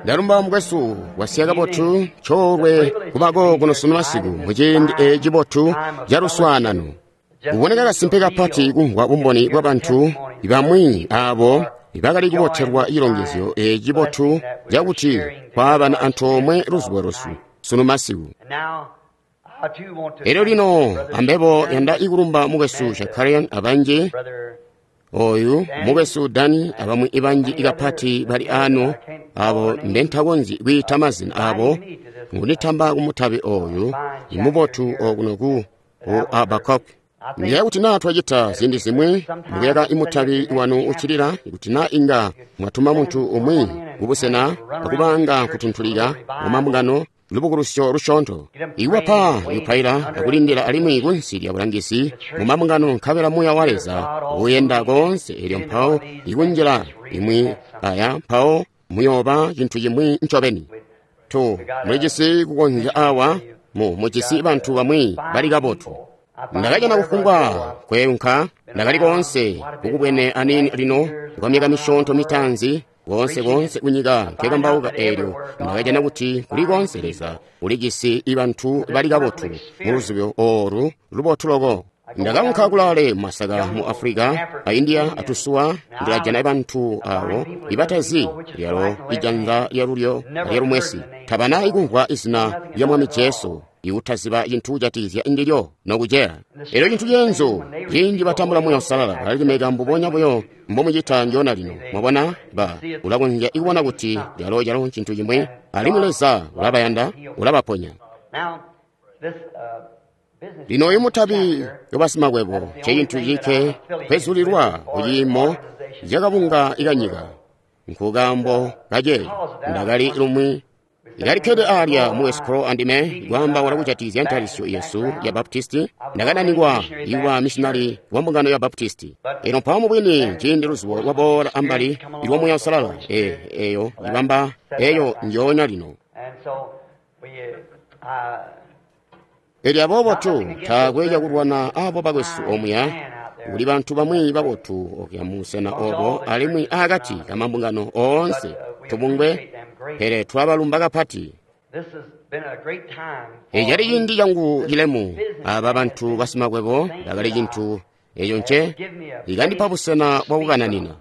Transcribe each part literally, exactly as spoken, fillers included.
Ndalumba mukwesu wasiya kabotu coolwe kubako kuno sunu masiku muciindi eci cibotu caluswaanano. Kuboneka kasimpe kapati kumvwa bumboni bwabantu bamwi aabo ibakali kubotelwa cilongezyo eci cibotu cakuti kwaabana antoomwe luzubo lwesu sunu masiku. Elyo lino ambebo yanda ikulumba mukwesu Shakarian abanji oyu mukwesu Dani abamwi ibanji ikapati bali ano abo mbentakonzyi kwiita mazina abo ngunditamba kumutabi oyu imubotu okuno ku Habakuk. Ndiyeeya kuti naa twacita ziindi zimwi mukuyaka imutabi wanu uccilila, kuti naa inga mwatuma muntu umwi kubusena akubanga kutuntulika mumambungano lubukulusyo lusyoonto iwapa ikupaila akulindila alimwi kunsi lya bulangizi mumambungano nkabela Muuya wa Leza uyenda koonse elyo mpawo ikunjila imwi aya mpawo muyooba cintu cimwi ncobeni. Tu mulijisi kukonzya awa mu mujisi bantu bamwi bali kabotu. Ndakajana kufumbwa kweunka ndakali koonse kukubwene aniini lino kwa myaka misyoonto mitaanzi koonse koonse kunyika nkekambauka eelyo ndakajana kuti kuli koonse Leza ulijisi ibantu bali kabotu muluzibo oolu lubotu loko. Ndakaunka kulaale mumasaka mu Africa a India atusuwa ndilajana bantu aabo ibatazi lyalo ijanza lyalulyo alyalumwesi tabana ikumvwa izina lya Mwami Jesu iutaziba cintu kujatikizya ndilyo nokuceya. Elyo cintu ceenzu ciindi batambula Muuya Uusalala balalimeka mbubonya buyo mbomucita ndyona lino. Mwabona ba ulakonzya ikubona kuti lyalo calo ncintu cimwi alimwi Leza ulabayanda ulabaponya. Lino uyu mutabi wabasimakwebo ncecintu cilikke kwezulilwa kuciimo cakabunga ikanyika. Nkukaambo kaceeco ndakali lumwi ndalikkede alya mu West Crow andime kwaambaula kujatikizya ntalisyo yesu ya Baptisti. Ndakananikwa ikuba missionari wa mbungano ya Baptisti. Eno mpawo mubwini ciindi luzubo lwaboola ambali ilwa Muuya Uusalala e eyo ibamba eyo njoonya lino. Elyo aboobo tu taakwe cakulwana abo bakwesu omuya kuli bantu bamwi babotu okuya musena obo alimwi akati kamambungano oonse tubungwe, pele twabalumba kapati. Ecali ciindi cangu cilemu aba bantu basimakwebo bakali cintu eco nce ikandipa busena bwakukananina.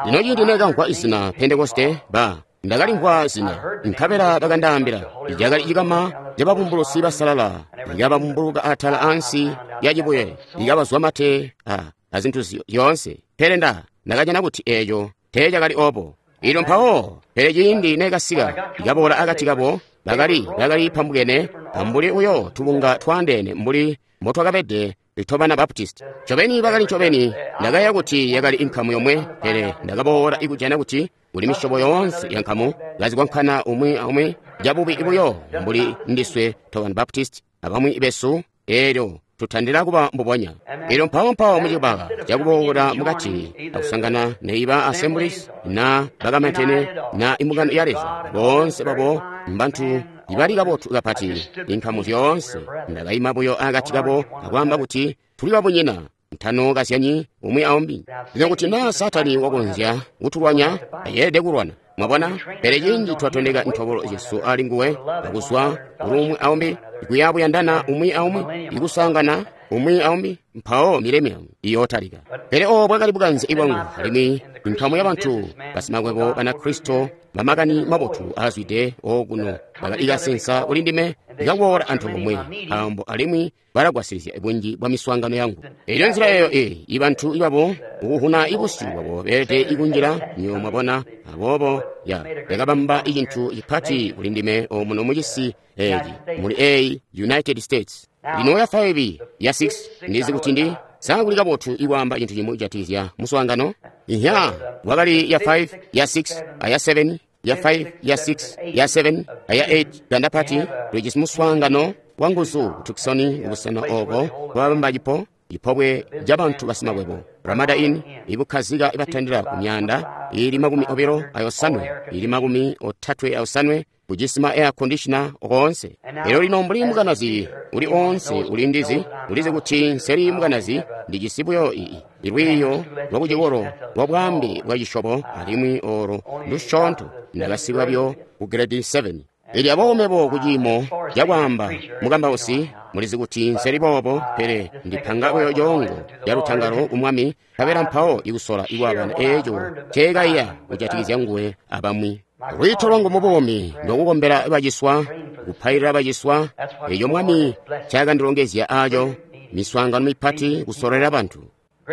Lino ciindi nekamvwa izina Pentekoste ba ndakalimvwa zina nkabela bakandaambila cakali cikama cababumbulusi basalala ikababumbuluka atala ansi ya cibuye ikabazwa mate a azintu zyoonse, pele nda ndakajana kuti eco teecakali obo. Ilo mpawo pele ciindi nekasika ikaboola akati kabo bakali bakali pambukene ambuli uyo tubunga twaandeene mbuli mbotwakabede tobana Baptist. Ncobeni bakali ncobeni ndakayeeya kuti yakali inkamu yomwe, pele ndakaboola ikujana kuti kuli misyobo yoonse ya nkamu kazikwankana umwi aumwi cabubi buyo mbuli ndiswe tobana Baptist abamwi besu eelyo tutandila kuba mbubonya. Elyo mpawo mpawo mucibaka cakuboola mukati akusangana neiba Assemblies na bakamantene na imbungano ya Leza boonse babo mbantu ibali kabotu kapati inkamu zyoonse. Ndakaima buyo akati kabo akwaamba kuti tuli babunyina ntano kazyanyi umwi aumbi. Lino kuti naa Satani wakonzya kutulwanya ayelede kulwana mwabona, pele ciindi twatondeka ntobolo zyesu ali nguwe akuzwa kuli umwi aumbi ikuyabuyandana umwi aumwi ikusangana umwi aumbi mpawo mileniamu iyootalika. Pele obo bwakali bukanze bwangu alimwi inkamu yabantu basimakwebo Banakristo bamakani mabotu aazwide okuno bakali kuli ndime ikaboola antoomwe nkaambo alimwi balagwasilizya bunji bwa miswaangano yangu. Elyo nzila eyo e ibantu ibabo ukuhuna ibusyu bwabo beelede ikunjila nyo mwabona. Aboobo ya yakabamba icintu cipati kuli ndime omuno mucisi eci muli eyi United States. Lino ya five ya six ndizi kuti ndi sakuli kabotu ikwaamba cintu cimwi kujatikizya muswaangano. Inya wakali ya five ya six aya seven ya five ya six ya seven aya eight gandapati tulijisi muswaangano wanguzu Tucson ubusena obo bwabamba cipo ipobwe jabantu basimakwebo Ramada Inn ibukhazika ibatandila ku myanda ili makumi obilo ayosanwe ili makumi otatwe ayosanwe Ujisi ma air conditioner oonse. Elyo lino mbuli mukanazi uli oonse uli ndizi, ulizi kuti nseli mukanazi, ndijisi buyo ii lwiiyo lwa kucikolo lwa bwaambe bwa cisyobo, alimwi olo ndusyoonto ndakasika buyo ku grade seven. Elyo aboobo mebo kuciimo cakwaamba mukambausi, mulizi kuti nseli boobo, pele ndipanga buyo coongo ca lutangalo ku Mwami, nkabela mpawo ikusola ikwabana eeco nceekaiya kujatikizya nguwe abamwi. Lwiito lwangu mu buumi ndwakukombela baciswa, kupailila baciswa, eco Mwami ncaakandilongezya aaco, miswaangano mipati kusololela bantu.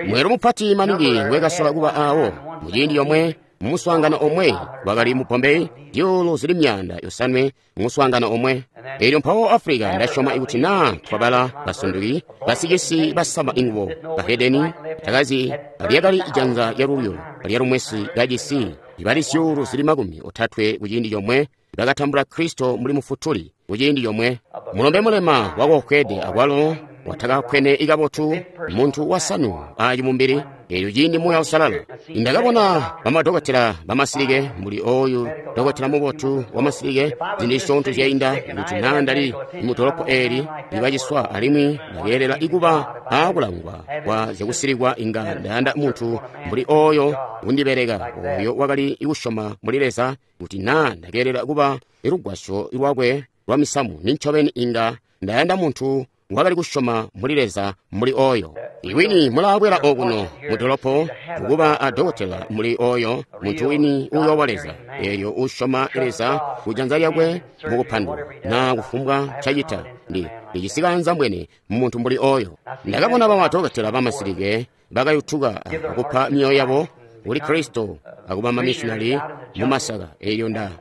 Mweelo mupati maningi ngwekasola kuba aawo muciindi comwe, mu muswaangano omwe wakali mu Bombay, zyuulu zili myaanda yosanwe mu muswaangano omwe. Elyo mpawo Africa, ndasyoma ikuti naa twabala basunduki, basicisi basama ingubo, bahedeni, takazi lyakali janza lyalulyo lyalumwesi kacisi, ibali zyuulu zili makumi otatwe kuciindi comwe bakatambula Kristo mbuli Mufutuli kuciindi comwe. Mulombe mulema wakokwede akwalo watakakwene ikabotu, muntu wasanu acimumbili, elyo ciindi Muuya Uusalala. Ndakabona bamadokotela bamasilike mbuli oyu dokotela mubotu wamasilike zindi zisyoonto zyainda, kuti naa ndali mudolopo eli libaciswa alimwi ndakeelela ikuba aakulangwa kwa zyakusilikwa, inga ndayanda muntu mbuli oyo kundibeleka, oyo wakali kusyoma muli Leza, kuti naa ndakeelela kuba lugwasyo lwakwe lwa misamu, nincobeni inga ndayanda muntu wakali kusyoma muli Leza mbuli oyo. Iwini mulaabwela okuno mudolopo kukuba a dokotela muli oyo, muntu wini uyoowa Leza, elyo usyoma Leza kujanza lyakwe mukupandula naa kufumbwa ncacita. Ndi ndicisikanza mbwene muntu mbuli oyo. Ndakabona bamadokotela bamasilike bakayutuka akupa myoyo yabo kuli Kristo akuba mamissionari mu masaka. Elyo nda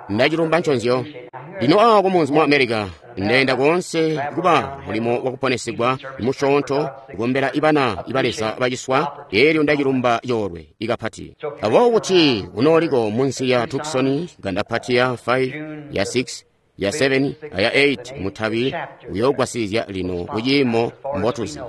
ndacilumba nconzyo. Lino awa kumunzi mu America, ndenda koonse kuba mulimo wakuponesegwa musyoonto, kukombela ibana iba Leza baciswa, elyo ndacilumba coolwe ikapati. Aboobo kuti unooliko munsi ya Tucson, gandapati ya five, ya six, ya seven, aya eight mutabi uyoogwasilizya lino kuciimo mbotuzi.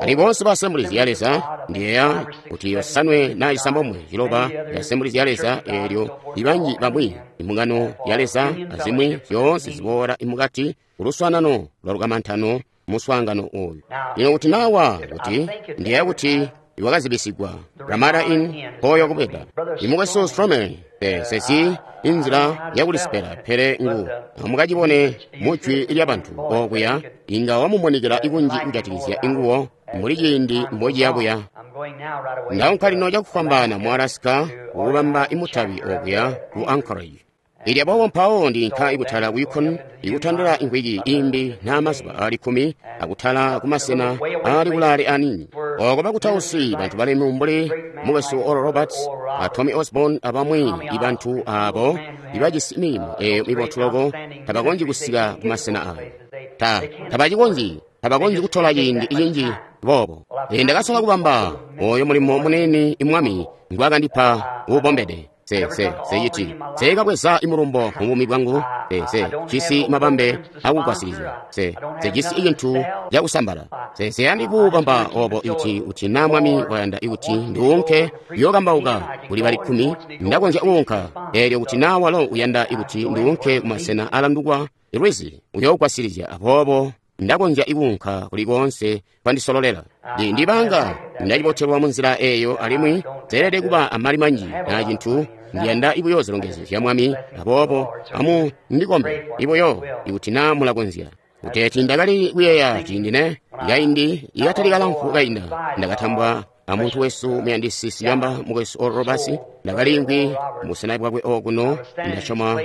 Ali bonse ba Assemblies ya Leza, ndiyeeya kuti yosanwe na isambomwe ciloba ya Assemblies ya Leza, elyo ibanji bamwi imbungano ya Leza azimwi zyoonse ziboola imukati kuluswaanano lwa lukamantano muswaangano oyu. Lino kuti nawa kuti ndiyeeya kuti iwakazibisigwa Ramada Inn mpoyo kubweda. Imukwesu Strome sesi inzila yakulisipela, pele ngu amukacibone mujwi lyabantu okuya, inga wamumunikila ikunji kujatikizya inguwo mbuli ciindi mbociyabuya. Ndaunka lino cakufwambaana mu Alaska kukubamba imutabi okuya ku Anchorage. Ilya boobo mpawo ndinka ikutala ku Yukon, ikutandila inkwiki imbi n'amazuba aali kkumi, akutala kumasena aali kulaale aniini. Oko bakutausi bantu balemu mbuli mukwesu Oral Roberts a Tommy Osborn abamwi ibantu abo ibajisi milimo eyo mibotu loko tabakonzyi kusika kumasena ayo. Ta tabacikonzyi, tabakonzyi kutola ciindi cinji boobo. Ndakasola kubamba oyo mulimo munene imwami ngwaakandipa uubombede. Se se seyiti seekabweza imulumbo mu buumi bwangu, se se jisi mabambe akugwasilizya, se se jisi icintu cakusambala, se seyandi kuubamba obo ikuti kuti naa Mwami wayanda ikuti nduunke yookambauka kuli bali kkumi, ndakonzya kuunka. Eelyo kuti naa walo uyanda ikuti nduunke kumasena alandukwa lwizi, uyoogwasilizya. Aboobo ndakonzya ikuunka kuli koonse kwandisololela. Ndibanga ndacibotelwa munzila eyo, alimwi zeelede kuba amali manji na cintu. Ndiyanda ibuyo zilongezyo zya Mwami. Aboobo amu ndikombe ibuyo ikuti naa mulakonzya. Kuteeti ndakali kuyeeya ciindi ne kaindi ikatali kalamfu kainda, ndakatambwa amuntu wesu muyandisi siyamba mukwesu Oral Roberts. Ndakaliimvwi mubusena bwakwe okuno, ndasyoma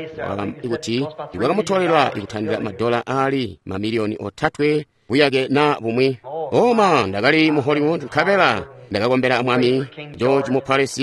kuti iwakamutolela ikutandila madola aali mamiliyoni otatwe buyake na bumwi. Oma ndakali mu Hollywood, nkabela ndakakombela Mwami George mu Paris,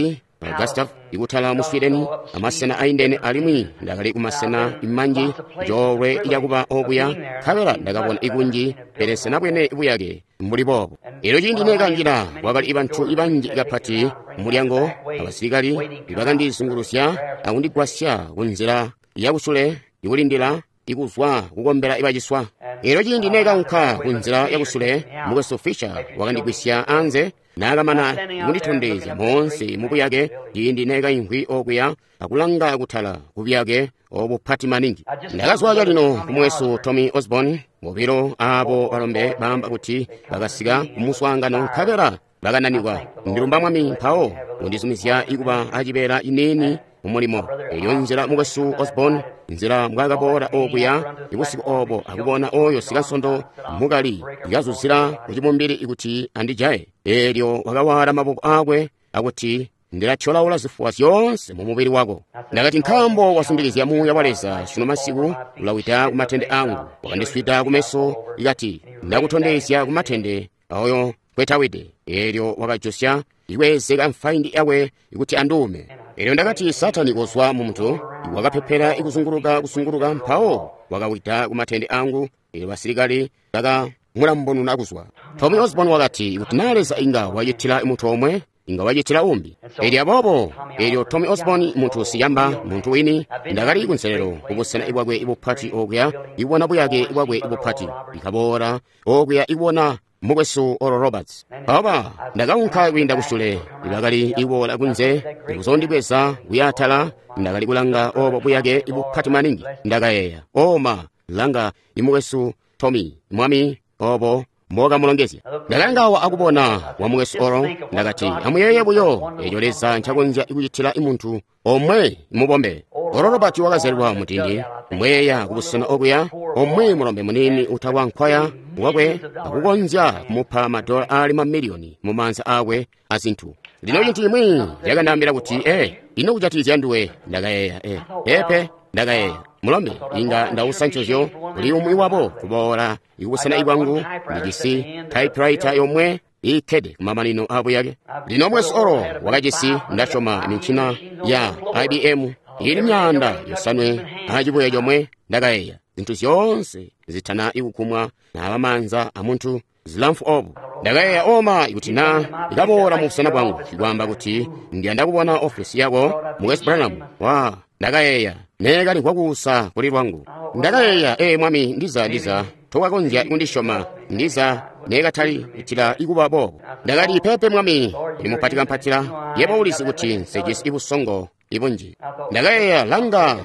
Gustav ikutala mu Sweden, amasena aindene, alimwi ndakali kumasena imanji coolwe cakuba okuya, nkabela ndakabona ikunji, pele senabwene buyake mbuli boobo. Elyo ciindi nekanjila, kwakali ibantu ibanji kapati mulyango, abasilikali ibakandizungulusya akundigwasya kunzila yakusule ikulindila ikuzwa kukombela ibaciswa. Elyo ciindi nekaunka ku nzila yakusule, Mukwesu Fisher wakandigwisya anze, naakamana kunditondezya moonse mu buyake ciindi nekaimvwi okuya akulanga kutala ku buyake obupati maningi. Ndakazwa calino ku Mukwesu Tommy Osborn, bobilo abo balombe baamba kuti bakasika ku muswaangano nkabela bakananikwa. Ndilumba Mwami mpawo kundizumizya ikuba acibeela ciniini mu mulimo. Eyo nzila Mukwesu Osborn, nzila mbwaakaboola okuya ibusiku obo akubona oyo sikansondo mukali ikazuzila ku cibumbili kuti andijaye. Eelyo wakawaala maboko akwe akuti, ndilatyolaula zifuwa zyoonse mu mubili wako. Ndakati, nkaambo wasungilizya Muuya wa Leza sunu masiku ulawida ku matende angu. Wakandiswida kumeso ikati, ndakutondezya ku matende aoyo nkwetawide. Eelyo wakajosya ikwezeka mfaindi yakwe kuti anduume. Eelyo ndakati, Satani kozwa mu muntu. Wakapepela ikuzunguluka kuzunguluka mpawo wakawida ku matende angu. Eelyo basilikali baka mulambonuna kuzwa. Tommy Osborn wakati, kuti naa Leza inga wacitila muntu omwe, inga wacitila umbi. Elyo aboobo, elyo Tommy Osborn muntu siyamba, muntu wini, ndakali kunselelo kubusena bwakwe bupati okuya, ibona buyake bwakwe bupati. Ikaboola okuya ibona Mukwesu Oral Roberts. Mpawo ndakaunka kwiinda kusule, ibakali iboola kunze, ikuzondibweza kuya atala, ndakali kulanga obo buyake bupati maningi. Ndakayeeya, oma, langa imukwesu Tommy, Mwami, obo mbokamulongezya. Ndakalanga awa akubona wa Mukwesu Oral, ndakati, amuyeeye buyo eco Leza ncakonzya kucitila muntu omwe mubombe. Oral Roberts wakazyalilwa mutindi, mweeya kubusena okuya, omwe mulombe muniini utakwa nkwaya wakwe akukonzya kumupa madola aali mamiliyoni mu maanza akwe azintu. Lino cintu cimwi cakandaambila kuti, eh, ino kujatikizya nduwe? Ndakayeeya, eh, peepe, ndakayeeya, mulombe, inga ndausa ncozyo kuli umwi wabo kuboola ikubusena ibwangu. Ndijisi typewriter yomwe iikkede kumamanino abuyake. Lino Mukwesu Oral wakajisi, ndasyoma, mincina ya I B M ili myaanda yosanwe acibuye comwe. Ndakayeeya, zintu zyoonse zitana ikukumwa naaba maanza amuntu zilamfu obu. Ndakayeeya, oma, ikuti na ikaboola mu busena bwangu ikwaamba kuti ndiyanda kubona ofesi yako, Mukwesu Branham. Wa, ndakayeeya, neekali kwakuusa kuli lwangu. Ndakayeeya, ee Mwami, ndiza ndiza tokakonzya kundisyoma, ndiza neekatali kutila ikuba boobo. Ndakati, peepe Mwami, uli mupati kampatila, yebo ulizi kuti nsejisi ibusongo ibunji. Ndakayeeya, langa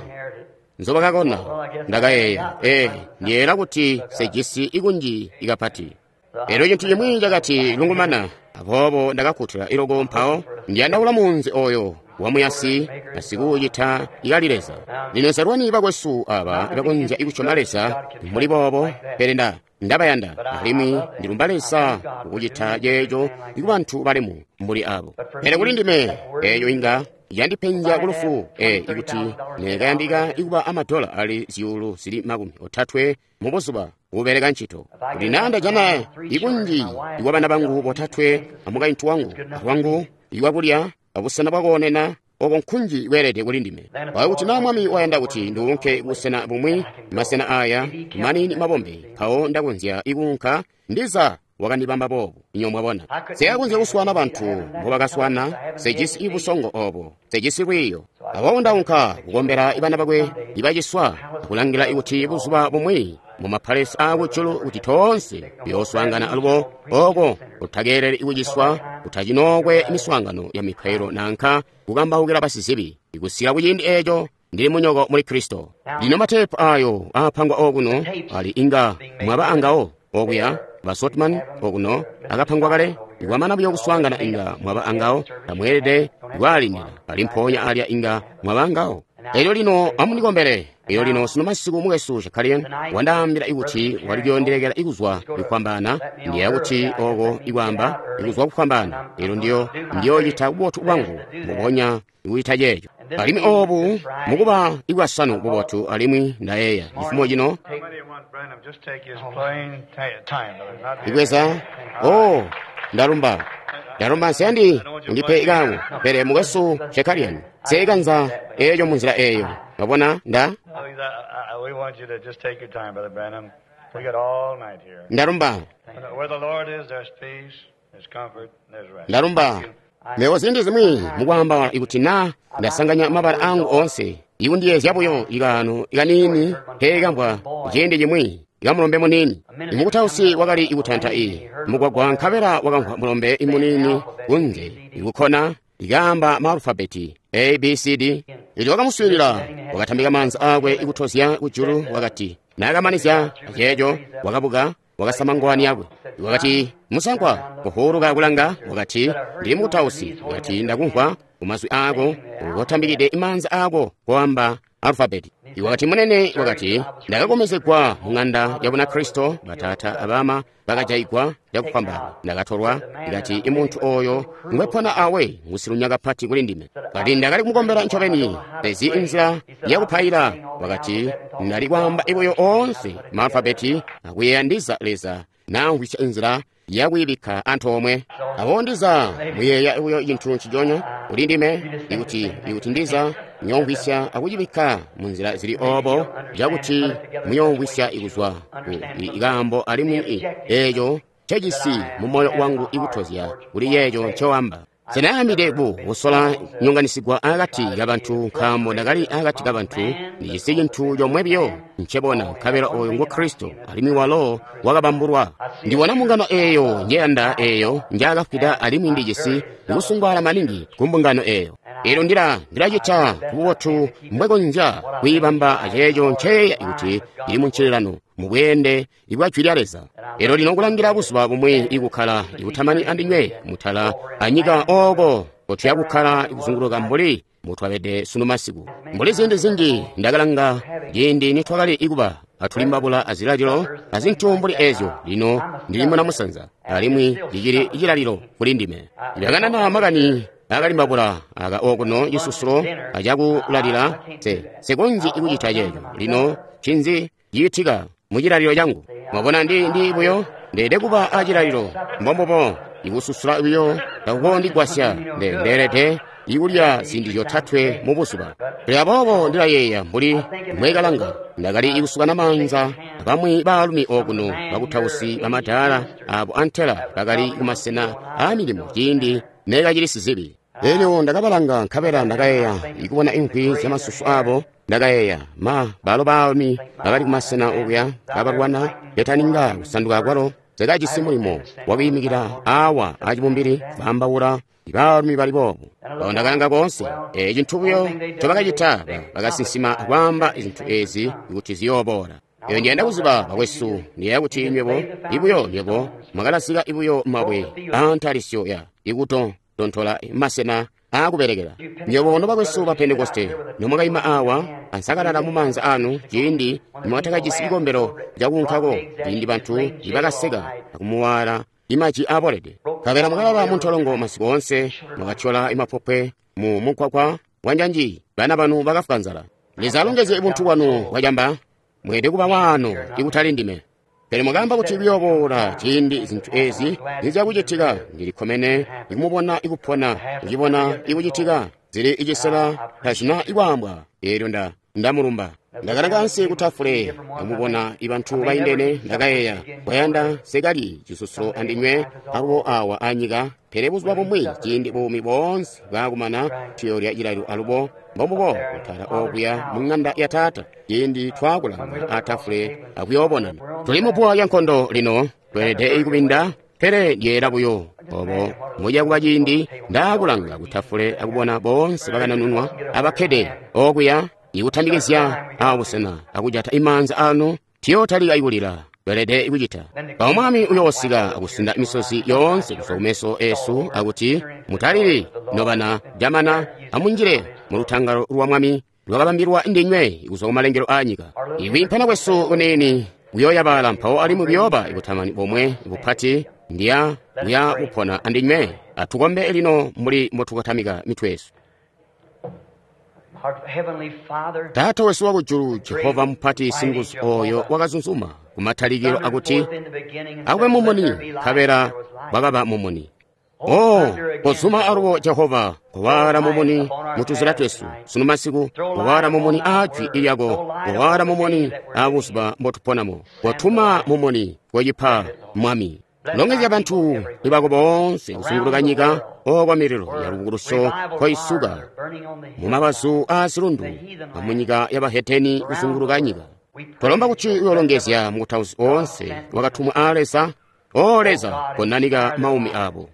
nzobakakona. Ndakayeeya, ee, ndiyeera kuti nsejisi ikunji ikapati. Elyo cintu cimwi cakati lungumana, aboobo ndakakkutula iloko mpawo ndiyandaula munzi oyo wamuyasi asikuucita ikali Leza. Lino nselwani bakwesu aba bakonzya ikusyoma Leza mbuli boobo, pele nda ndabayanda alimwi ndilumba Leza kukucita ceeco kubantu balemu mbuli abo. Pele kuli ndime eeyo inga yandipenzya kulufu, e ikuti nekayandika ikuba amadola ali zyuulu zili makumi otatwe mu buzuba kubeleka ncito. Kuti naa ndajana ikunji ikwabana bangu botatwe amukaintu wangu alwangu ikwakulya abusena bwakoonena, oko nkunji kweelede kuli ndime. Kuti naa Mwami wayanda kuti nduunke kubusena bumwi, masena aya manini mabombe, mpawo ndakonzya ikuunka, ndiza wakandibamba boobu. Inyo mwabona, sekakonzya kuswana bantu mbobakaswana, sejisi ibusongo obo, sejisi lwiiyo. Aboobo ndaunka kukombela ibana bakwe ibaciswa, akulangila kuti buzuba bumwi mu mapalesi aakujulu kuti toonse tuyooswaangana alubo oko kutakeeleli ikuciswa, kutacinookwe miswaangano ya mipailo nanka kukambaukila basizibi. Ikusika kuciindi eeco ndili munyoko muli Kristo. Lino mateepu ayo aapangwa okuno ali inga mwaba angawo okuya ba Sotman okuno akapangwa kale. Ikwamana buyo kuswaangana inga mwaba angawo, tamweelede kwaalindila, ali mpoonya alya inga mwaba angawo. Elyo lino amundikombele. Elyo lino sunu masiku Mukwesu Shakarian wandaambila ikuti wali kuyondelekela ikuzwa kufwambaana. Ndiyeeya kuti oko ikwaamba ikuzwa kufwambaana. Elyo ndiyo ndiyocita bubotu bwangu mbubonya ikucita ceeco. Alimwi obu mukuba ikwasanu bubotu, alimwi ndayeeya cifumo cino ikweza. Oh, ndalumba ndalumba nseyandi undipe ikangu, pele Mukwesu Shakarian seekanza eeco munzila eeyo. Mwabona, nda ndalumba ndalumba. Mebo ziindi zimwi mukwaamba ikuti na ndasanganya mabala angu oonse, ikundiyeezya buyo ikaano kaniini nkeekamvwa ciindi cimwi kamulombe muniini. Imukutausi wakali ikutanta i mugwagwa nkabela wakamvwa mulombe muniini kunze ikukkona ikaamba maalufabeti A B C D. Elyo wakamuswiilila, wakatambika maanza akwe ikutozya kujulu, wakati naakamanizya aceeco wakabuka wakasama ngowani yakwe. Wakati, musankwa, kuhuluka kulanga, wakati, ndili mukutausi. Wakati, ndakumvwa kumazwi ako kotambikide maanza ako koamba alufabeti. Wakati munene, wakati, ndakakomezegwa mu ng'anda ya Bunakristo, batata abama bakajayigwa cakufwambaana, ndakatolwa. Ikati imuntu oyo ngwepona awe ngusilunya kapati kuli ndime. Kati ndakali kumukombela ncobeni, pezi inzila yakupaila. Wakati ndali kwaamba ibuyo oonse maalufabeti akuyeeya ndiza Leza naamvwisya inzila yakuyibikka antoomwe. Abo ndiza muyeeya buyo cintu nciconya kuli ndime, ikuti ikuti ndiza muyoomvwisya akucibikka munzila zili obo cakuti muyoomvwisya ikuzwa ku ikaambo alimwi eeco ncecisi mu moyo wangu ikutozya kuli yeeco ncowamba. Senayambide ku kusola nyonganisigwa akati kabantu, nkaambo ndakali akati kabantu ndijisi cintu comwe biyo ncebona, nkabela oyo ngu Kristo, alimwi walo wakabambulwa. Ndibona mbungano eeyo njeyanda eeyo njaakafwida, alimwi ndijisi kusungwaala maningi ku mbungano eeyo. Elyo ndila ndilacita kububotu mbwekonzya kwiibamba aceeco nceyeeya kuti ili muncililano mubweende ibwa jwi lya Leza. Elyo lino kulangila buzuba bumwi ikukkala ikutamani andinywe mutala anyika ooko kotuya kukkala ikuzunguluka mbuli mbutwabede sunu masiku. Mbuli ziindi zinji ndakalanga ciindi nitwakali ikuba atulimbabula azilalilo azintu mbuli ezyo. Lino ndili muna musanza alimwi cicili cilalilo kuli ndime. Ndakanana makani akalimbabula aka okuno cisusulo acakulalila, se sekonzyi ikucita ceeco. Lino ncinzi ciitika mu cilalilo cangu? Mwabona, ndi ndi buyo ndeede kuba acilalilo mbombubo ikususula buyo takukondigwasya. Ndeelede ikulya ziindi zyotatwe mu buzuba. Pele aboobo ndilayeeya mbuli mwekalanga ndakali ikusukana maanza abamwi baalumi okuno bakutausi bamadaala abo antela bakali kumasena aamilimo ciindi neekacili sizibi. Elyo ndakabalanga nkabela ndakayeeya ikubona imvwi zyamasusu abo. Ndakayeeya ma balo baalumi bakali kumasena okuya kabalwana betaninga kusanduka kwalo sekajisi mulimo wakwiimikila awa acibumbili baambaula baalumi bali boobo. Awo ndakalanga koonse e cintu buyo ncobakacita, bakasinsima akwaamba zintu ezi kuti ziyooboola. Eyo ndiyanda kuziba bakwesu, ndiyeeya kuti nywebo ibuyo nywebo mwakalasika ibuyo mabwe aantalisyo ya ikuto tontola masena aakubelekela. Nywebo nobakwesu ba Pentekoste nomwakaima awa ansakalala mu maanza anu ciindi nimwakatakajisi cikombelo cakuunkako, ciindi bantu nibakaseka akumuwaala imaji aabolede, nkabela mwakalala muntolongo masiku oonse, mwakatyola imapopwe mu mugwagwa wanjanji, bana banu bakafwa nzala. Leza alongezye buntu bwanu bwacamba, mweelede kuba waano ikutali ndime. Pele mwakaamba kuti kuyooboola ciindi zintu ezi nizyakucitika. Ndilikkomene ikumubona ikupona, kucibona ikucitika, zili icisela tazina ikwaambwa. Eelyo nda ndamulumba. Ndakalanga ansi kutafule akumubona ibantu baindene. Ndakayeeya kwayanda sekali cisusulo andinywe alubo awa anyika, pele buzuba bumwi ciindi buumi boonse bwaakumana tuyoolya cilalilo alubo mbombubo kutala okuya mu ng'anda ya Taata ciindi twaakulanga atafule akuyoobonana. Tuli mupuwa lya nkondo lino, tweelede ikubinda, pele ndyeela buyo obo muja kuba ciindi ndaakulanga kutafule akubona boonse bakananunwa abakkede okuya ikutambikizya abusena akujata imaanza anu, tiyootalika ikulila. Tweelede ikucita. Mpawo Mwami uyoosika akusinda misozi yoonse kuzwa kumeso esu akuti, mutalili nobana jamana, amunjile mu lutangalo lwa Mwami lwakabambilwa ndinywe kuzwa kumalengelo aanyika. Ikwiimpana kwesu kuniini kuyooyabala mpawo alimwi kuyooba ikutamani bomwe bupati ndiya kuya kupona andinywe. Atukombe lino mbuli mbotukatamika mitwe yesu. Taata wesu wakujulu, Jehova mupati singuzu oyo wakazunzuma kumatalikilo akuti akube mumuni, nkabela wakaba mumuni. Oh, kozuma alubo Jehova, kowaala mumuni mutuzila twesu sunu masiku, kowaala mumuni aajwi lyako, kowaala mumuni aabuzuba mbotuponamo, kotuma mumuni kocipa Mwami. Longezya bantu bako boonse kusunguluka nyika ooko mililo ya lubukulusyo koisuka mumabazu aa zilundu amunyika yabaheteni kusunguluka nyika. Twalomba kuti uyolongezya mukutausi oonse wakatumwa aa Leza. O Leza, konanika maumi abo.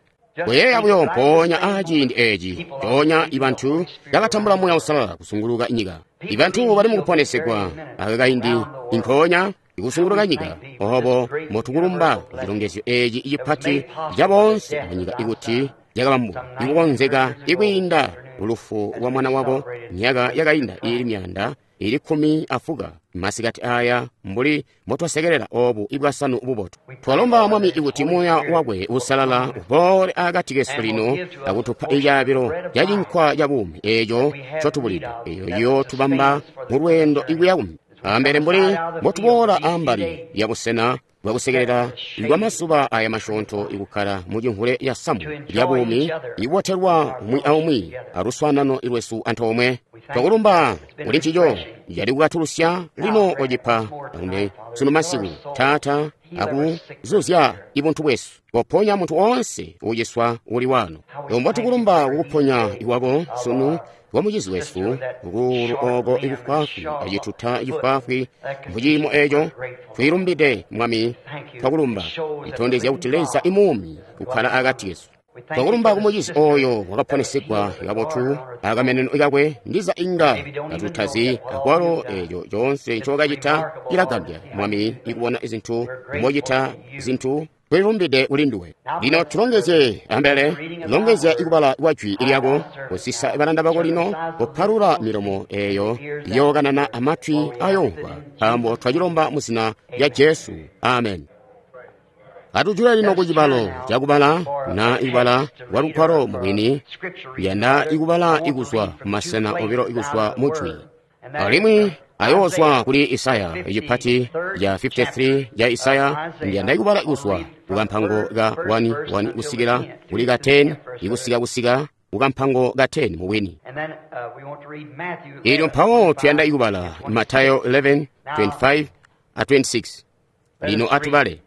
Kuyeeya buyo mpoonya aa ciindi eeci mpoonya ibantu bakatambula Muuya Uusalala kusunguluka nyika. Ibantu bali mukuponesegwa aka kaindi inkoonya ikusunguluka nyika. Obo mbotukulumba cilongezyo eeci cipati ca boonse munyika ikuti cakabambwa ikukonzeka ikwiinda lufu lwa mwana wako myaka yakainda iili myaanda ili kkumi afuka masikati aya mbuli mbotwasekelela obu ibwasanu bubotu. Twalomba Mwami ikuti Muuya wakwe Uusalala uboole akati kesu lino akutupa icaabilo ca cinkwa ca buumi eeco ncotubulide, eeyo iyootubamba mulweendo ikuya kumbi ambele mbuli mbotuboola ambali ya busena bwakusekelela bwa mazuba aya masyoonto ikukkala mu cimvule ya samu lya buumi ikubotelwa umwi aumwi aluswaanano lwesu antoomwe. Twakulumba kuli ncico cali kukatulusya lino ocipa akumbe sunu masiku, Taata, akuzuzya ibuntu bwesu. Koponya muntu oonse uuciswa uli wano. Mbotukulumba kukuponya iwako sunu wa mucizi wesu kukuulu oko ikufwaafwi acituta cifwaafwi muciimo eco. Twilumbide Mwami, twakulumba itondezya kuti Leza imuumi kukkala akati kesu. Twakulumba kumucizi oyo wakaponesegwa kabotu akameneno kakwe, ndiza inga katutazi akwalo eco coonse ncokacita cilagambya Mwami ikubona izintu mbocita zintu. Twilumbide kuli nduwe. Lino tulongezye ambele, longezya ikubala kwa jwi lyako, kusisa balanda bako lino, kupalula milomo eyo iyookanana amatwi ayomvwa, nkaambo twacilomba mu zina lya Jesu. Amen. Atujule lino ku cibalo cakubala na ikubala kwa lugwalo mubwini, kuyanda ikubala ikuzwa kumasena obilo ikuzwa mu jwi. Alimwi ayoozwa kuli Isaya icipati ya fifty three ya Isaya, ndiyanda ikubala ikuzwa kukampango ka one one kusikila kuli ka ten, ikusika kusika kukampango ka ten mubwini. Ilyo mpawo tuyanda ikubala Matayo eleven twenty five a twenty six. Lino atubale.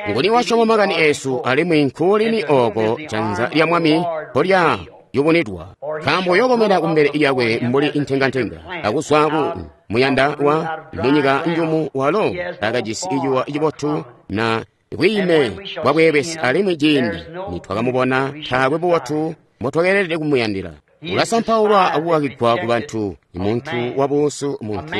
Nguni wasyoma makani eesu, alimwi nkuulini ooko janza lya Mwami mpolya yubunidwa? Nkaambo yokomena kumbele lyakwe mbuli intengantenga, akuzwa ku muyanda wa munyika njumu walo akajisi icuwa cibotu na bwiime bwa bweebesi, alimwi ciindi nitwakamubona taakwe bubotu mbotwakeelede kumuyandila. Ulasampaulwa akukakigwa ku bantu, muntu wabuusu, muntu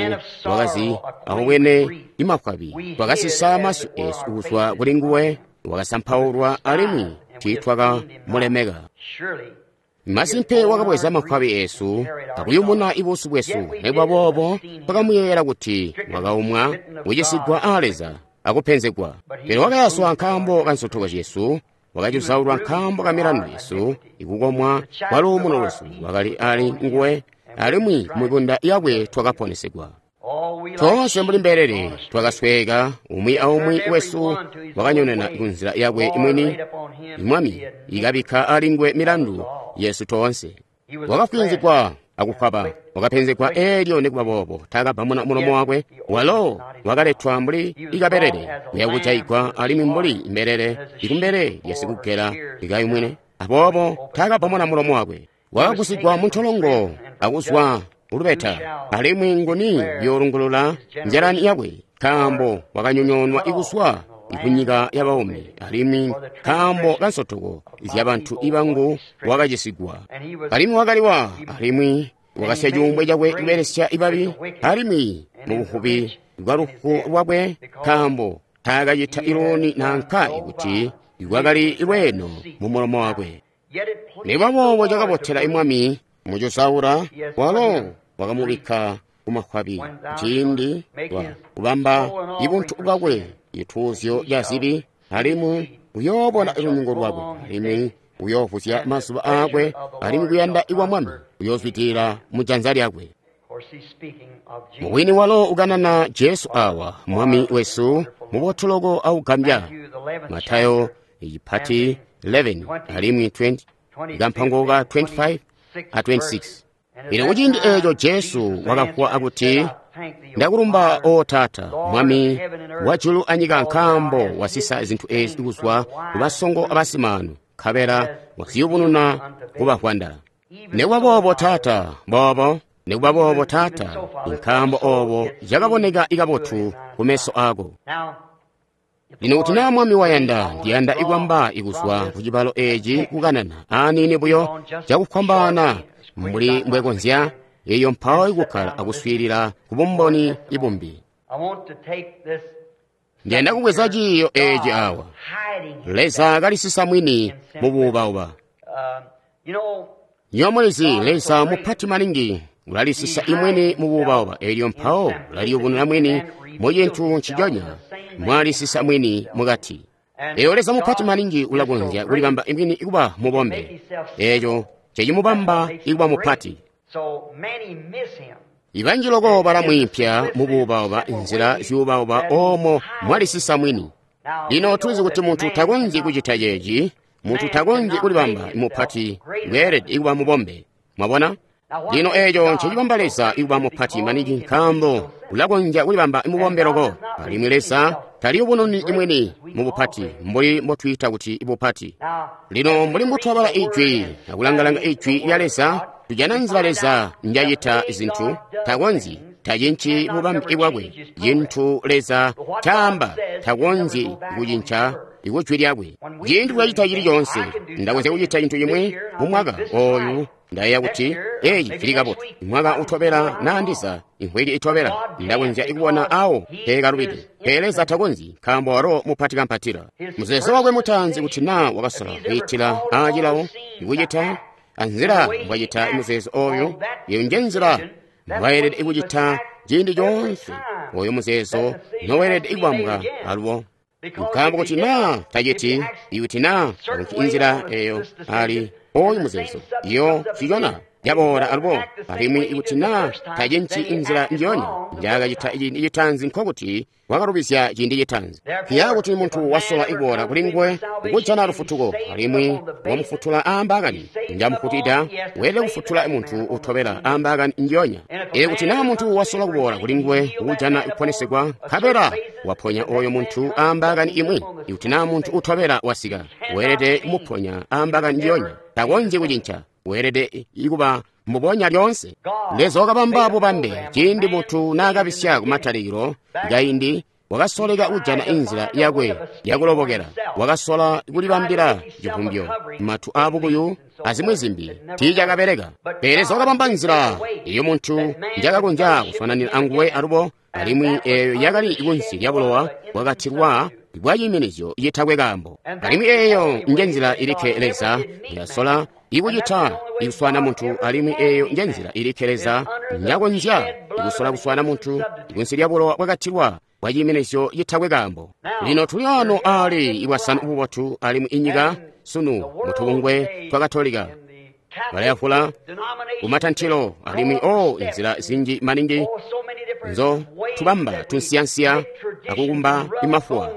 wakazi akubwene imafwabi. Twakasisa masyu eesu kuzwa kuli nguwe, wakasampaulwa alimwi tiitwakamulemeka. Masimpe wakabweza mafwabi eesu akuyumuna ibuusu bwesu. Nikuba boobo twakamuyeeyela kuti wakaumwa, kucisigwa aa Leza akupenzegwa. Pele wakayaswa nkaambo ka nsotoko zyesu, wakacuzaulwa nkaambo ka milandu yesu, ikukomwa kwa luumuno lwesu wakali ali nguwe, alimwi mumibunda yakwe twakaponesegwa. Toonse mbuli mbelele twakasweeka, umwi aumwi wesu wakanyonena kunzila yakwe mwini. Mwami ikabikka ali nguwe milandu yesu toonse. Wakafwinzigwa akukwaba, wakapenzegwa eelyo nikuba boobo taakabamuna mulomo wakwe. Walo wakaletwa mbuli ikabelele kuya kujaigwa, alimwi mbuli mbelele ikumbele lyasikugela ikayumwine, aboobo taakabamuna mulomo wakwe. Wakagusigwa muntolongo akuzwa ulubeta, alimwi nguni yoolungulula nzyalani yakwe? Nkaambo wakanyonyoonwa ikuzwa ikunyika yabaumi, alimwi nkaambo kansotoko zyabantu ibangu wakacisigwa. Alimwi wakaliwa, alimwi wakasya cuumbwe cakwe kubelesya ibabi, alimwi mubuvubi bwa lufu lwakwe, nkaambo taakacita ilooni nanka ikuti lwakali lweeno mumulomo wakwe. Nikuba boobo cakabotela imwami mucuzaula, walo wakamubikka kumafwabi ciindi wa kubamba ibuntu bwakwe cituuzyo ca zibi, alimwi uyoobona lunyungu lwakwe, alimwi uyoovuzya mazuba aakwe, alimwi kuyanda ikwa Mwami uyoozwidilila mujanza lyakwe. Mubwini walo ukanana Jesu awa Mwami wesu mubotuloko augambya. Matayo icipati eleven alimwi twenty, ikampango ka twenty-five a twenty-six. Lino kuciindi eeco Jesu wakavuwa akuti, Ndakulumba, O Taata, Mwami wajulu anyika, nkaambo wasisa zintu ezi kuzwa kubasongo abasimaanu, nkabela waziyubununa kubavwanda. Nikuba boobo, Taata, boobo, nikuba boobo, Taata, nkaambo oobo cakaboneka ikabotu kumeso aako. Lino kuti naa Mwami wayanda, ndiyanda ikwamba ikuzwa kucibalo eeci kukanana aaniini buyo cakufwambaana mbuli mbwekonzya, eyo mpawo ikukkala akuswiilila kubumboni ibumbi. Ndiyanda kubweza ciiyo eeci awa. Leza kalisisa mwini mubuubauba. Nywebo mulizi, Leza mupati maningi ulalisisa imwini mubuubauba, elyo mpawo ulaliyubununa mwini mu cintu nciconya mwalisisa mwini mukati. Eyo Leza mupati maningi ulakonzya kulibamba imwini ikuba mubombe, eco cecimubamba ikuba mupati. Ibanji loko balamwiimpya mubuubauba nzila zyuubauba oomo mwalisisa mwini. Lino tulizi kuti muntu takonzyi kucita ceeci, muntu takonzyi kulibamba mupati, weelede ikuba mubombe. Mwabona? Lino eeco ncecibamba Leza ikuba mupati maningi, nkaambo ulakonzya kulibamba mubombe loko. Alimwi Leza taliyubununi imwini mubupati mbuli mbotwiita kuti bupati. Lino mbuli mbutwabala Ijwi akulangalanga Ijwi lya Leza, tujana nzila Leza njacita zintu. Takonzyi, tacinci bubambe bwakwe. Cintu Leza caamba takonzyi kucinca ikujwi lyakwe. Ciindi kulacita cili coonse, ndakonzya kucita cintu cimwi mumwaka ooyu, ndayeeya kuti eeci cili kabotu. Mwaka utobela naandiza imvwiki itobela, ndakonzya kubona awo peekalubide. Pele Leza takonzyi, nkaambo walo mupati kampatila. Muzeezo wakwe mutaanzi kuti naa wakasola kwiitila aacilawo ikucita anzila mbwacita muzeezo ooyu, iyo nje nzila mbwayelede kucita ciindi coonse. Oyo muzeezo noweelede kubambwa alubo. Nkaambo kuti naa taciti, ikuti naa takunci inzila eyo ali oyu muzeezo, iyo cicona yaboola alubo. Alimwi ikuti naa tacinci inzila njiyonya njaakacita ciindi citaanzi, nkokuti wakalubizya ciindi citaanzi. Kuya kuti muntu wasola iboola kuli nguwe kujana lufutuko, alimwi wamufutula aambaakani njamufutida, weelede kufutula muntu utobela aambaakani njiyonya. Elyo kuti naa muntu wasola kuboola kuli nguwe kujana kuponesegwa, nkabela waponya oyo muntu aambaakani imwi, ikuti naa muntu utobela wasika, weelede kumuponya aambaakani njiyonya. Takonzyi kucinca, weelede ikuba mbubonya lyoonse. Leza wakabamba bubambe ciindi muntu naakabisya kumatalikilo kaindi, wakasoleka kujana inzila yakwe yakulobokela, wakasola kulibambila civumbyo, matu aabukuyu azimwi zimbi, tiicakabeleka. Pele Leza wakabamba nzila iyo muntu njakakonzya kufananira anguwe alubo, alimwi eeyo yakali kunsi lya bulowa bwakatilwa bwa ciiminizyo citakwe kaambo. Alimwi eeyo nje nzila ilikke Leza njasola ikucita ikuswana muntu, alimwi eeyo nje nzila ilikke Leza njakonzya ikusola kuswana muntu kunsi lya bulowa bwakatilwa bwa ciiminizyo citakwe kaambo. Lino tuli ano aali ibwasanu bubotu, alimwi inyika sunu mutubungwe twa Katolika balayavula kumatantilo, alimwi o inzila zinji maningi nzo tubamba tunsiyansiya akukumba imafuwa.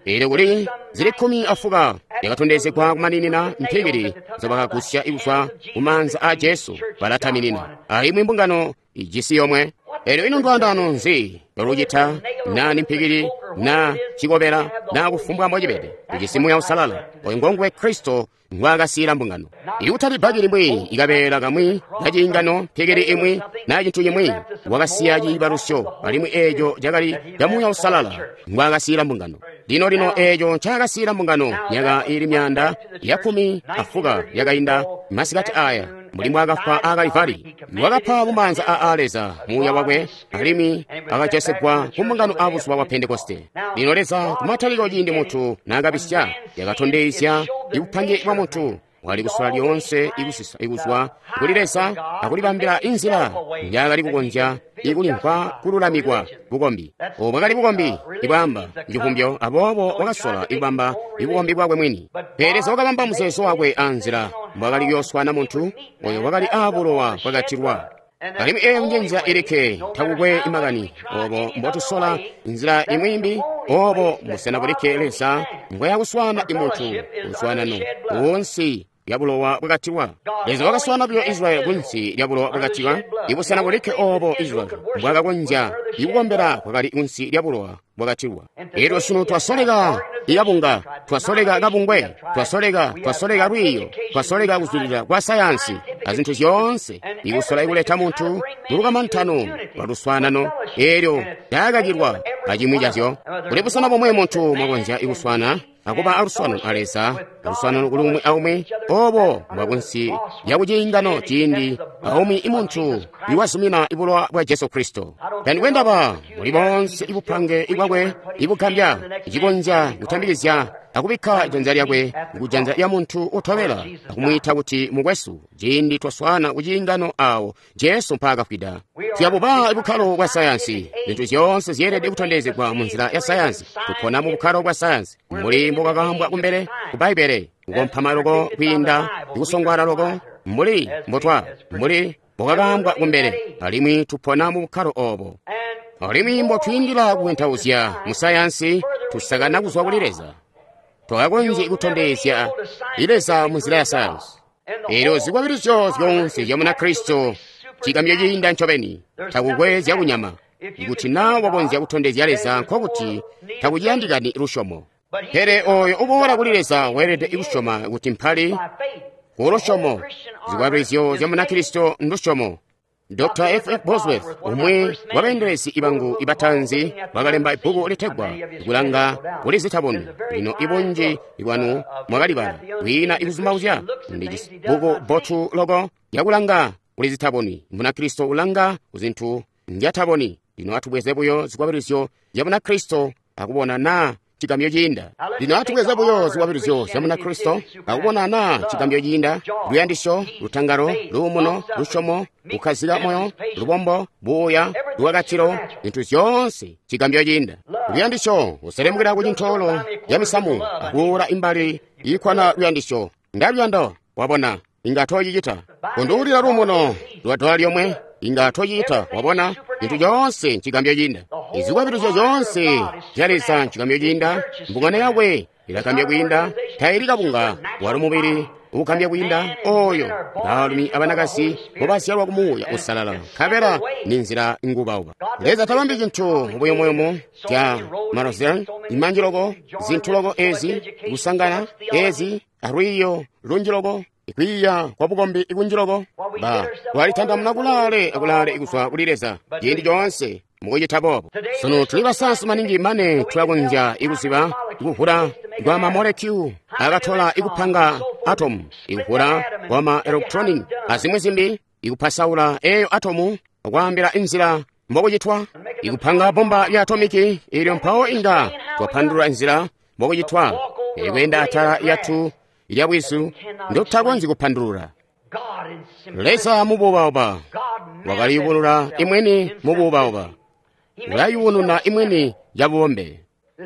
Elyo kuli zili kkumi afuka yakatondezegwa kumaninina mpikili nzobakagusya ikuzwa kumaanza a Jesu balataminina, alimwi mbungano ijisi yomwe. Elyo ino ndwandano nzi lolucita naa ni mpikili naa cikobela naa kufumbwa mbocibede, ujisi Muuya Uusalala. Oyu ngonguwe Kristo ngwaakasiila mbungano. Ikutali bbaki limwi, ikabeela kamwi kaciingano, mpikili imwi naa cintu cimwi, wakasiya ciibalusyo, alimwi eeco cakali ca Muuya Uusalala ngwaakasiila mbungano. Lino lino eeco ncaakasiila mbungano myaka iili myaanda ya kkumi afuka yakainda masikati aya, mbuli mbwaakafwa a Kalivari. Wakapa mumaanza aa Leza muuya wakwe, alimwi akajesegwa ku mbungano abuzuba bwa Pentekoste. Lino Leza kumatalikilo ciindi muntu naakabisya, yakatondezya ibupange bwa muntu wali kusola lyoonse ikusisa ikuzwa kuli Leza akulibambila inzila njaakali kukonzya ikulimvwa kululamikwa bukombi. Obu bwakali bukombi ibwaamba civumbyo, aboobo wakasola ikubamba ibukombi bwakwe mwini. Pele Leza wakabamba muzeezo wakwe anzila mbwaakali kuyooswana muntu oyo wakali aabulowa bwakatilwa. Alimwi eeyo nje nzila ilikke, takukwe imakani obo mbotusola nzila imwi imbi, obo busena bulikke Leza mbwayakuswana imuntu luswanano wonse lya bulowa bwakatilwa. Leza wakaswaana buyo Israyeli kunsi lya bulowa bwakatilwa. Ibusena bulikke obo Israyeli mbwakakonzya ikukombela kwakali kunsi lya bulowa bwakatilwa. Elyo sunu twasoleka ikabunga, twasoleka kabungwe, twasoleka, twasoleka lwiiyo, twasoleka kuzulila kwa sayansi azintu zyoonse, ikusola ikuleta muntu mulukamantano lwa luswaanano, elyo lyakakilwa acimwi cazyo. Kuli busena bomwe muntu mwakonzya ikuswana akuba aluswaanano a Leza, aluswaanano kuli umwi aumwi, obo mbwakunsi lya kuciingano ciindi aumwi imuntu iwazumina ibulowa bwa Jesu Kristo. Tandikwe ndaba muli bonse ibupange ibwakwe ibugambya icikonzya kutambikizya akubikka janza lyakwe kujanza lya muntu utobela akumwiita kuti mukwesu, ciindi twaswana kuciingano awo Jesu mpaakafwida. Tuyabuba bukkalo bwa sayansi. Zintu zyoonse zyeelede kutondezegwa mu nzila ya sayansi. Tupona mu bukkalo bwa sayansi mbuli mbokakaambwa kumbele ku Bbaibbele, kukompama loko kwiinda kusongwala loko mbuli mbotwa mbuli mbokakaambwa kumbele, alimwi tupona mu bukkalo obo. Alimwi mbotwiindila kuwentauzya mu sayansi, tusakana kuzwa kuli Leza. Twakakonzya kutondezya Leza mu nzila ya sayansi. Elyo zikwabilizyo zyoonse zya Munakristo cigambyo ciinda ncobeni, takukwe zyakunyama. Ikuti naa wakonzya kutondezya Leza, nkokuti takuciyandikani lusyomo. Pele oyo uboola kuli Leza weelede kusyoma kuti mpali ku lusyomo. Zikwabilizyo zya Munakristo ndusyomo. Doctor F F Bosworth, umwi wabeendelezi ibangu ibatanzi, wakalemba ibbuku litegwa Kulanga Kuli Zitaboni. Lino ibunji bwanu mwakalibala. Kwiina ikuzumauzya ndi bbuku bbotu loko lyakulanga kuli zitaboni. Munakristo ulanga kuzintu nzyataboni. Lino atubweze buyo zikwabilizyo zya Munakristo akubona naa cigambyo ciinda. Lino atubweze buyo zikwabilizyo zya Munakristo akubona naa cigambyo ciinda: luyandisyo, lutangalo, luumuno, lusyomo, kukkazika moyo, lubombo, buuya, lukakatilo, zintu zyoonse cigambyo ciinda. Luyandisyo uselemukila ku cintoolo ya misamu akuula imbali iikwana luyandisyo. Ndaluyando, wabona, inga tocicita. Kunduulila luumuno lwa dola lyomwe, inga tocicita, wabona. Zintu zyoonse ncigambyo ciinda. Izikwabilizyo zyoonse zya Leza ncigambyo ciinda. Mbungano yakwe ilagambya kwiinda, taili kabunga, walo mubili ukugambya kwiinda oyo baalumi abanakazi mbobazyalwa ku Muuya Uusalala, nkabela ni nzila ngubauba. Leza tabambi cintu mubuyumuyumu bya marozel imanji loko, zintu loko ezi kusangana ezi alwiiyo lunji loko, ikwiiya kwa bukombi ikunji loko, ba twalitandamuna kulaale akulaale kuzwa kuli Leza ciindi coonse mukucita boobo. Sunu tuli basayansi maningi mane tulakonzya ikuziba ikuvula kwa mamolekyu akatola ikupanga atomu, ikuvula kwa ma electronic azimwi zimbi, ikupasaula eyo atomu akwaambila inzila mbokucitwa, ikupanga bomba lya atomiki ilyo mpawo inga twapandulula inzila mbokucitwa, ikweenda atala yatu lya bwizu ndotutakonzyi kupandulula. Leza mubuubauba wakaliyubulula imweni mubuubauba, ulayubununa imweni yabubombe.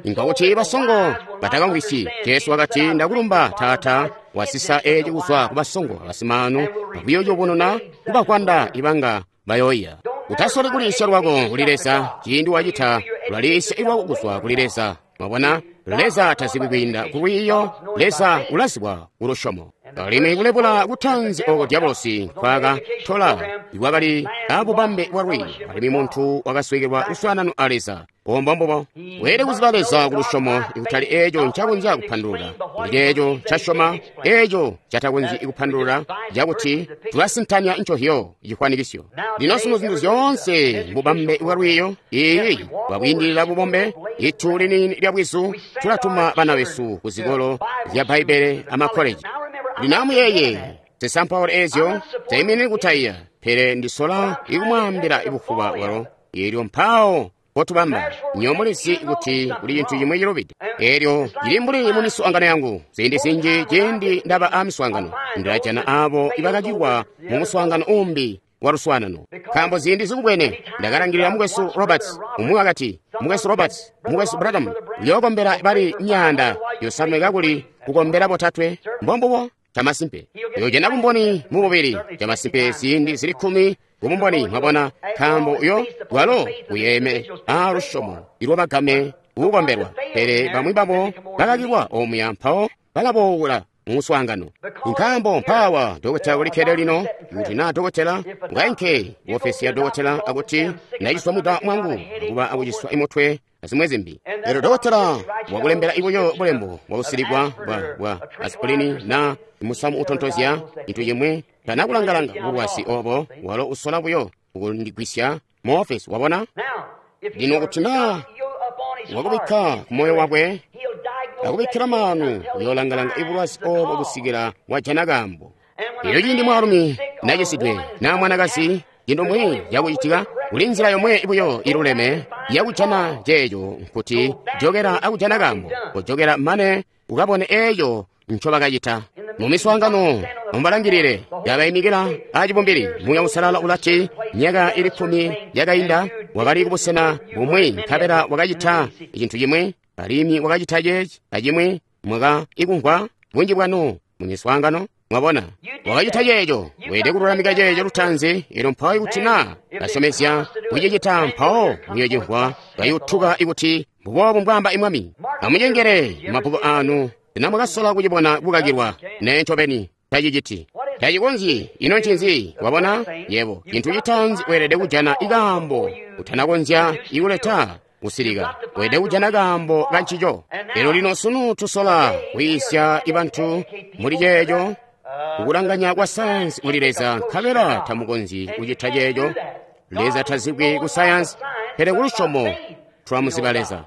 Nkokuti basongo batakamvwisyi. Jesu wakati, ndakulumba Taata, wasisa eci kuzwa ku basongo abasimaanu, akuyooyubununa kubakwanda ibanga bayoiya. Utasoli kuliisya lwako kuli Leza, ciindi wacita ulaliisya lwako kuzwa kuli Leza. Mwabona, Leza tazibwi kwiinda ku lwiiyo, Leza ulazibwa ku lusyomo. Alimwi kulebula kutanzi oko diabolosi nkwaakatola ikwakali abubambe bwa lwiiyo, alimwi muntu wakasweekelwa luswaanano a Leza. Ombo mbubo weelede kuziba Leza ku lusyomo, ikutali eeco ncakonzya kupandulula, kuli ceeco ncasyoma, eeco catakonzyi kupandulula, cakuti tulasintanya ncohyo cifwanikisyo. Lino sunu zintu zyoonse mbubambe bwa lwiiyo, iiyi bwakwiindilila bubombe, itu liniini lya bwizu, tulatuma bana besu ku zikolo zya Bbaibbele amakkoleji. Lino amuyeeye, zisampaula eezyo zaiminini kutaiya, pele ndisola ikumwaambila ibufuba bwalo, eelyo mpawo potubamba nyo mulizi kuti kuli cintu cimwi cilubide. Eelyo cili mbuli mu miswaangano yangu. Ziindi zinji ciindi ndaba a miswaangano, ndilajana abo ibakacilwa mu muswaangano umbi wa luswaanano. Nkaambo ziindi zikubwene ndakalangilila mukwesu Roberts, umwi wakati, mukwesu Roberts, mukwesu Branham, uyookombela bali myaanda yosanwe kakuli kukombela botatwe. Mbombubo camasimpe. Uyojana bumboni mububili, camasimpe ziindi zili kkumi kubumboni, mwabona, nkaambo uyo bwalo buyeeme a lusyomo ilwabagame kukombelwa. Pele bamwi babo bakakilwa omuya mpawo balaboowula mu muswaangano. Nkaambo mpaawa dokotela ulikkede lino, kuti naa dokotela ukainke ku ofesi ya dokotela akuti ndaciswa mwida mwangu akuba akuciswa imutwe azimwe zimbi. Elyo dokotela wakulembela ibuyo bulembo bwakusilikwa bwa bwa aspirini na musamu utontozya cintu cimwi, tanakulangalanga bulwazi obo, walo usola buyo kukundigwisya mu ofesi. Wabona? Lino kuti naa wakubikka ku moyo wakwe akubikkila maanu, uyoolangalanga ibulwazi obo kusikila wajana kaambo. Elyo ciindi mwaalumi nacisidwe naa mwanakazi, cintu mbwi cakucitika, kuli nzila yomwe buyo iluleme yakujana ceeco, nkuti jokela akujana kaambo, kujokela mane ukabone eeco ncobakacita. Mu miswaangano mubalangilile, yabaimikila acibumbili. Muuya Uusalala ulati, myaka ili kkumi yakainda wakali kubusena bumwi, nkabela wakacita cintu cimwi, alimwi wakacita ceeci acimwi. Mwaka ikumvwa bunji bwanu mu miswaangano. Mwabona, wakacita ceeco. Weelede kululamika ceeco lutaanzi. Elyo mpawo ikuti naa kasyomezya kucicita, mpawo muyocimvwa kayutuka ikuti mbuboobu mbwaamba Mwami. Amucengele mabbuku aanu. Sena mwakasola kucibona kukakilwa? Nee, ncobeni taciciti, tacikonzyi. Ino ncinzi? Wabona yebo, cintu citaanzi weelede kujana ikaambo utanakonzya ikuleta kusilika. Weelede kujana kaambo kancico. Elyo lino sunu tusola kwiisya ibantu muli ceeco, kukulanganya kwa sayansi kuli Leza, nkabela tamukonzyi kucita ceeco. Leza tazibwi ku sayansi, pele ku lusyomo twamuziba Leza.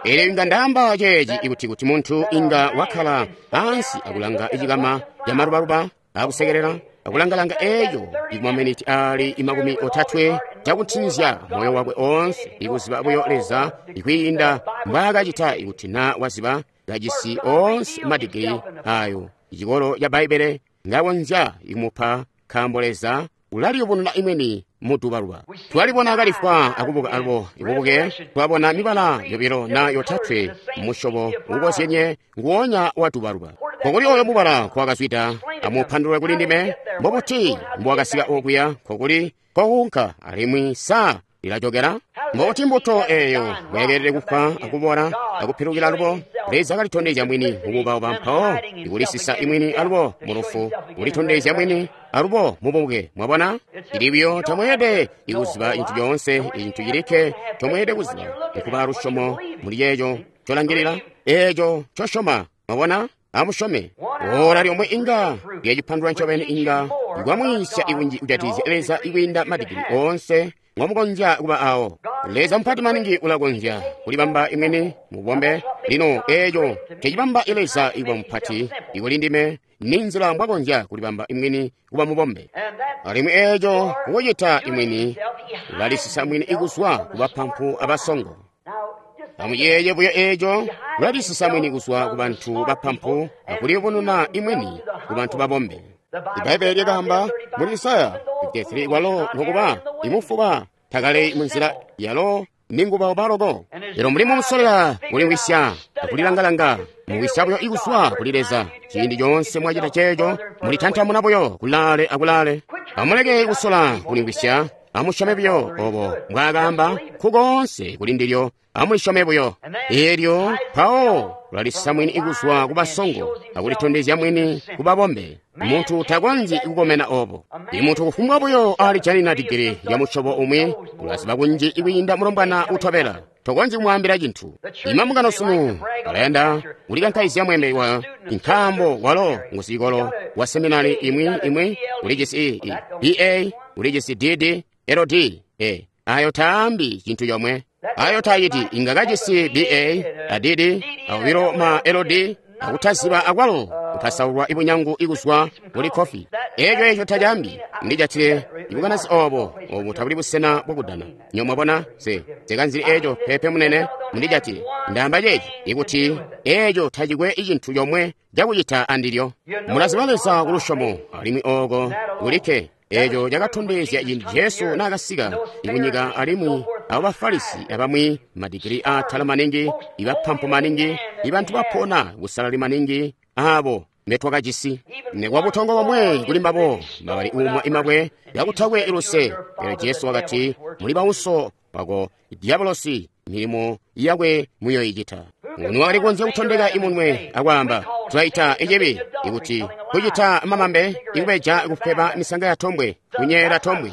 Elyo inga ndaamba ceeci ikuti kuti muntu inga wakkala ansi akulanga icikama camalubaluba akusekelela akulangalanga eeco ikumaminiti ali imakumi otatwe cakutinzya moyo wakwe oonse, ikuziba buyo Leza ikwiinda mbwaakacita ikuti naa waziba kajisi oonse madigiri ayo icikolo ca Bbaibbele ngakonzya ikumupa, nkaambo Leza ulaliyubununa imweni mudubaluba. Twalibona kalifwa akubuka alubo ibubuke, twabona mibala yobilo na yotatwe musyobo ukozyenye nguwonya wa dubaluba. Kokuli oyo mubala kwakazwida, amupandulule kuli ndime, mbobuti mbwakasika okuya, kokuli kokunka, alimwi sa lilajokela? Mbobuti mbuto eeyo bwayekelele kufwa akubola akupilukila alubo? Leza kalitondezya mwini mubuubauba, mpawo ikulisisa imwini alubo mulufu, kulitondezya mwini alubo mububuke. Mwabona? Ili buyo tamweelede ikuziba cintu coonse. Icintu cilikke comweelede kuziba nkuba lusyomo muli ceeco colangilila, eeco cosyoma. Mwabona? Amusyome. Ora lyomwe inga lyacipandulula ncobeni, inga kwamwiisya ikunji kujatikizya Leza ikwiinda madigiri oonse ngomukonzya kuba awo. Leza mupati maningi ulakonzya kulibamba imwini mubombe. Lino eeco cecibamba Leza ikuba mupati ikuli ndime, ni nzila mbwakonzya kulibamba imwini kuba mubombe. Alimwi eeco kukucita imwini, ulalisisa mwini ikuzwa kubapampu abasongo. Amuyeeye buyo eeco, ulalisisa mwini kuzwa ku bantu bapampu akuliyubununa imwini ku bantu babombe. Ibbaibbele lyakaamba muli Isaya fifty-three, walo nokuba imufuba takale munzila yalo ningubauba loko. Lero mulimo musolera kulimvwisya akulilangalanga, muwisya buyo ikuzwa kuli Leza. Ciindi coonse mwacita ceeco, mulitantamuna buyo kulaale akulaale. Amuleke kusola kulimvwisya, amusyome buyo obo mbwaakaamba kukoonse kuli ndilyo, amulisyome buyo. Eelyo mpawo ulalisisa mwini ikuzwa kubasongo akulitondezya mwini kubabombe. Muntu takonzyi kukomena obo. Imuntu kufumbwa buyo alijanina digiri ya musyobo umwi, ulaziba kunji ikwiinda mulombwana utobela. Tokonzyi kumwaambila cintu. Imambungano sunu alayanda kulikankaizya mwembe wa nkaambo walo ngusicikolo wa seminari imwi imwi, ulijisi B A, ulijisi D D, L D E. Ayo taambi cintu comwe. Ayo taayiti inga kajisi B A, a D D, awilo ma L D, akutaziba akwalo kupasaulwa ibunyangu ikuzwa kuli kofi. Eeco eco tacaambi ndijatile ibukanasi obo, obu tabuli busena bwakudana. Nyo mwabona se sekanzili eeco pepe munene mundijatile. Ndaamba ceeci ikuti eeco tacikwe icintu comwe cakucita andilyo. Mulaziba Leza ku lusyomo, alimwi ooko kulikke. Eeco cakatondezya ciindi Jesu naakasika ikunyika, alimwi abo Bafarisi abamwi madigiri aatala maningi, ibapampu maningi, ibantu bapona busalali maningi abo mbetwakajisi. Nekuba butongo bomwe kuli mbabo bakali uumwa imabwe yakutakwe iluse. Pele Jesu wakati, muli bauso wako Diabolosi, milimo yakwe muyoicita. Nguni wakali kukonzya kutondeka imunwe akwaamba, tulaita icibi ikuti kucita mamambe, ikubeja, kufweba misanga ya tombwe, kunyeela tombwe.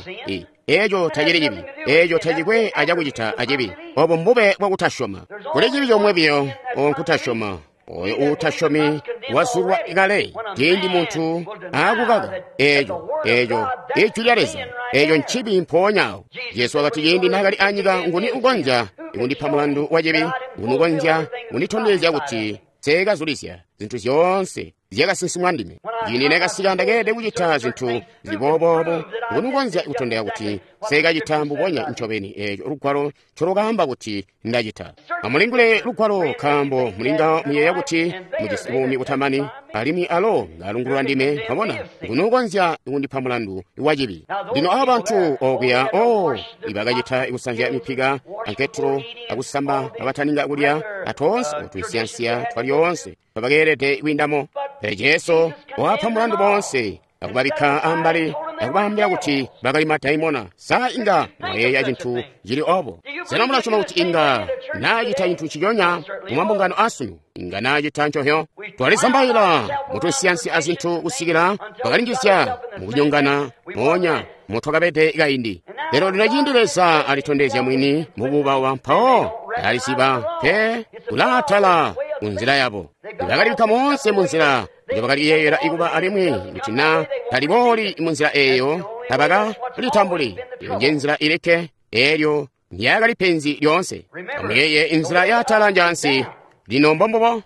Eeco tacili cibi. Eeco tacikwe acakucita acibi. Obo mbube bwakutasyoma. Kuli cibi comwe biyo, nkutasyoma. Oyo uutasyomi wazulwa kale ciindi muntu aakukaka eeco eeco ijwi lya Leza. Eeco ncibi mpoonya awo. Jesu wakati ciindi naakali anyika, nguni ukonzya kundipa mulandu wa cibi? Nguni ukonzya kunditondezya kuti nseekazulizya zintu zyoonse zyakasinsimwa ndime? Ciindi neekasika ndakeelede kucita zintu zili booboobo. Nguni ukonzya kutondeka kuti nseekacita mbubonya ncobeni eeco lugwalo ncolukaamba kuti ndacita? Amulingule lugwalo, nkaambo mulinga muyeeya kuti mujisi buumi butamani, alimwi alo ngalungulula ndime. Mwabona, nguni ukonzya kundipa mulandu wa cibi? Lino aba bantu okuya, o ibakacita kusanzya mipika anketelo akusamba abataninga kulya atoonse otunsiyansiya twalyoonse twabakeelede kwiindamo. Pele Jesu wapa mulandu boonse akubabikka ambali akubaambila kuti bakali madaimona. Sa inga mwayeeya cintu cili obo? Sena mulasyoma kuti inga naacita cintu nciconya mu mambungano asunu? Inga naacita ncohyo. Twalizambaila mutunsiyansi azintu kusikila twakalinjizya mukunyongana moonya motwakabede kaindi. Lero lino ciindi Leza alitondezya mwini mububawa, mpawo aliziba pe kulaatala kunzila yabo. Bakalibikka moonse munzila njobakaliyeeyela ikuba, alimwi kuti na talibooli munzila eeyo tabakalitambuli. Iyo nje nzila ilikke, eelyo ndyakali penzi lyoonse. Amuyeeye inzila yaatala njaansi. Lino mbombubo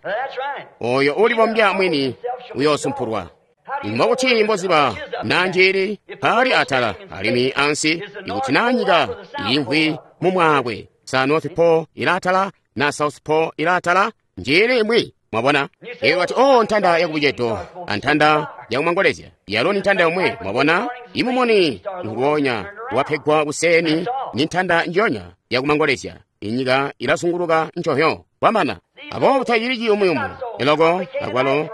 oyo ulibombya mwini uyoosumpulwa. Mbokuti mboziba na njili paali atala alimwi ansi, ikuti na nyika iimvwi mumwaakwe, sa North Pole ilaatala na South Pole ilaatala, njili imwi. Mwabona? Iwe wati, oh, ntanda yakubucedo antanda yakumangolezya yalo ni ntanda yomwe. Mwabona? Imumoni nguwonya wapegwa kuseni ni ntanda njonya yakumangolezya. Inyika ilazunguluka ncohyo kwamana. Aboobo tacili ciyumuyumu eloko akwalo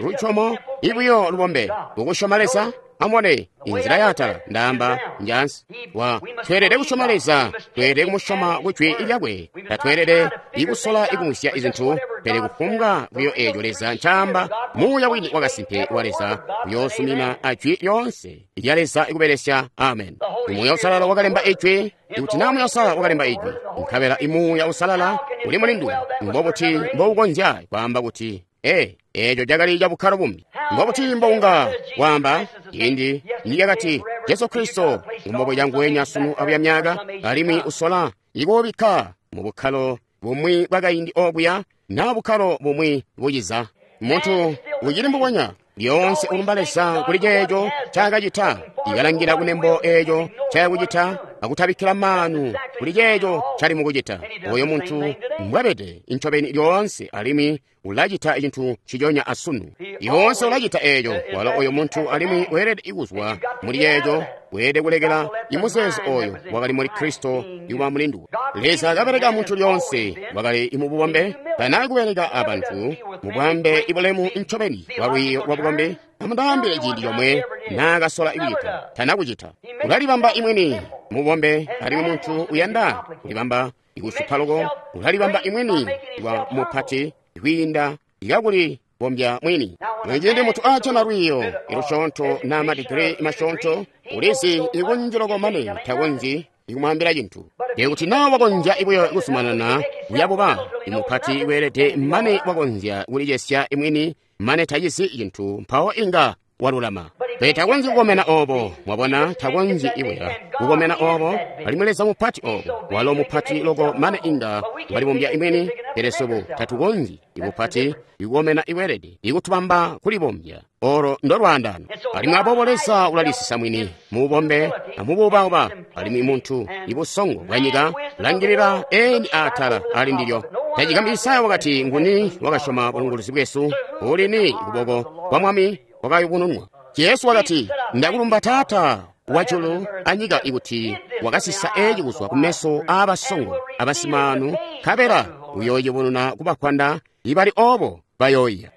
luchomo ibuyo lubombe kukusyoma Leza. Amubone inzila yaatala ndaamba njaansi. Wa tweelede kusyoma Leza, tweelede kumusyoma kujwi lyakwe. Tatweelede ikusola ikumwisya izintu, pele kufumbwa buyo eeco Leza ncaamba, muuya wini wakasimpe wa Leza uyoosumina ajwi lyoonse lya Leza ikubelesya. Amen. Muuya Usalala wakalemba ijwi. Ikuti na Muuya Usalala wakalemba ijwi, nkabela imuuya Usalala uli mulinduwe, mbobuti mboukonzya kwaamba kuti ee eeco cakali cabukkalo bumbi? Mbobuti mbounga waamba ciindi niyakati Jesu Kristo ngumbobuca nguwenya sunu abuya myaka, alimwi usola ikuubikka mu bukkalo bumwi bwakaindi okuya na bukkalo bumwi buciza? Muntu ucili mbubonya lyoonse ulumba Leza kuli ceeco ncaakacita, ikalangila kunembo eeco ncayakucita akutabikkila maanu kuli ceeco ncali mukucita. Oyo muntu mbwabede incobeni lyoonse, alimwi ulacita cintu nciconya asunu. Lyoonse ulacita eeco. Walo oyo muntu alimwi weelede kuzwa muli ceeco, weelede kulekela imuzeezo oyo wakali muli Kristo ikuba mulinduwe. Leza kabeleka muntu lyoonse wakali mububombe, tana kubeleka abantu mubwambe ibulemu ncobeni bwa lwiiyo lwa bukombi. Amundaambile ciindi comwe naakasola kucita, tana kucita. Ulalibamba imwini mubombe, alimwi muntu uyanda kulibamba ikusupa loko, ulalibamba imwini wa mupati kwiinda ikakulibombya mwini. Ciindi muntu aajana lwiiyo ilusyoonto na madigiri masyoonto, ulizi ikunji loko mane takonzyi ikumwaambila cintu. Ikuti na wakonzya ibuyo kuzumanana kuyabuba imupati weelede mane wakonzya kulicesya imwini mane tacizi cintu, mpawo inga walulama. Pele takonzyi kukomena obo. Mwabona, takonzyi ibuya kukomena obo, alimwi Leza mupati obo, walo mupati loko mane inga walibombya imwini. Pele swebo tatukonzyi ibupati ikukomena iweelede ikutubamba kulibombya. Olo ndolwaandano. Alimwi aboobo Leza ulalisisa mwini mububombe amubuubauba, alimwi muntu ibusongo bwanyika langilila eni atala ali ndilyo. Tacigambyi Isaya wakati, nguni wakasyoma bulunguluzi bwesu? Ulini kuboko kwa Mwami kwakayubununwa? Jesu wakati, ndakulumba Taata wajulu anyika ikuti wakasisa eeci kuzwa kumeso aabasongo abasimaanu, nkabela uyooyubununa kubakwanda ibali obo bayooiya.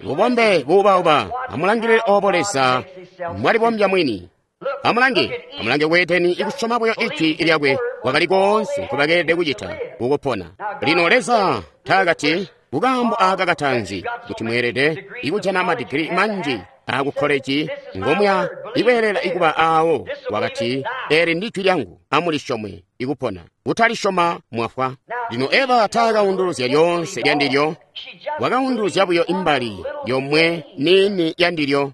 Bubombe buubauba, amulangilile obo Leza mwalibombya mwini. Amulange, amulange ku Edeni, ikusyoma buyo Ijwi lyakwe kwakali koonse nkobakeelede kucita kukupona. Lino Leza taakati kukaambo aaka kataanzi kuti mweelede ikujana madigiri manji aku koleji ngomya ikweelela ikuba aawo. Wakati, eli ndi jwi lyangu, amulisyome ikupona. Kutalisyoma mwafwa. Lino Eva taakaunduluzya lyoonse lyandilyo, wakaunduluzya buyo imbali yomwe niini yandilyo.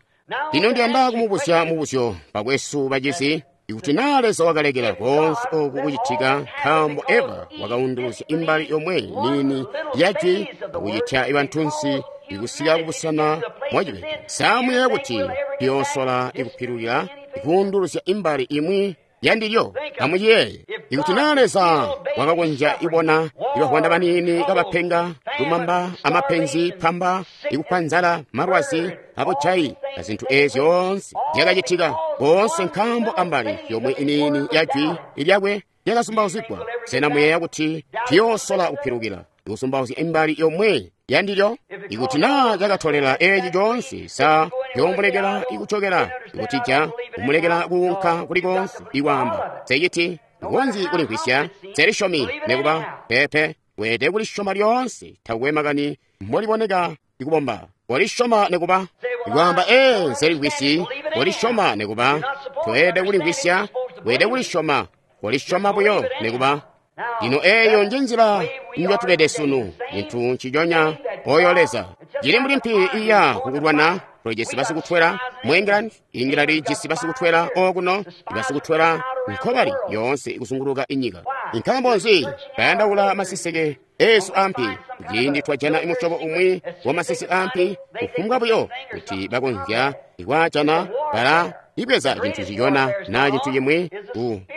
Lino ndiyanda kumubuzya mubuzyo bakwesu bacizi, ikuti naa Leza wakalekela koonse oku kucitika nkaambo Eva wakaunduluzya imbali yomwe niini ya jwi akucitya bantunsi ikusika kubusena mwacibede, samuyeeya kuti tuyoosola ikupilukila ikuunduluzya imbali imwi yandilyo? Amuciyeeye, ikuti naa Leza wakakonzya ibona ibavwanda baniini kabapenga lumamba amapenzi pamba ikupa nzala malwazi abujayi azintu eezi zyoonse zyakacitika koonse nkaambo ambali yomwe iniini ya jwi lyakwe lyakazumbauzigwa, sena muyeeya kuti tuyoosola kupilukila ikusumbauzya imbali yomwe yandilyo? Ikuti naa cakatolela eeci coonse, sa yoomulekela ikucokela ikutija kumulekela kuunka kuli koonse ikwaamba seciti nkonzi kulimvwisya selisyomi nekuba pepe? Weelede kulisyoma lyoonse, takwe makani mboliboneka ikubomba. Walisyoma nekuba ikwaamba ee nselimvwisyi, walisyoma nekuba. Toelede kulimvwisya, weelede kulisyoma, walisyoma buyo nekuba. Lino eeyo njenzila njotubede sunu, cintu nciconya oyo Leza. Cili mbuli mpi iya kukulwana. Tulijisi basikutwela mu England, England ijisi basikutwela okuno, basikutwela nkobali yoonse ikuzunguluka inyika. Nkaambo nzi? Bayandaula maseseke eesu ampi. Ciindi twajana musyobo umwi wa masese ampi, kufumbwa buyo kuti bakonzya ikwaajana, bala ibweza cintu ciyona naa cintu cimwi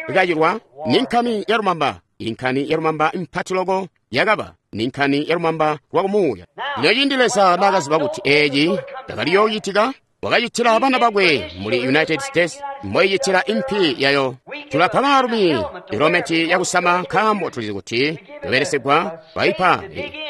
kukacilwa. Ni nkani ya lumamba, inkani ya lumamba impati loko yakaba ni nkani ya lumamba lwakumuuya. Lino ciindi Leza naakaziba kuti eeci cakaliyoocitika, wakacitila bana bakwe muli United States mboicitila impi yayo. Tulapa baalumi helometi yakusama nkaambo tulizi kuti babelesegwa baipa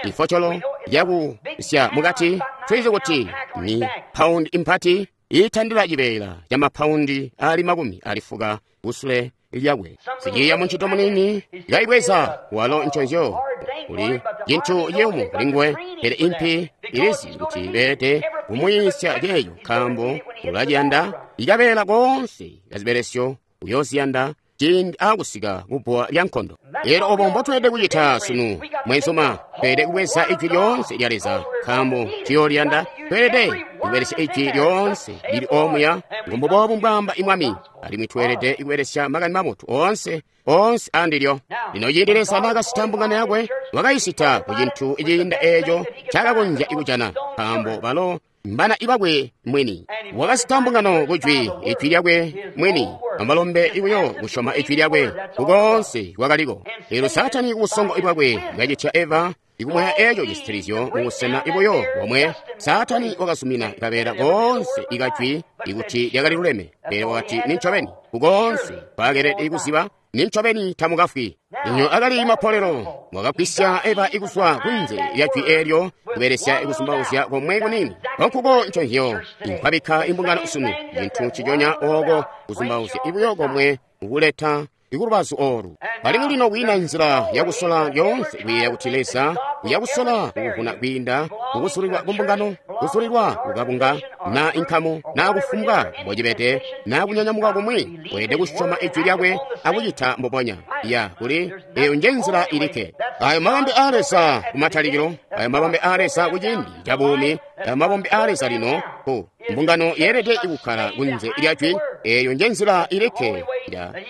ifocolo yakusya mukati. Tulizi kuti ni paundi impati iitandila cibeela ca mapaundi ali makumi alifuka kusule lyakwe. Siciiya muncito munini kaibweza walo nconzyo kuli cintu ciyumu kulinguwe, pele impi ilizi kuti beelede kumuyiisya ceeyo nkaambo ulaciyanda ikabeela koonse kazibelesyo uyooziyanda ciindi aakusika kubbuwa lya nkondo. Eelyo obo mbotweelede kucita sunu, mwenzuma. Tweelede kubweza ijwi lyoonse lya Leza nkaambo tuyooliyanda. Tweelede kubelesya ijwi lyoonse lili omuya, ngumbuboobu mbwaamba imwami, alimwi tweelede kubelesya makani mabotu oonse oonse andilyo. Lino ciindi Leza naakasita mbungano yakwe, wakayisita ku cintu ciinda eeco ncaakakonzya kujana, nkaambo balo mbana ibakwe mwini. Wakasita mbungano kujwi, ijwi lyakwe mwini, amalombe ibuyo kusyoma ijwi lyakwe kukoonse kwakaliko. Eelyo Saatani kubusongo bwakwe kacitya Eva ikumwaya eeco cisitilizyo mubusena ibuyo bomwe. Saatani wakazumina kabeela koonse ikajwi ikuti lyakali luleme, pele wakati nincobeni kukoonse kwaakelede kuziba nincobeni tamukafwi. Lino akali mapolelo wakagwisya Eva ikuzwa kunze lya jwi eelyo kubelesya ikuzumbauzya komwe kunini. Konkuko nconzyo inkwabikka imbungano sunu, cintu nciconya ooko kuzumbauzya ibuyo komwe kukuleta ikulubazu oolu. Alimwi lino kwiina nzila yakusola lyoonse kuyeeya kuti Leza uyakusola kukuvuna kwiinda kukusulilwa kumbungano, kusulilwa kukabunga, na inkamu, na kufumbwa mbocibede, na kunyanyamuka kumwi. Weelede kusyoma ijwi lyakwe akucita mbubonya. Ya kuli eyo nje nzila ilikke. Ayo mabambe aa Leza kumatalikilo, ayo mabambe aa Leza kuciindi ca buumi, ayo mabambe aa Leza lino ku mbungano yeelede ikukkala kunze lya jwi. Eyo nje nzila ilikke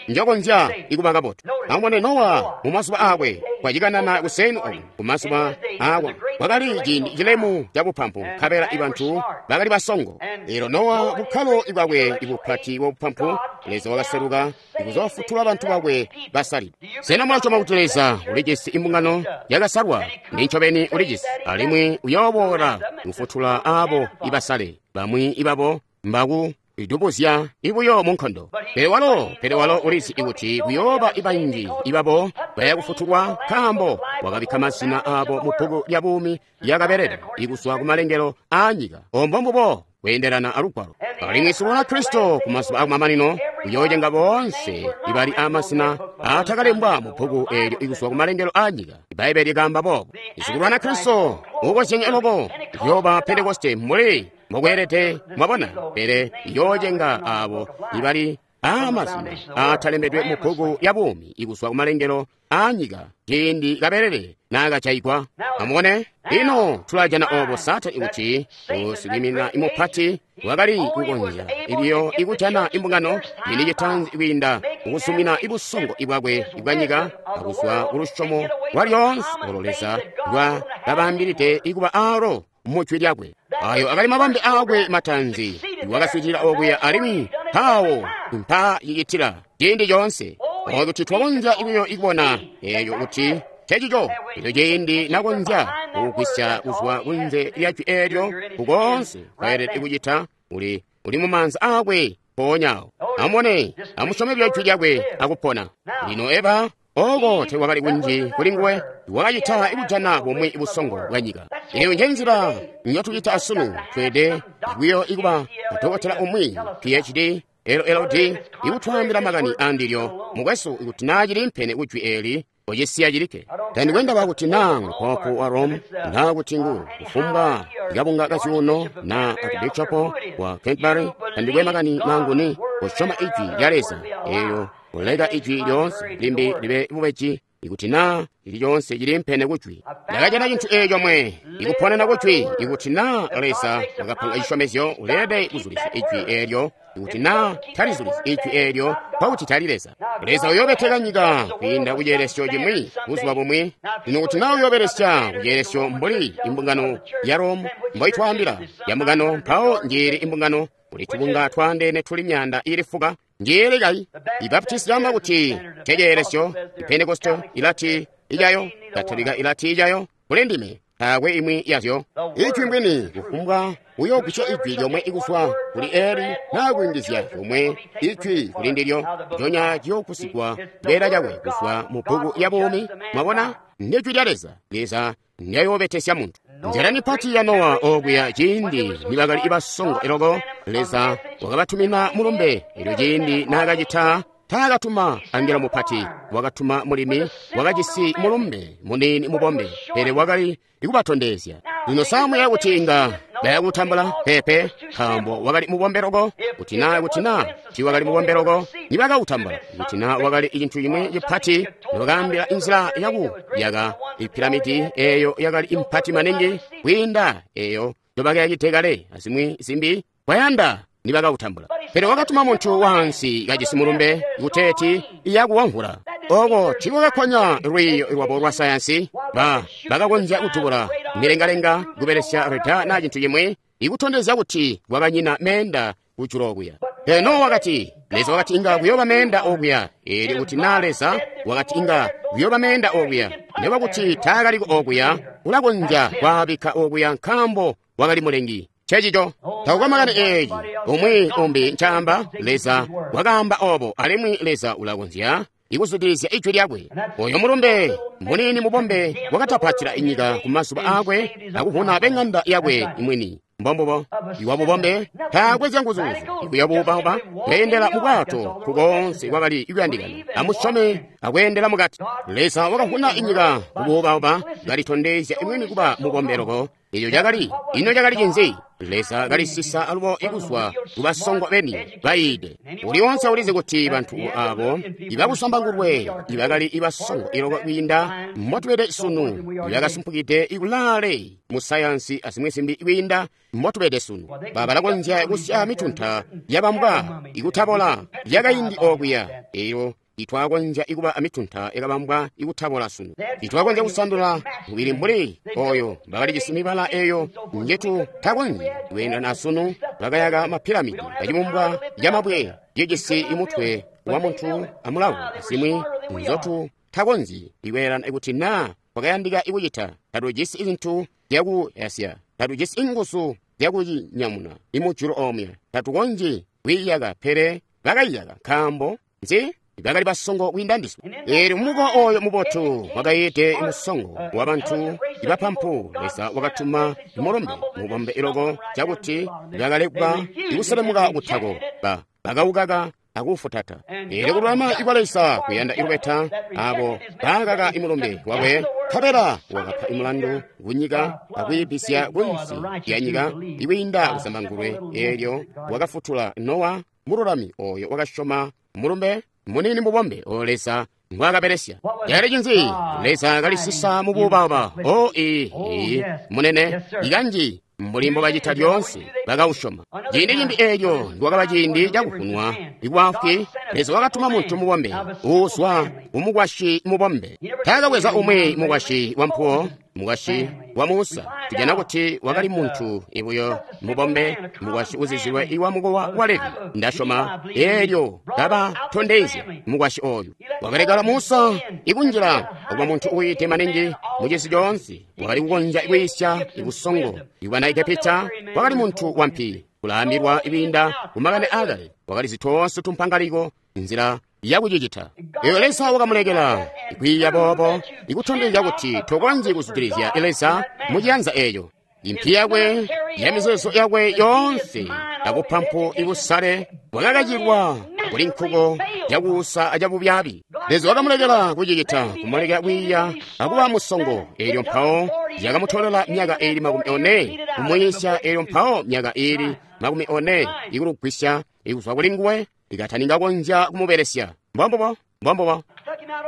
njokonzya ikuba kabotu. Amubone Nowa mu mazuba aakwe, kwacikanana kuseni oku ku mazuba aakwe kwakali ciindi cilemu ca bupampu, nkabela ibantu bakali basongo. Eelyo Nowa bukkalo bwakwe ibupati bwa bupampu, Leza wakaseluka ikuzoofutula bantu bakwe basalidwe. Sena mulasyoma kuti Leza ulijisi imbungano yakasalwa? Nincobeni ulijisi, alimwi uyooboola kufutula aabo ibasale. Bamwi ibabo mbaku idubuzya ibuyo mu nkondo. Pele walo, pele walo ulizi ikuti kuyooba ibanji ibabo bayakufutulwa, nkaambo wakabikka mazina aabo mu bbuku lya buumi lyakabelede ikuzwa kumalengelo aanyika. Ombo mbubo Kweendelana alugwalo. Alimwi sikulwana Kristo ku mazuba akumamanino uyoocenga boonse ibali amasina aatakalembwa mu bbuku eelyo ikuzwa ku malengelo aa nyika. Ibbaibbele likaamba boobo. Sikulwana Kristo uukozyenye loko uyooba Pentekoste mbuli mbokweelede, mwabona, pele iyoocenga aabo ibali aamazina aatalembedwe mu bbuku ya buumi ikuzwa ku malengelo aa nyika ciindi kabelele naakajaigwa. Amubone, ino tulajana oobo Saatani kuti usikwiiminina imupati wakali kukonzya ibiyo ikujana imbungano yini citaanzi kwiinda mukuzumina ibusongo ibwakwe ibwanyika akuzwa kulusyomo lwalyoonse olo Leza lwa kabaambilide ikuba aalo mujwi lyakwe. Ayo akali mabambe aakwe mataanzi, wakaswitila okuya alimwi mpawo mpa yicitila ciindi coonse. O kuti twakonzya ibiyo ikubona eeyo kuti cecico eco ciindi nakonzya kugwisya kuzwa kunze lya jwi eelyo kukoonse kwayelede kucita uli uli mumaanza aakwe mpoonyawo. Amubone, amusyome buyo jwi lyakwe akupona. Lino Eva oko tekwakali kunji kuli nguwe, wakacita ikujana bumwi busongo bwa nyika. Eyo njenzila nyotucita asunu. Tweede buyo ikuba adokotela umwi P H D L L D ikutwaambila makani andilyo. Mukwesu, ikuti naa cili mpene kujwi eeli, ocisiya cilikke. Tandikwendaba kuti naa poopo wa Rome, naa kuti ngu kufumbwa kabunga kazyuuno naa archbishop wa Canterbury, tandikwe makani nanguni kusyoma ijwi lya Leza eyo kuleka ijwi lyoonse limbi libe bubeji ikuti naa lili lyonse cili mpene kujwi. Ndakajana cintu eeco mwe ikuponena kujwi. Ikuti naa Leza wakapanga cisyomezyo, uleelede kuzulizya ijwi eelyo. Ikuti naa talizulizyi ijwi eelyo, nkokuti tali Leza. Leza uyoobeteka nyika kwiinda kuceelesyo cimwi buzuba bumwi. Lino kuti naa uyoobelesya kuceelesyo mbuli imbungano ya Rome mboitwaambila ya mbungano, mpawo njiili imbungano kuli tubunga twaandeene tuli myaanda iili fuka. Njiili kayi? Ibaptisti yaamba kuti nceceelesyo, Ipentekoste ilati icayo, Katolika ilati icayo. Kuli ndime taakwe imwi yazyo. Ijwi mbwini, kufumbwa uyoogwisya ijwi lyomwe ikuzwa kuli eli naa kuyungizya lyomwe ijwi kuli ndilyo, njonya ciyoogusigwa cibeela cakwe kuzwa mu bbuku ya buumi. Mwabona, ndijwi lya Leza. Leza ndyayoobetesya muntu. Nzila mipati ya Nowa okuya ciindi nibakali ibasongo eloko, Leza wakabatumina mulumbe. Elyo ciindi naakacita, taakatuma angelo mupati, wakatuma mulimi wakajisi mulumbe muniini mubombe, pele wakali ikubatondezya. Lino samuya kuti inga bayakutambula pepe, nkaambo wakali mubombe loko. Kuti naa kuti naa tiiwakali mubombe loko, nibakautambula. Kuti naa wakali cintu cimwi cipati, nibakaambila inzila yakuyaka ipiramidi eeyo yakali impati maningi kwiinda eeyo njobakayakide kale azimwi zimbi, kwayanda nibakautambula. Pele wakatuma muntu waansi kajisi mulumbe kuteeti iyakuwamvula. Oko tiikwakakkonya lwiiyo lwabo lwa sayansi. Ba bakakonzya kutubula milengalenga kubelesya reda naa cintu cimwi ikutondezya kuti kwakanyina meenda kujulu okuya. Pele Nowa wakati, Leza wakati inga kuyooba meenda okuya. Eelyo kuti naa Leza wakati inga kuyooba meenda okuya, nekuba kuti taakaliko okuya, ulakonzya kwaabikka okuya nkaambo wakali mulengi. Cecico takukwe makani eeci umwi umbi ncaamba. Leza wakaamba obo, alimwi Leza ulakonzya ikuzwidilizya ijwi lyakwe. Oyo mulumbe muniini mubombe wakatapatila inyika ku mazuba aakwe akuvuna beng'anda yakwe imwini. Mbombubo iwa bubombe taakwe zyanguzuuzu ikuya buubauba kweendela mu bwato kukoonse kwakali ikuyandikana. Amusyome akweendela mukati. Leza wakavuna inyika kubuubauba kalitondezya imwini kuba mubombe loko. Eco cakali ino cakali cinzi? Leza kalisisa alubo ikuzwa kubasongo beni bayiide. Uli onse ulizi kuti bantu abo ibakusambangulwe ibakali ibasongo iloko kwiinda mbotubede sunu, ibakasumpukide ikulaale mu sayansi azimwi zimbi kwiinda mbotubede sunu, balakonzya kusya mitunta yabambwa ikutabola yakaindi okuya eyo itwakonzya ikuba amitunta yakabambwa ikutabola sunu. Itwakonzya kusandula mubili mbuli oyo bakalijisi mibala eyo njetu takonzyi kweendana asunu. Bakayaka mapiramidi acibumbwa camabwe cijisi imutwe wa muntu amulavu azimwi nzotu takonzyi ikweelana ikuti naa kwakayandika ikucita. Tatujisi izintu zyakuyasya, tatujisi inguzu zyakucinyamuna imujulu omwe, tatukonzyi kwiiyaka, pele bakayiyaka. Nkaambo nzi? Bakali basongo kwiinda ndiswe. Eelyo mumukowa oyo mubotu wakayiide musongo wabantu ibapampu, Leza wakatuma mulumbe mubombe loko cakuti bakalekwa ikuselemuka kutako, ba bakaukaka akufutata. Eelyo kululama ikwa Leza kuyanda ilubeta abo baakaka imulumbe wakwe, nkabela wakapa imulandu kunyika akwiibisya kunsi ya nyika ikwiinda kuzambangulwe. Eelyo wakafutula Nowa mululami oyo wakasyoma mulumbe munini mubombe oyo Leza ngwaakabelesya. Cakali cinzi? Leza kalisisa mubuubauba. O ii ii munene ikanji mbuli mbobacita lyoonse bakausyoma. Ciindi cimbi eelyo ndiwakaba ciindi cakuvunwa ikwafwi, Leza wakatuma muntu mubombe uuzwa mumukwasyi mubombe. Taakabweza umwi mukwasyi wampuwo, mukwasyi wa Musa. Tujana kuti wakali muntu ibuyo mubombe, mukwasyi uzizilwe iwa mukowa wa Levi. Ndasyoma eelyo kabatondezya mukwasyi oyu. Wakalekala Musa ikunjila okuba muntu uyiite maningi mucisi coonse. Wakali kukonzya kwiisya ibusongo ibwana Egepita. Wakali muntu wampi kulaambilwa ibinda kumakani aakale. Wakali zitoonse tumpangaliko nzila yakucicita. Eyo Leza wakamulekela kwiiya boobo, ikutondezya kuti tokonzyi kuzwidilizya Leza muciyanza eeyo. Impi yakwe yamizeezo yakwe yoonse akupampu ibusale bwakakacilwa kuli nkuko cakuusa acabubyaabi. Leza wakamulekela kucicita, kumulekela kwiiya akuba musongo. Eelyo mpawo yakamutolela myaka iili makumi one kumwiisya. Eelyo mpawo myaka iili makumi one ikulugwisya ikuzwa kuli nguwe ikataninga konzya kumubelesya. Mbombubo, mbombubo.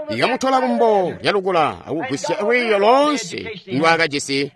Ikamutola kumbo lyalukula akugwisya lwiiyo loonse ndwaakajisi.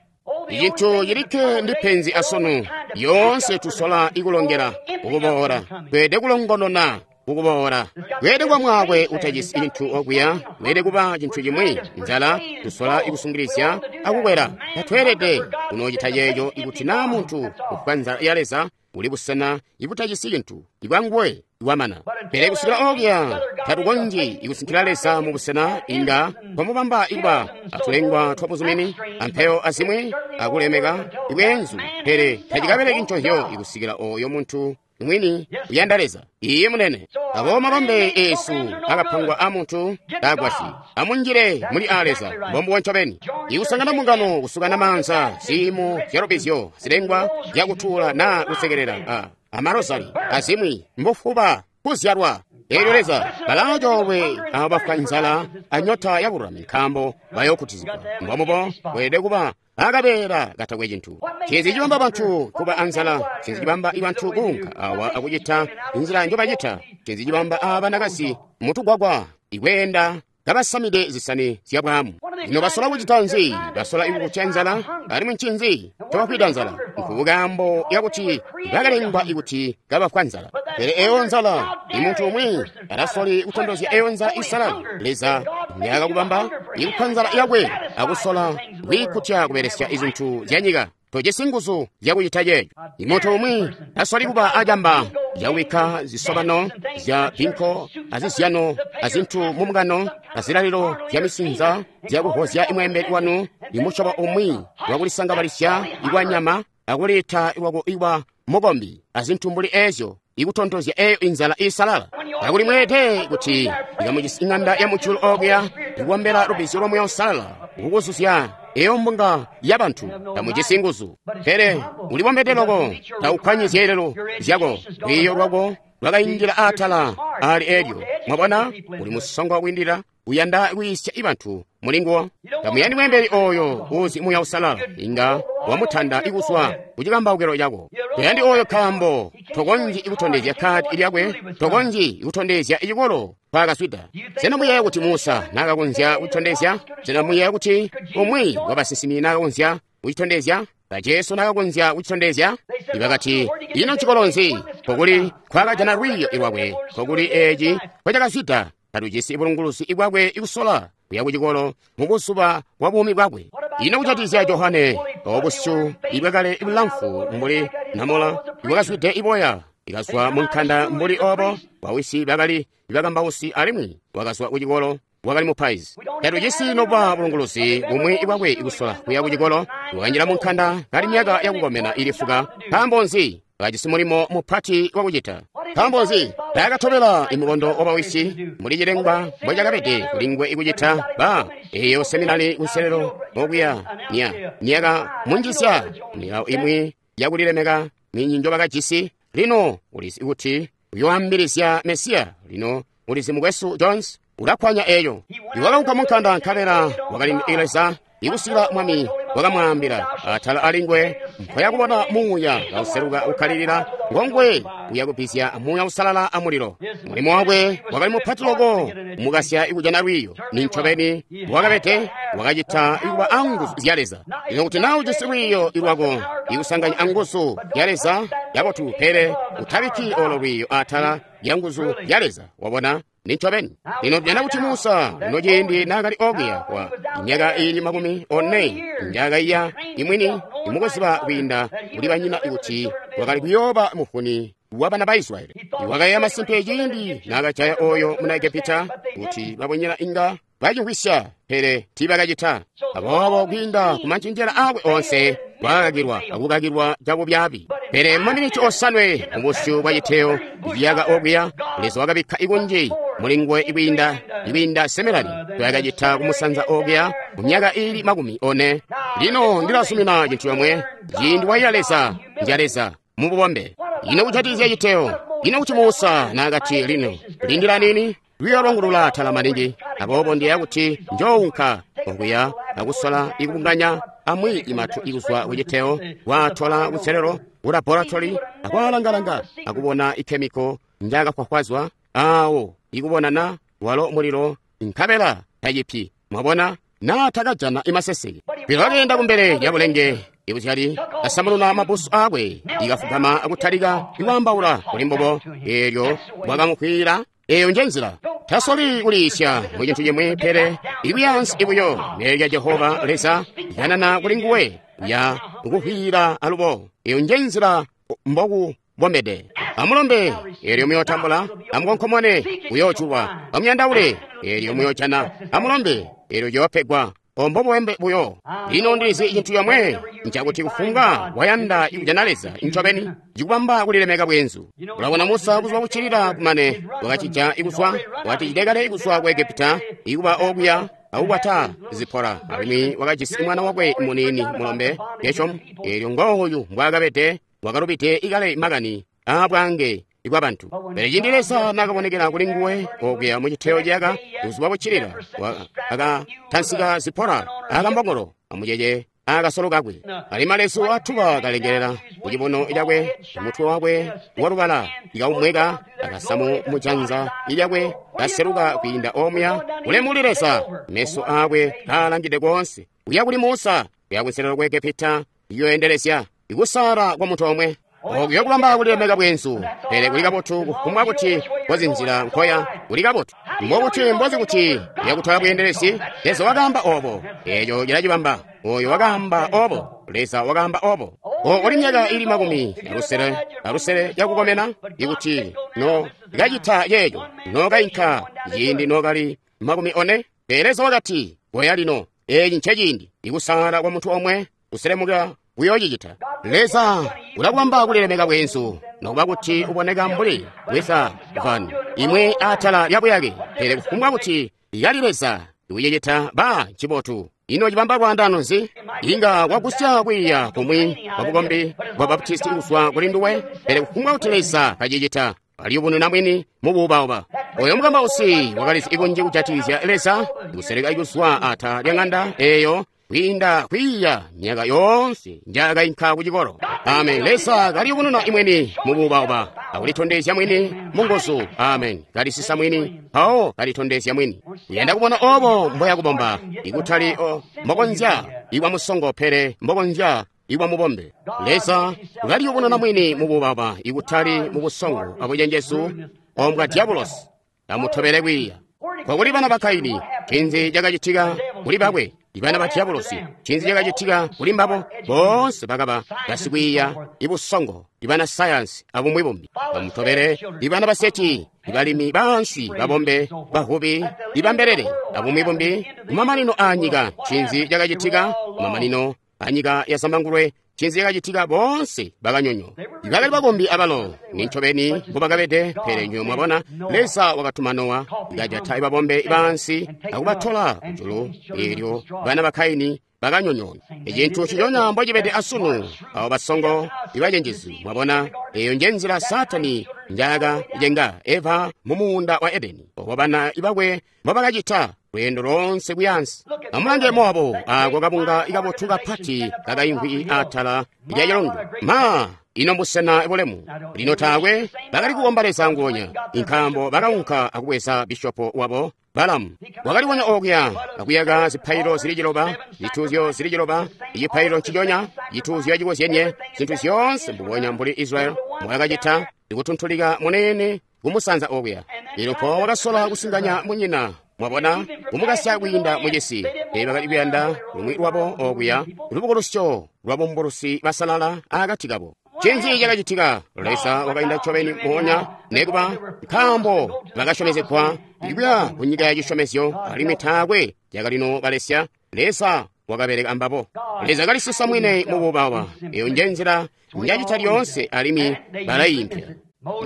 Icintu cilikke ndi penzi asunu. Yoonse tusola ikulongela kukuboola. Tweede kulongonona kukuboola. Kweede kuba mwaakwe utajisi cintu okuya. Kweede kuba cintu cimwi. Nzala tusola ikusungilizya akukwela. Tatweelede kunoocita ceeco ikuti naa muntu ufwa nzala ya Leza uli busena ibutajisi cintu ibwanguwe iwamana. Pele kusikila okuya tatukonzyi ikusinkila Leza mu busena inga twamubamba ikuba atulengwa twabuzumini ampeyo azimwi akulemeka ibweenzu, pele tacikabeleki nconzyo ikusikila oyo muntu mwini uyanda Leza. Iye munene. Abo mabambe esu akapangwa a muntu tagwasyi. Amunjile muli a Leza mbombubo ncobeni. Ikusangana mbungano, kusukana maanza, ziimo zyalubizyo, zilengwa zyakutuula naa kusekelela a amarozali azimwi mbufuba kuzyalwa. Eelyo Leza balaacoolwe abo bafwa nzala anyota ya bululami, nkaambo bayookutizigwa. Mbombubo kweelede kuba akabeela katakwe cintu. Ncinzi cibamba bantu kuba anzala? Ncinzi cibamba bantu kuunka awa akucita nzila njobacita? Ncinzi cibamba abanakazi mutugwagwa ikweenda kabasamide zisani zyabwaamu? Ino basola kucita nzi? Basola ikukutya nzala. Alimwi ncinzi ncobafwida nzala? Nkubukambo yakuti bakalengwa ikuti kabafwa nzala. Pele eyo nzala, imuntu umwi atasoli kutondozya eyo nzala isalala Leza njaakakubamba ikupha nzala yakwe akusola kwiikutya kubelesya izintu zyanyika. Tojisi nguzu zyakucita ceeco. Imuntu umwi tasoli kuba acamba zyakubikka zisobano zya binko azizyano azintu mumukano azilalilo zya misinza zyakuhozya imweembeli wanu imusyobo umwi wakulisangabalisya ikwanyama akuleta lwako iwa mukombi azintu mbuli ezyo ikutontozya eyo inzala isalala. Kakuli mweete kuti ikamujisi ing'anda ya mujulu okuya ikuombela lubizyo lwa Muya Uusalala kukuzuzya eyo mbunga ya bantu, tamujisi nguzu. Pele ulibombede loko, taukwanyi zyeelelo zyako, lwiiyo lwako lwakainjila atala ali elyo. Mwabona, uli musongo wakwiindilila, uyanda kwiisya ibantu mulinguwo. Tamuyandi mweembeli oyo uzi Muya Uusalala, inga wamutanda ikuzwa kucikambaukilo cako. Toyandi oyo nkaambo tokonzyi ikutondezya kadi lyakwe, tokonzyi ikutondezya icikolo nkwaakazwida. Sena muyeeya kuti Musa naakakonzya kucitondezya? Sena muyeeya kuti umwi wabasinsimi naakakonzya kucitondezya? Ba Jesu naakakonzya kucitondezya? Ibakati, ino ncikolo nzi nkokuli nkwaakajana lwiiyo lwakwe, nkokuli eeci nkocakazwida? Tatujisi bulunguluzi bwakwe ikusola kuya kucikolo mubuzuba bwa buumi bwakwe. Ino kujatikizya Johane obusyu ibwakale bulamfu mbuli namola ibwakazwide iboya ikazwa munkanda mbuli obo, bawisi bakali ibakambausi alimwi wakazwa kucikolo wakali mupaizi. Tatujisi nobuba bulunguluzi bumwi bwakwe ikusola kuya kucikolo. Wakanjila munkanda kali myaka yakukomena ili fuka. Nkaambo nzi? Wakajisi mulimo mupati wakucita. Nkaambo nzi? Taakatobela imukondo wabawisi muli cilengwa mbocakabede kulinguwe ikucita ba eyo seminari kunselelo okuya nya niyaka munjisya milawo imwi yakulilemeka minji njobakajisi. Lino ulizi kuti uyoambilizya Mesiya. Lino ulizi mukwesu Jones ulakkwanya eyo. Iwakaunka munkanda nkabela wakali Leza ikusikila mwami wakamwaambila atala alingwe mpoya kubona muuya kauseluka ukkalilila ngongwe uya kubbizya muuya usalala amulilo. Mulimo wakwe wakali mupati loko mukasya ikujana lwiiyo. Nincobeni wakabede wakacita ikuba anguzu zya Leza. Lino kuti naa ujisi lwiiyo lwako ikusanganya anguzu ya Leza yabotu, pele utabikki olo lwiiyo atala lya nguzu ya Leza. Wabona? Nincobeni. Lino tujana kuti Musa lino ciindi naakali okuya wa myaka iili makumi one njaakaiya imwini imukuziba kwiinda kuli banyina kuti wakali kuyooba mufuni wa bana ba Israyeli. Wakaiya masimpe ciindi naakajaya oyo muna Egepita kuti babonyina inga bacimvwisya, pele tiibakacita. Aboobo kwiinda ku mancenjela aakwe onse wakakakilwa akukakilwa cabubyaabi. Pele maminiti osanwe mubusyu bwa citeyo ciyaka okuya, Leza wakabikka ikunji mulinguwe ikwiinda ikwiinda seminari toyakacita kumusanza okuya mu myaka iili makumi one. Lino ndilazumina cintu yomwe, ciindi waiya Leza nja Leza mububombe. Ino kujatikizya citeyo, ino kuti Musa naakati lino lindila nini? Lwiiyo lwangu lulaatala maningi, aboobo ndiyeeya kuti njounka okuya akusola ikubunganya amwi imatu ikuzwa kuciteyo, kwaatola kunselelo ku laboratory akwaalangalanga akubona ikhemiko njaakafwafwazwa aawo ikubonana walo mulilo nkabela tacipyi. Mwabona? Naa takajana imaseseke. Pele wakeenda kumbele lya bulenge ibuzyali, asamununa mabusu aakwe, ikafugama akutalika ikwaambaula kuli mbubo. Eelyo bwakamukwiila. Eyo nje nzila. Tasoli kuliisya mu cintu cimwi, pele ikuyaansi ibuyo nelya Jehova Leza yanana kuli nguwe ya kuhwila alubo. Eyo nje nzila mboku bombede. Amulombe, eelyo muyootambula. Amukonkomone, uyoojulwa. Amuyandaule, eelyo muyoojana. Amulombe, eelyo ciyoopegwa. Ombo bwembe buyo. Lino ndilizi cintu yomwe ncakuti kufumbwa wayanda ikujana Leza ncobeni cikubamba kulilemeka bwenzu. Ulabona Musa kuzwa kuccilila kumane wakacija ikuzwa wakati kale ikuzwa ku Egepita ikuba okuya akukwata Zipora, alimwi wakajisi mwana wakwe muniini mulombe Geshomu. Eelyo ngooyu mbwaakabede wakalubide ikale makani aabwange ibwabantu. Pele ciindi Leza naakabonekela kuli nguwe okuya mu citeyo ciyaka buzuba buccilila, akatansika Zipora akambongolo amucece akasolo kakwe. Ali malezu atuba kalengelela ku cibuno cakwe, mutwe wakwe walubala ikaumweka akasamu mujanza lyakwe kaseluka kwiinda omuya. Ulemu kuli Leza, meso aakwe kaalangide koonse kuya kuli Musa, kuya kunselelo ku Egepita iyoendelezya ikusaala kwa munthu omwe. Okuya kubamba kulilemeka bwenzu, pele kuli kabotu kufumbwa kuti kozinzila nkoya kuli kabotu. Mbokuti mbozi kuti yakutwala bweendelezi, Leza wakaamba obo, eeco cilacibamba. Oyo wakaamba obo, Leza wakaamba obo. Uli myaka ili makumi alusele alusele yakukomena ikuti no kacita yeeyo nokainka ciindi nokali makumi one. Pele Leza wakati koya lino, eeci nceciindi ikusaala kwa munthu omwe kuselemuka uyoocicita. Leza ulakubamba kulilemeka bwenzu nokuba kuti uboneka mbuli bweza vani imwe atala lya buyake, pele kufumbwa kuti yali Leza ikucicita ba ncibotu. Ino cibamba lwaandano nzi? Inga wagusya kwiiya kumwi kwa bukombi bwa Baptisti kuzwa kuli nduwe, pele kufumbwa kuti Leza kacicita aliyubununa mwini mubuubauba. Oyo mukambausi wakalizi ikunji kujatikizya Leza kuseleka ikuzwa atala lya ng'anda eyo kwiinda kwiiya myaka yoonse njaakainka ku cikolo. Amen. Leza kaliyubununa imweni mubuubauba akulitondezya mwini munguzu. Amen. Kalisisa mwini mpawo kalitondezya mwini. Uyanda kubona obo mboya kubomba ikutali o mbokonzya ikwa musongo, pele mbokonzya ikwa mubombe. Leza kaliyubununa mwini mubuubauba ikutali mubusongo abucenjezu ombwa diabulosi. Amutobele kwiiya. Kwakuli bana ba Kaini, ncinzi cakacitika kuli bakwe? Ibana ba diabulosi, ncinzi cakacitika kuli mbabo? Boonse bakaba basikwiiya ibusongo, ibana sayansi abumwi bumbi. Bamutobele ibana ba Seti, ibalimi baansi, babombe, bavubi, ibambelele abumwi bumbi. Kumamanino aanyika, ncinzi cakacitika? Kumamanino anyika ya Zambangulwe, Ncinzi cakacitika? Boonse bakanyonyoonwa. Bakali bakombi abalo, nincobeni mbobakabede, pele nywebo mwabona, Leza wakatuma Nowa, kajata babombe baansi akubatola kujulu, eelyo bana ba Kaini bakanyonyoona. Ecintu nciconya mbocibede asunu, abo basongo ibacenjezi, mwabona, eyo nje nzila Saatani njaakacenga Eva mu muunda wa Edeni, obo bana bakwe mbobakacita lweendo loonse kuyaansi. Amulange Moabu, ako kabunga kabotu kapati kakaimvwi atala lya cilundu. Ma, ino mbusena bulemu! Lino taakwe bakali kukomba Leza nguonya, nkaambo bakaunka akubweza bishopo wabo Balamu. Wakalibonya okuya akuyaka zipailo zili ciloba, zituuzyo zili ciloba, icipailo nciconya, cituuzyo cikozyenye, zintu zyoonse mbubonya mbuli Israel mbwakacita, ikutuntulika munene kumusanza okuya. Elyo mpawo wakasola kusinganya munyina, mwabona, kumukasya kwiinda mucisi. Pele bakali kuyanda lumwi lwabo okuya, lubukulusyo lwabumbulusi basalala akati kabo. Ncinzi cakacitika? Leza wakainda ncobeni moonya, nekuba, nkaambo bakasyomezegwa kuya ku nyika ya cisyomezyo, alimwi taakwe cakalino balesya. Leza wakabeleka ambabo. Leza kalisisa mwini mububawa. Eyo nje nzila njacita lyoonse, alimwi balayimpya.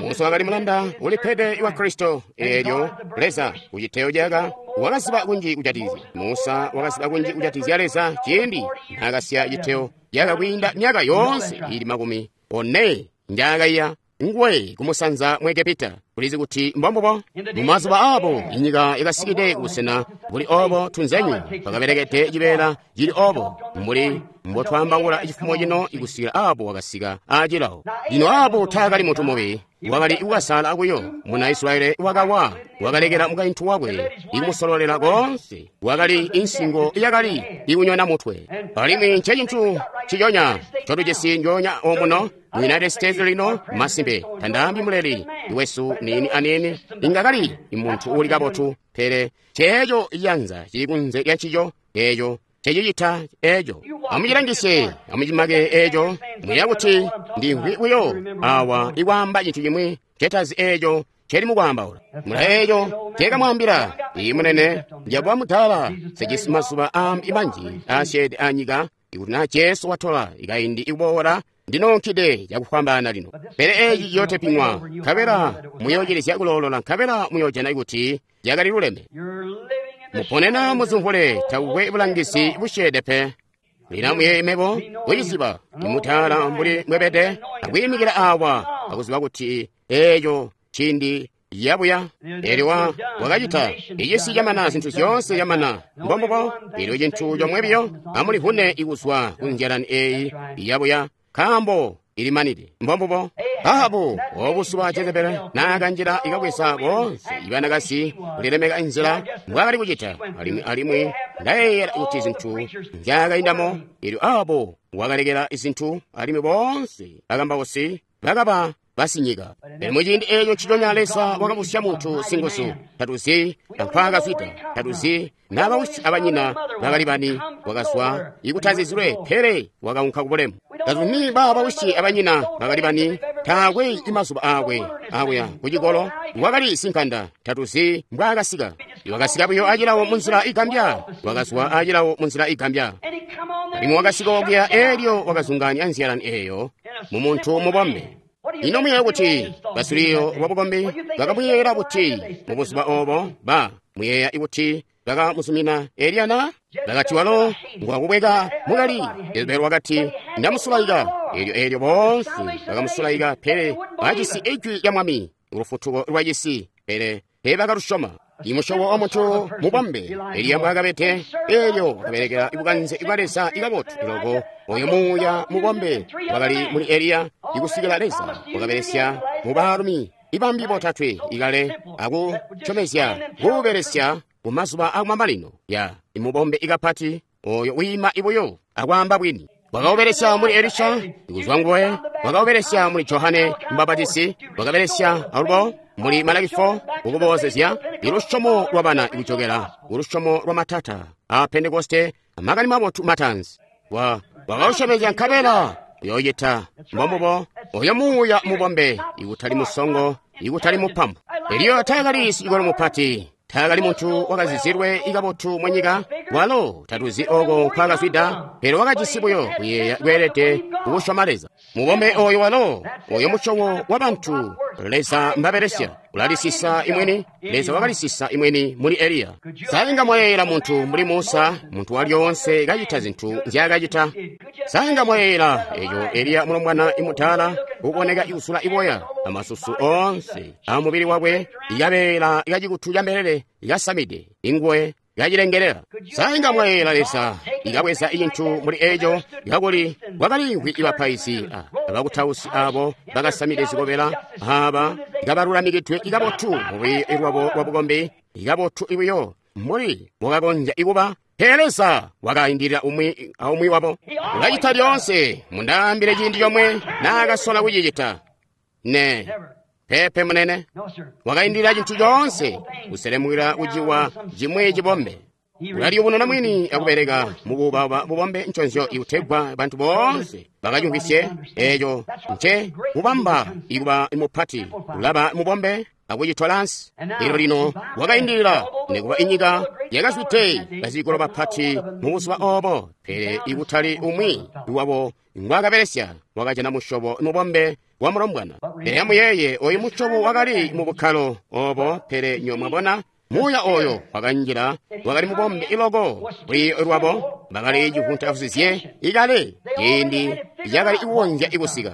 Musa wakali mulanda ulipede wa Kristo, eelyo Leza kuciteyo caka wakaziba kunji kujatizya. Musa wakaziba kunji kujatizya Leza ciindi naakasiya citeyo caka kwiinda myaka yoonse ili makumi one njaakaiya nguwe kumusanza mu Egepita. Kulizi kuti mbombubo mumazuba abo inyika yakasikide kubusena buli obo tunzenyu bakabelekede cibeela cili obo mbuli mbotwaambaula cifumo cino ikusikila abo wakasika acilawo. Lino abo taakali muntu mubi, wakali kukasala buyo. Muna Israyeli wakawa, wakalekela mukaintu wakwe ikumusololela koonse, wakali insingo yakali ikunyona mutwe. Alimwi ncecintu nciconya ncotujisi njoonya omuno mu United States lino. Masimpe, tandaambi muleli wesu niini aniini inga kali muntu uuli kabotu, pele ceeco ciyanza cili kunze lya ncico, eeco cecicita eeco. Amucilangisye, amucimake eeco, muya kuti ndimvwi buyo awa ikwaamba cintu cimwi cetazi eeco celi mukwaambaula. Mula eeco cekamwaambila, iyi munene, njakuba mudala, sejisi mazuba aambi manji aasyeede anyika, ikuti naa Jesu watola ikaindi ikuboola, ndinoonkide cakufwambaana lino. Pele eeci ciyootepiŋwa, nkabela muyoocilizya kuloolola, nkabela muyoojana kuti cakali luleme. Muponena muzumvule, takukwe bulangizi busyeede pe. Lino muyeeye mebo kuciziba imutaala mbuli mwebede, akwiimikila awa akuziba kuti eeco ciindi yabuya. Eelyo wa wakacita icisi camana, zintu zyoonse camana, mbombubo. Eelyo cintu comwe biyo, amulivune ikuzwa ku nzyalani eeyi yabuya, nkaambo ilimanide. Mbombubo. Ahabu obusuba Jezebeli naakanjila ikabweza boonse ibanakazi kulilemeka inzila mbwaakali kucita, alimwi alimwi ndayeeyela kuti zintu nzyaakaindamo. Eelyo Ahabu wakalekela zintu, alimwi boonse bakambausi bakaba basinyika. Pele muciindi eeco nciconya Leza wakabusya muntu singuzu. Tatuzi ankwaakazwida, tatuzi nabawisi abanyina bakali bani, wakazwa ikutazizilwe, pele wakaunka kubulemu. Tatuzi babawisi abanyina bakali bani, taakwe imazuba aakwe akuya kucikolo, wakali sinkanda, tatuzi mbwaakasika. Wakasika buyo acilawo munzila igambya, wakazwa acilawo munzila igambya. Alimwi wakasika okuya, eelyo wakazungaanya nzyalani eeyo mumuntu mubombe. Ino muyeeya kuti basiluiyo lwabukombi bakamuyeeyela buti mubuzuba obo? Ba muyeeya kuti bakamuzumina Eliya na? Bakati walo ngwakubweka mukali. Jezebeli wakati ndamusulaika. Eelyo eelyo boonse bakamusulaika, pele bajisi ijwi lya Mwami, lufutuko lwacisi, pele teebakalusyoma. Imusyobo wa muntu mubombe Eliya mbwaakabede, eelyo wakabelekela bukanze bwa Leza ikabotu loko. Oyo muuya mubombe wakali muli Eliya ikusikila Leza wakabelesya mubaalumi ibambi botatwe ikale akusyomezya kuubelesya kumazuba akumamanino. Ya imubombe ikapati oyo wiima ibuyo akwaamba bwini. Wakaubelesya muli Elisha ikuzwa nguwe, wakaubelesya muli Johane Mubapatisi, wakabelesya alubo muli Malaki four kukuboozezya ilusyomo lwabana ikujokela kulusyomo lwa matata a Pentekoste, amakani mabotu matanzi. Wa wakausyomezya nkabela uyoocita. Mbombubo. Oyo muuya mubombe ikutali musongo, ikutali mupampu. Eliya taakali sicikolo mupati, Taakali muntu wakazizilwe ikabotu mu nyika, walo tatuzi oko nkwaakazwida, pele wakajisi buyo kuyeeya kweelede kukusyoma Leza. Mubombe oyo walo, oyo musyobo wa bantu Leza mbabelesya, ulalisisa imweni, Leza wakalisisa imweni muli Eliya. Sainga mwayeeyela muntu mbuli Musa, muntu walyoonse kacita zintu nzyaakacita. Sainga mwayeeyela eco Eliya mulombwana imutaala uboneka ikusula iboya, amasusu oonse amubili wakwe ikabeela ikacikutu ca mbelele ikasamide, ingwe kacilengelela. Sainga mwayeeyela Leza ikabweza icintu muli eco kakuli kwakaliimvwi ibapaizi abakutausi abo bakasamide zikobela aba ikabalulamikidwe ikabotu mubili lwabo lwabukombi ikabotu ibuyo mbuli mwakakonzya ikuba. Pele Leza wakaindilila umwi aumwi wabo. Ulacita lyoonse, mundaambile ciindi comwe naakasola kucicita. Ne. Pepe munene. Wakaindilila cintu coonse, kuselemukila kuciwa cimwi cibombe. Ulaliyubununa mwini akubeleka mubuubauba bubombe nconzyo ikutegwa bantu boonse bakacimvwisye eco nce kubamba ikuba mupati, ulaba mubombe akucitola ansi. Elyo lino wakaindilila nikuba inyika yakazwide bazikolo bapati mubuzuba obo, pele ikutali umwi wabo ngwaakabelesya wakajana musyobo mubombe wa mulombwana. Pele amuyeeye oyu musyobo wakali mu bukkalo obo, pele nyo mwabona muuya oyo wakanjila wakali mubombe iloko kuli lwabo bakali civunta-vuzizye ikale ciindi yakali ikukonzya ikusika.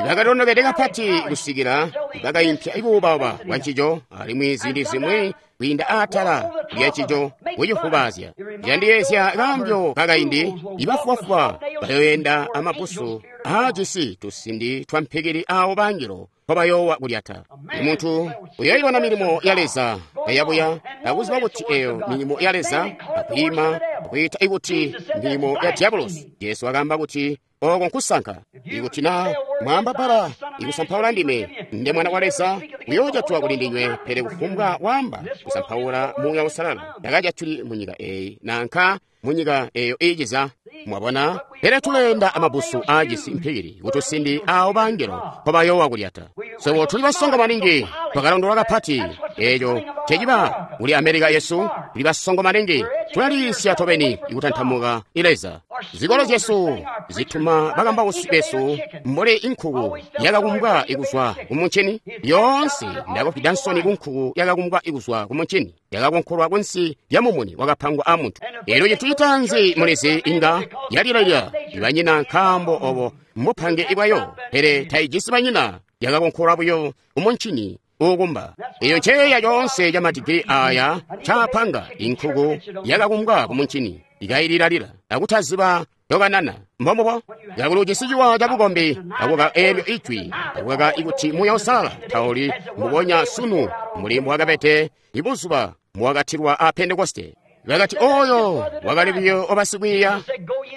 Bakalondokede kapati kusikila bakaimpya ibuubauba bwa ncico, alimwi ziindi zimwi kwiinda atala lya ncico kucifubaazya. Candiyeezya kaambyo kakaindi, ibafubafuba bayoyenda amabusu aajisi tusindi twa mpikili aawo bangelo mpobayoowa kulyata. Muntu uyoibona milimo ya Leza kayabuya akuziba kuti eyo milimo ya Leza, akwiima akwiita ikuti milimo ya diabolosi. Jesu akaamba kuti oko nkusanka. Ikuti na mwaamba bbala ikusampaula ndime, nde mwana wa Leza, uyoojatwa kuli ndinywe, pele kufumbwa waamba kusampaula Muuya Uusalala takajatuli munyika eyi nanka munyika eyo iiciza. Mwabona? Pele tuleenda amabusu aajisi mpikili kutusindi aawo bangelo mpobayoowa kulyata. Swebo tuli basongo maningi, twakalondolwa kapati. Eco ceciba kuli Amerika yesu, tuli basongo maningi, tulaliisya tobeni ikutantamuka Leza. Zikolo zyesu zituma bakambausi besu mbuli inkuku yakakumbwa ikuzwa kumuncini. Yoonse ndakufida nsoni kunkuku yakakumbwa ikuzwa kumuncini, yakakonkolwa kunsi lya mumuni wakapangwa amuntu. Elyo cintu citaanzi mulizi inga yalilalya ibanyina nkaambo obo mbupange ibwayo, pele taijisi banyina, yakakonkolwa buyo kumuncini uukumba. Eyo nceeya coonse ca madigiri aya caapanga inkuku yakakumbwa kumuncini ikayililalila akutaziba tokanana. Mbombubo kakuli ujisi ciwa cabukombi akuka eelyo ijwi akukaka ikuti Muuya Uusalala tauli mbubonya sunu mbuli mbwakabede ibuzuba mbwakatilwa a Pentekoste. Bakati oyo wakali buyo wabasikwiiya.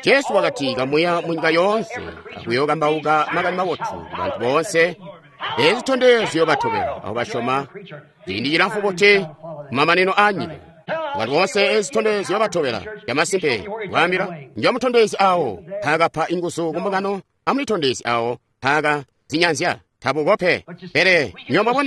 Jesu wakati kamuya munyika yoonse akuyookambauka makani mabotu kubantu boonse. Ezi zitondezyo ziyobatobela abo basyoma ciindi cilamfu buti kumamanino aanyika. Bantu boonse ezi zitondezyo ziyobatobela. Camasimpe kwaambila njomutondezi awo mpaakapa inguzu kumbungano, amulitondezi awo mpaaka zinyanzya tabukope. Pele nywebo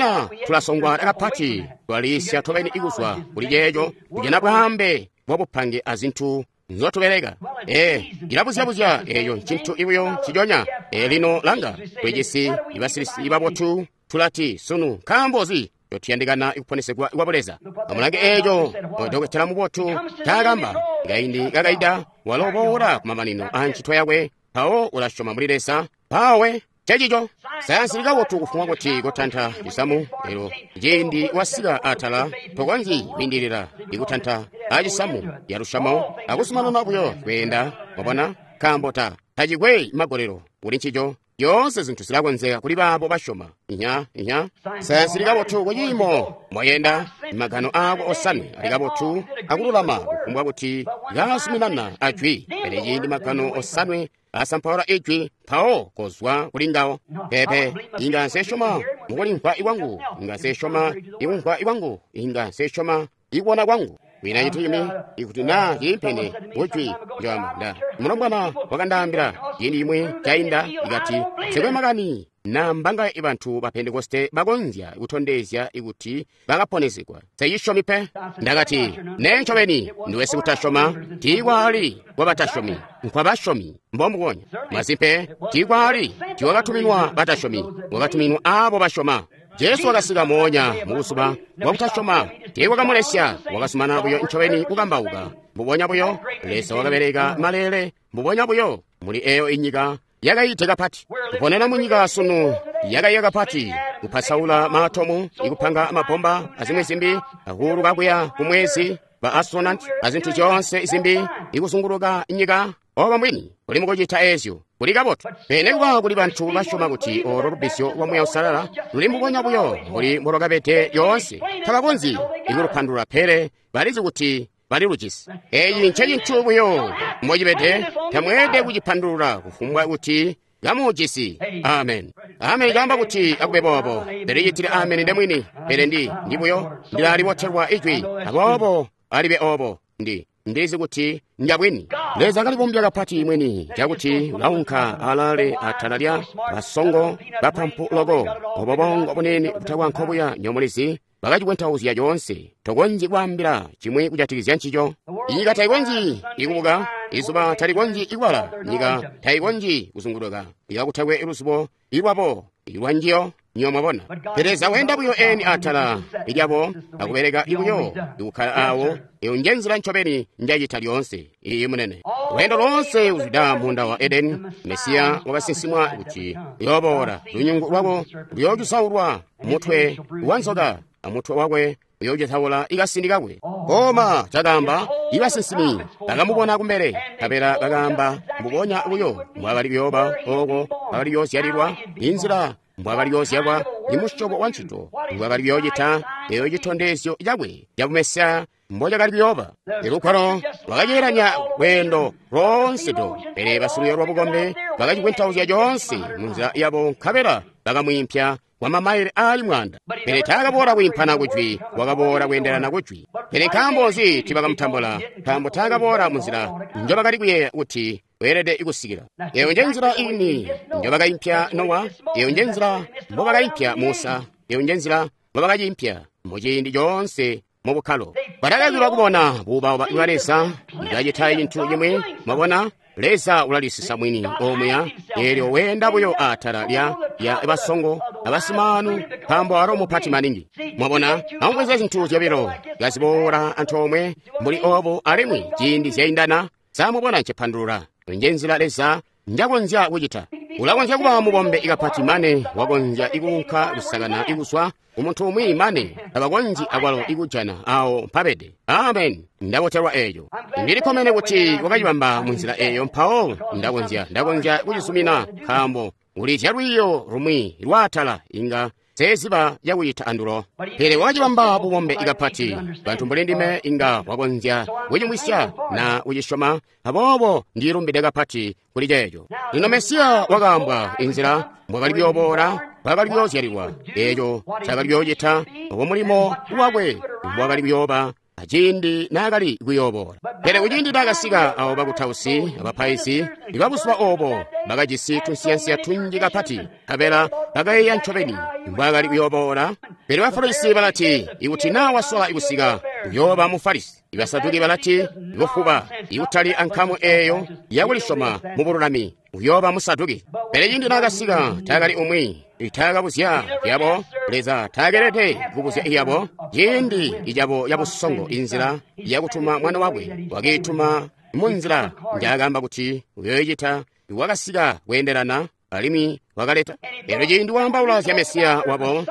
tulasongwa kapati, twaliisya tobeni ikuzwa kuli ceeco kujana bwaambe bwabupange azintu nzotubeleka. Ee, ilabuzya-buzya eyo ncintu ibuyo nciconya. Ee, lino langa, twejisi ibasilisi babotu tulati sunu nkaambo nzi totuyandikana ikuponesegwa kwa buleza. Amulange eeco dokotela mubotu taakamba kaindi kakaida walo boola kumamanino a ncito yakwe, mpawo ulasyoma muli Leza mpawe cecico. Sayansi likabotu kufumbwa kuti kotanta cisamu, elo ciindi wasika atala tokonzyi kwiindilila ikutanta acisamu yalushamo akuzumanana buyo kweenda. Mwabona, nkaambo ta tacikwe magolelo kuli ncico. Yoonse zintu zilakonzeka kuli baabo basyoma. Inya inya sayansi likabotu kuciimo moyenda, magano aako osanwe ali kabotu akululama kufumbwa kuti kazuminana ajwi, pele ciindi magano osanwe asampaula ijwi mpawo kozwa kuli ngawo. Pepe, inga nsesyoma mukulimvwa ikwangu, inga nsesyoma ikumvwa ikwangu, inga nsesyoma ikubona kwangu. Kwiina cintu cimbi, ikuti naa ciliimpene kujwi njoamba. Nda mulombwana wakandaambila ciindi cimwi cainda, ikati nsikwe makani na mbanga bantu ba Pentekoste bakonzya kutondezya kuti bakaponezegwa. Nsecisyomi pe. Ndakati, nee ncobeni, ndiwe sikutasyoma, tiikwali kwabatasyomi, nkwabasyomi mbombubonya. Masimpe, tiikwali tiiwakatuminwa batasyomi, wakatuminwa aabo basyoma. Jesu wakasika moonya mubuzuba bwakutasyoma, tiikwakamulesya, wakasumana buyo ncobeni kukambauka. Mbubonya buyo, Leza wakabeleka maleele, mbubonya buyo, muli eyo inyika yakaite kapati. Kuponena munyika sunu yakaiya kapati, kupasaula maatomu, ikupanga mabomba azimwi zimbi, akuuluka kuya kumwezi, ba astronaut azintu zyoonse zimbi, ikuzunguluka nyika. Obo mbwini kuli mukucita ezyo kuli kabotu. Pele kuba kuli bantu basyoma kuti olo lubbizyo lwa Muuya Uusalala luli mbubonya buyo mbuli mbolwakabede lyoonse. Tabakonzyi ikulupandulula, pele balizi kuti balilujisi. Eyi ncecintu buyo mbocibede, tamweelede kucipandulula kufumbwa kuti kamuujisi. Amen. Amen caamba kuti akube boobo. Pele citile amen ndemwini, pele ndi ndi buyo ndilalibotelwa ijwi, aboobo alibe obo ndi ndizi kuti njabwini. Leza kalibombya kapati mwini cakuti ulaunka alale atala lya basongo bapampu loko, obo bongo bunene butakwa nkobuya nyomulizi bakacikwentauzya coonse. Tokonzyi kwaambila cimwi kujatikizya ncico. Inyika taikonzyi ikubuka, izuba talikonzyi ikwala, nyika taikonzyi kuzunguluka, ikakutakwe luzubo ilwabo ilwanjiyo. Nyo mwabona. Pele Leza weenda buyo eni atala ilyabo akubeleka buyo ikukkala awo. Eyo nje nzila ncobeni njacita lyoonse. Iyi munene. Lweendo loonse kuzwida munda wa Edeni, Mesiya wakasinsimwa kuti uyooboola, lunyungu lwako luyoocusaulwa mutwe wa nzoka, amutwe wakwe uyoocusaula ikasindi kakwe. Koma cakaamba ibasinsimi bakamubona kumbele, nkabela bakaamba mbubonya buyo mbwakali kuyooba ooko bakali kuyoozyalilwa, inzila mbwakali kuyoozyalwa, imusyobo wa ncito mbwakali kuyoocita, eyo citondezyo cakwe ca Mesiya mbocakali kuyooba. Ilugwalo lwakaceelanya lweendo loonse do, pele basilwiiyo lwa bukombe bakacikwentauzya coonse munzila yabo, nkabela bakamwiimpya kwa mamaile aali mwanda. Pele taakaboola kwiimpana kujwi, wakaboola kweendelana kujwi. Pele nkaambo nzi tiibakamutambula? Nkaambo taakaboola munzila njobakali kuyeeya kuti weelede kusikila. Eyo nje nzila ini njobakaimpya Nowa, eyo nje nzila mbobakaimpya Musa, eyo nje nzila mbobakaciimpya muciindi coonse mu bukkalo. Batakakilwa kubona buubauba bwa Leza kacita cintu cimwi. Mwabona, Leza ulalisisa mwini omuya, eelyo weenda buyo atala lya lya basongo abasimaanu, nkaambo alo mupati maningi. Mwabona, amubweze zintu zyobilo kaziboola antoomwe mbuli obo, alimwi ciindi zyaindana. Samubona ncipandulula. Nje nzila Leza njakonzya kucita. Ulakonzya kuba mubombe kapati mane wakonzya ikuunka kusakana ikuswa umuntu umwi mane tabakonzyi akwalo ikujana awo mpabede. Amen. Ndabotelwa eeyo. Ndilikkomene kuti wakacibamba munzila eeyo, mpawo ndakonzya ndakonzya kucizumina, nkaambo ulizya lwiiyo lumwi lwaatala inga seziba yakucita andulo. Pele wakacibamba bubombe kapati, bantu mbuli ndime inga wakonzya kucimwisya na kucisyoma, aboobo ndilumbide kapati kuli ceeco. Lino Mesiya wakaambwa inzila mbwakali kuyooboola, mbwakali kuyoozyalilwa, eeco cakali kuyoocita, obo mulimo wakwe mbwakali kuyooba aciindi naakali kuyooboola. Pele kuciindi naakasika, abo bakutausi abapaizi ibabuzuba obo bakajisi tunsiyansiya tunji kapati, nkabela bakayeeya ncobeni mbwaakali kuyooboola. Pele Bafarisi balati, ikuti naa wasola kusika, uyooba Mufarisi. Ibasaduki balati, ibufuba, ikutali ankamu eeyo yakulisyoma mu bululami, uyooba Musaduki. Pele ciindi naakasika, taakali umwi itaakabuzya yabo. Leza taakelede kubuzya iyabo ciindi icabo cabusongo inzila yakutuma mwana wakwe. Wakiituma munzila njaakamba kuti uyoocita. Wakasika kweendelana alimwi wakaleta. Elyo ciindi waambaula zya Mesiya wabo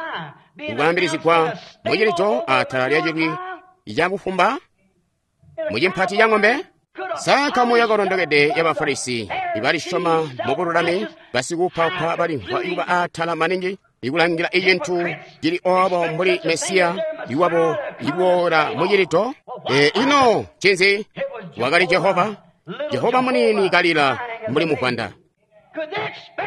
ukwaambilizigwa mucilico atala lya cilwi cabufumba mucimpati ca ng'ombe. Sa nkamu yakalondokede ya Bafarisi ibalisyoma mu bululami, basikuupaupa balimvwa ikuba atala maningi, ikulangila icintu cili obo mbuli Mesiya iwabo iboola mucilito. E, ino ncinzi? Wakali Jehova, Jehova munini kalila mbuli muvwanda.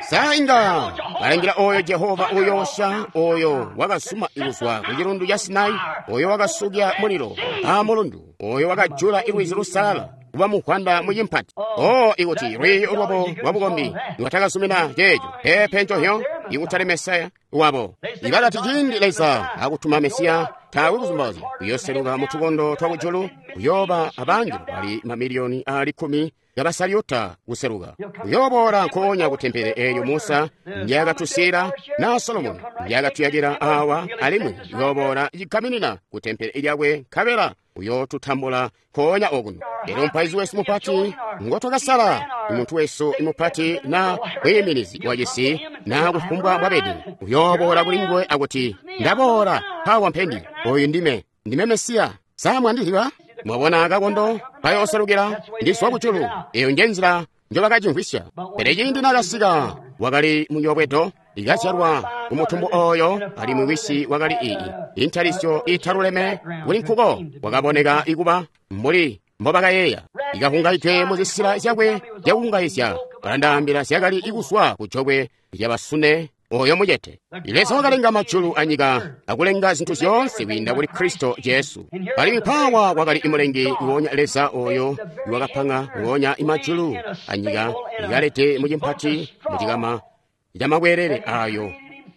Sa inga balangila oyo Jehova uyoosya, oyo wakasuma kuzwa ku cilundu ca Sinai, oyo wakasukya mulilo a mulundu, oyo wakajula lwizi lusalala kuba mukwanda mucimpati. Oh, ikuti lwiiyo lwabo lwabukombi lwatakazumina ceeco, peepe ncohyo, ikutali Mesaya wabo. Ibakati ciindi Leza akutuma Mesiya, taakwe kuzumbauzya kuyoseluka mu tukondo twa kujulu, kuyooba abangelo bali mamiliyoni aali kkumi kabasalyuta kuseluka. Kuyooboola nkoonya ku tempele eelyo Musa ndyakatusiila na Solomoni ndyakatuyakila awa, alimwi kuyooboola cikaminina ku tempele lyakwe nkabela uyootutambula nkoonya okuno. Elyo mupaizi wesu mupati ngotwakasala, muntu wesu mupati na mwiiminizi wacisi na kufumbwa bwabede, uyooboola kuli nguwe akuti, ndaboola mpawa mpendi, oyu ndime, ndime Mesiya. Sa mwandizyiba? Mwabona kakondo kayooselukila ndizwa kujulu. Eyo nje nzila njobakacimvwisya. Pele ciindi nakasika wakali muyobwedo ikazyalwa kumutumbu oyo, alimwi wisi wakali iyi intalisyo italuleme kuli nkuko, wakaboneka ikuba mbuli mbobakayeeya. Ikahungaidwe muzisila zyakwe zyakuhungaizya, balandaambila zyakali ikuzwa kujokwe lyabasune oyo mucete. Leza wakalenga majulu anyika akulenga zintu zyoonse kwiinda kuli Kristo Jesu. Alimwi mpawa wakali imulengi nguonya Leza oyo iwakapanga nguonya imajulu anyika ikalede mucimpati mucikama camakwerere ayo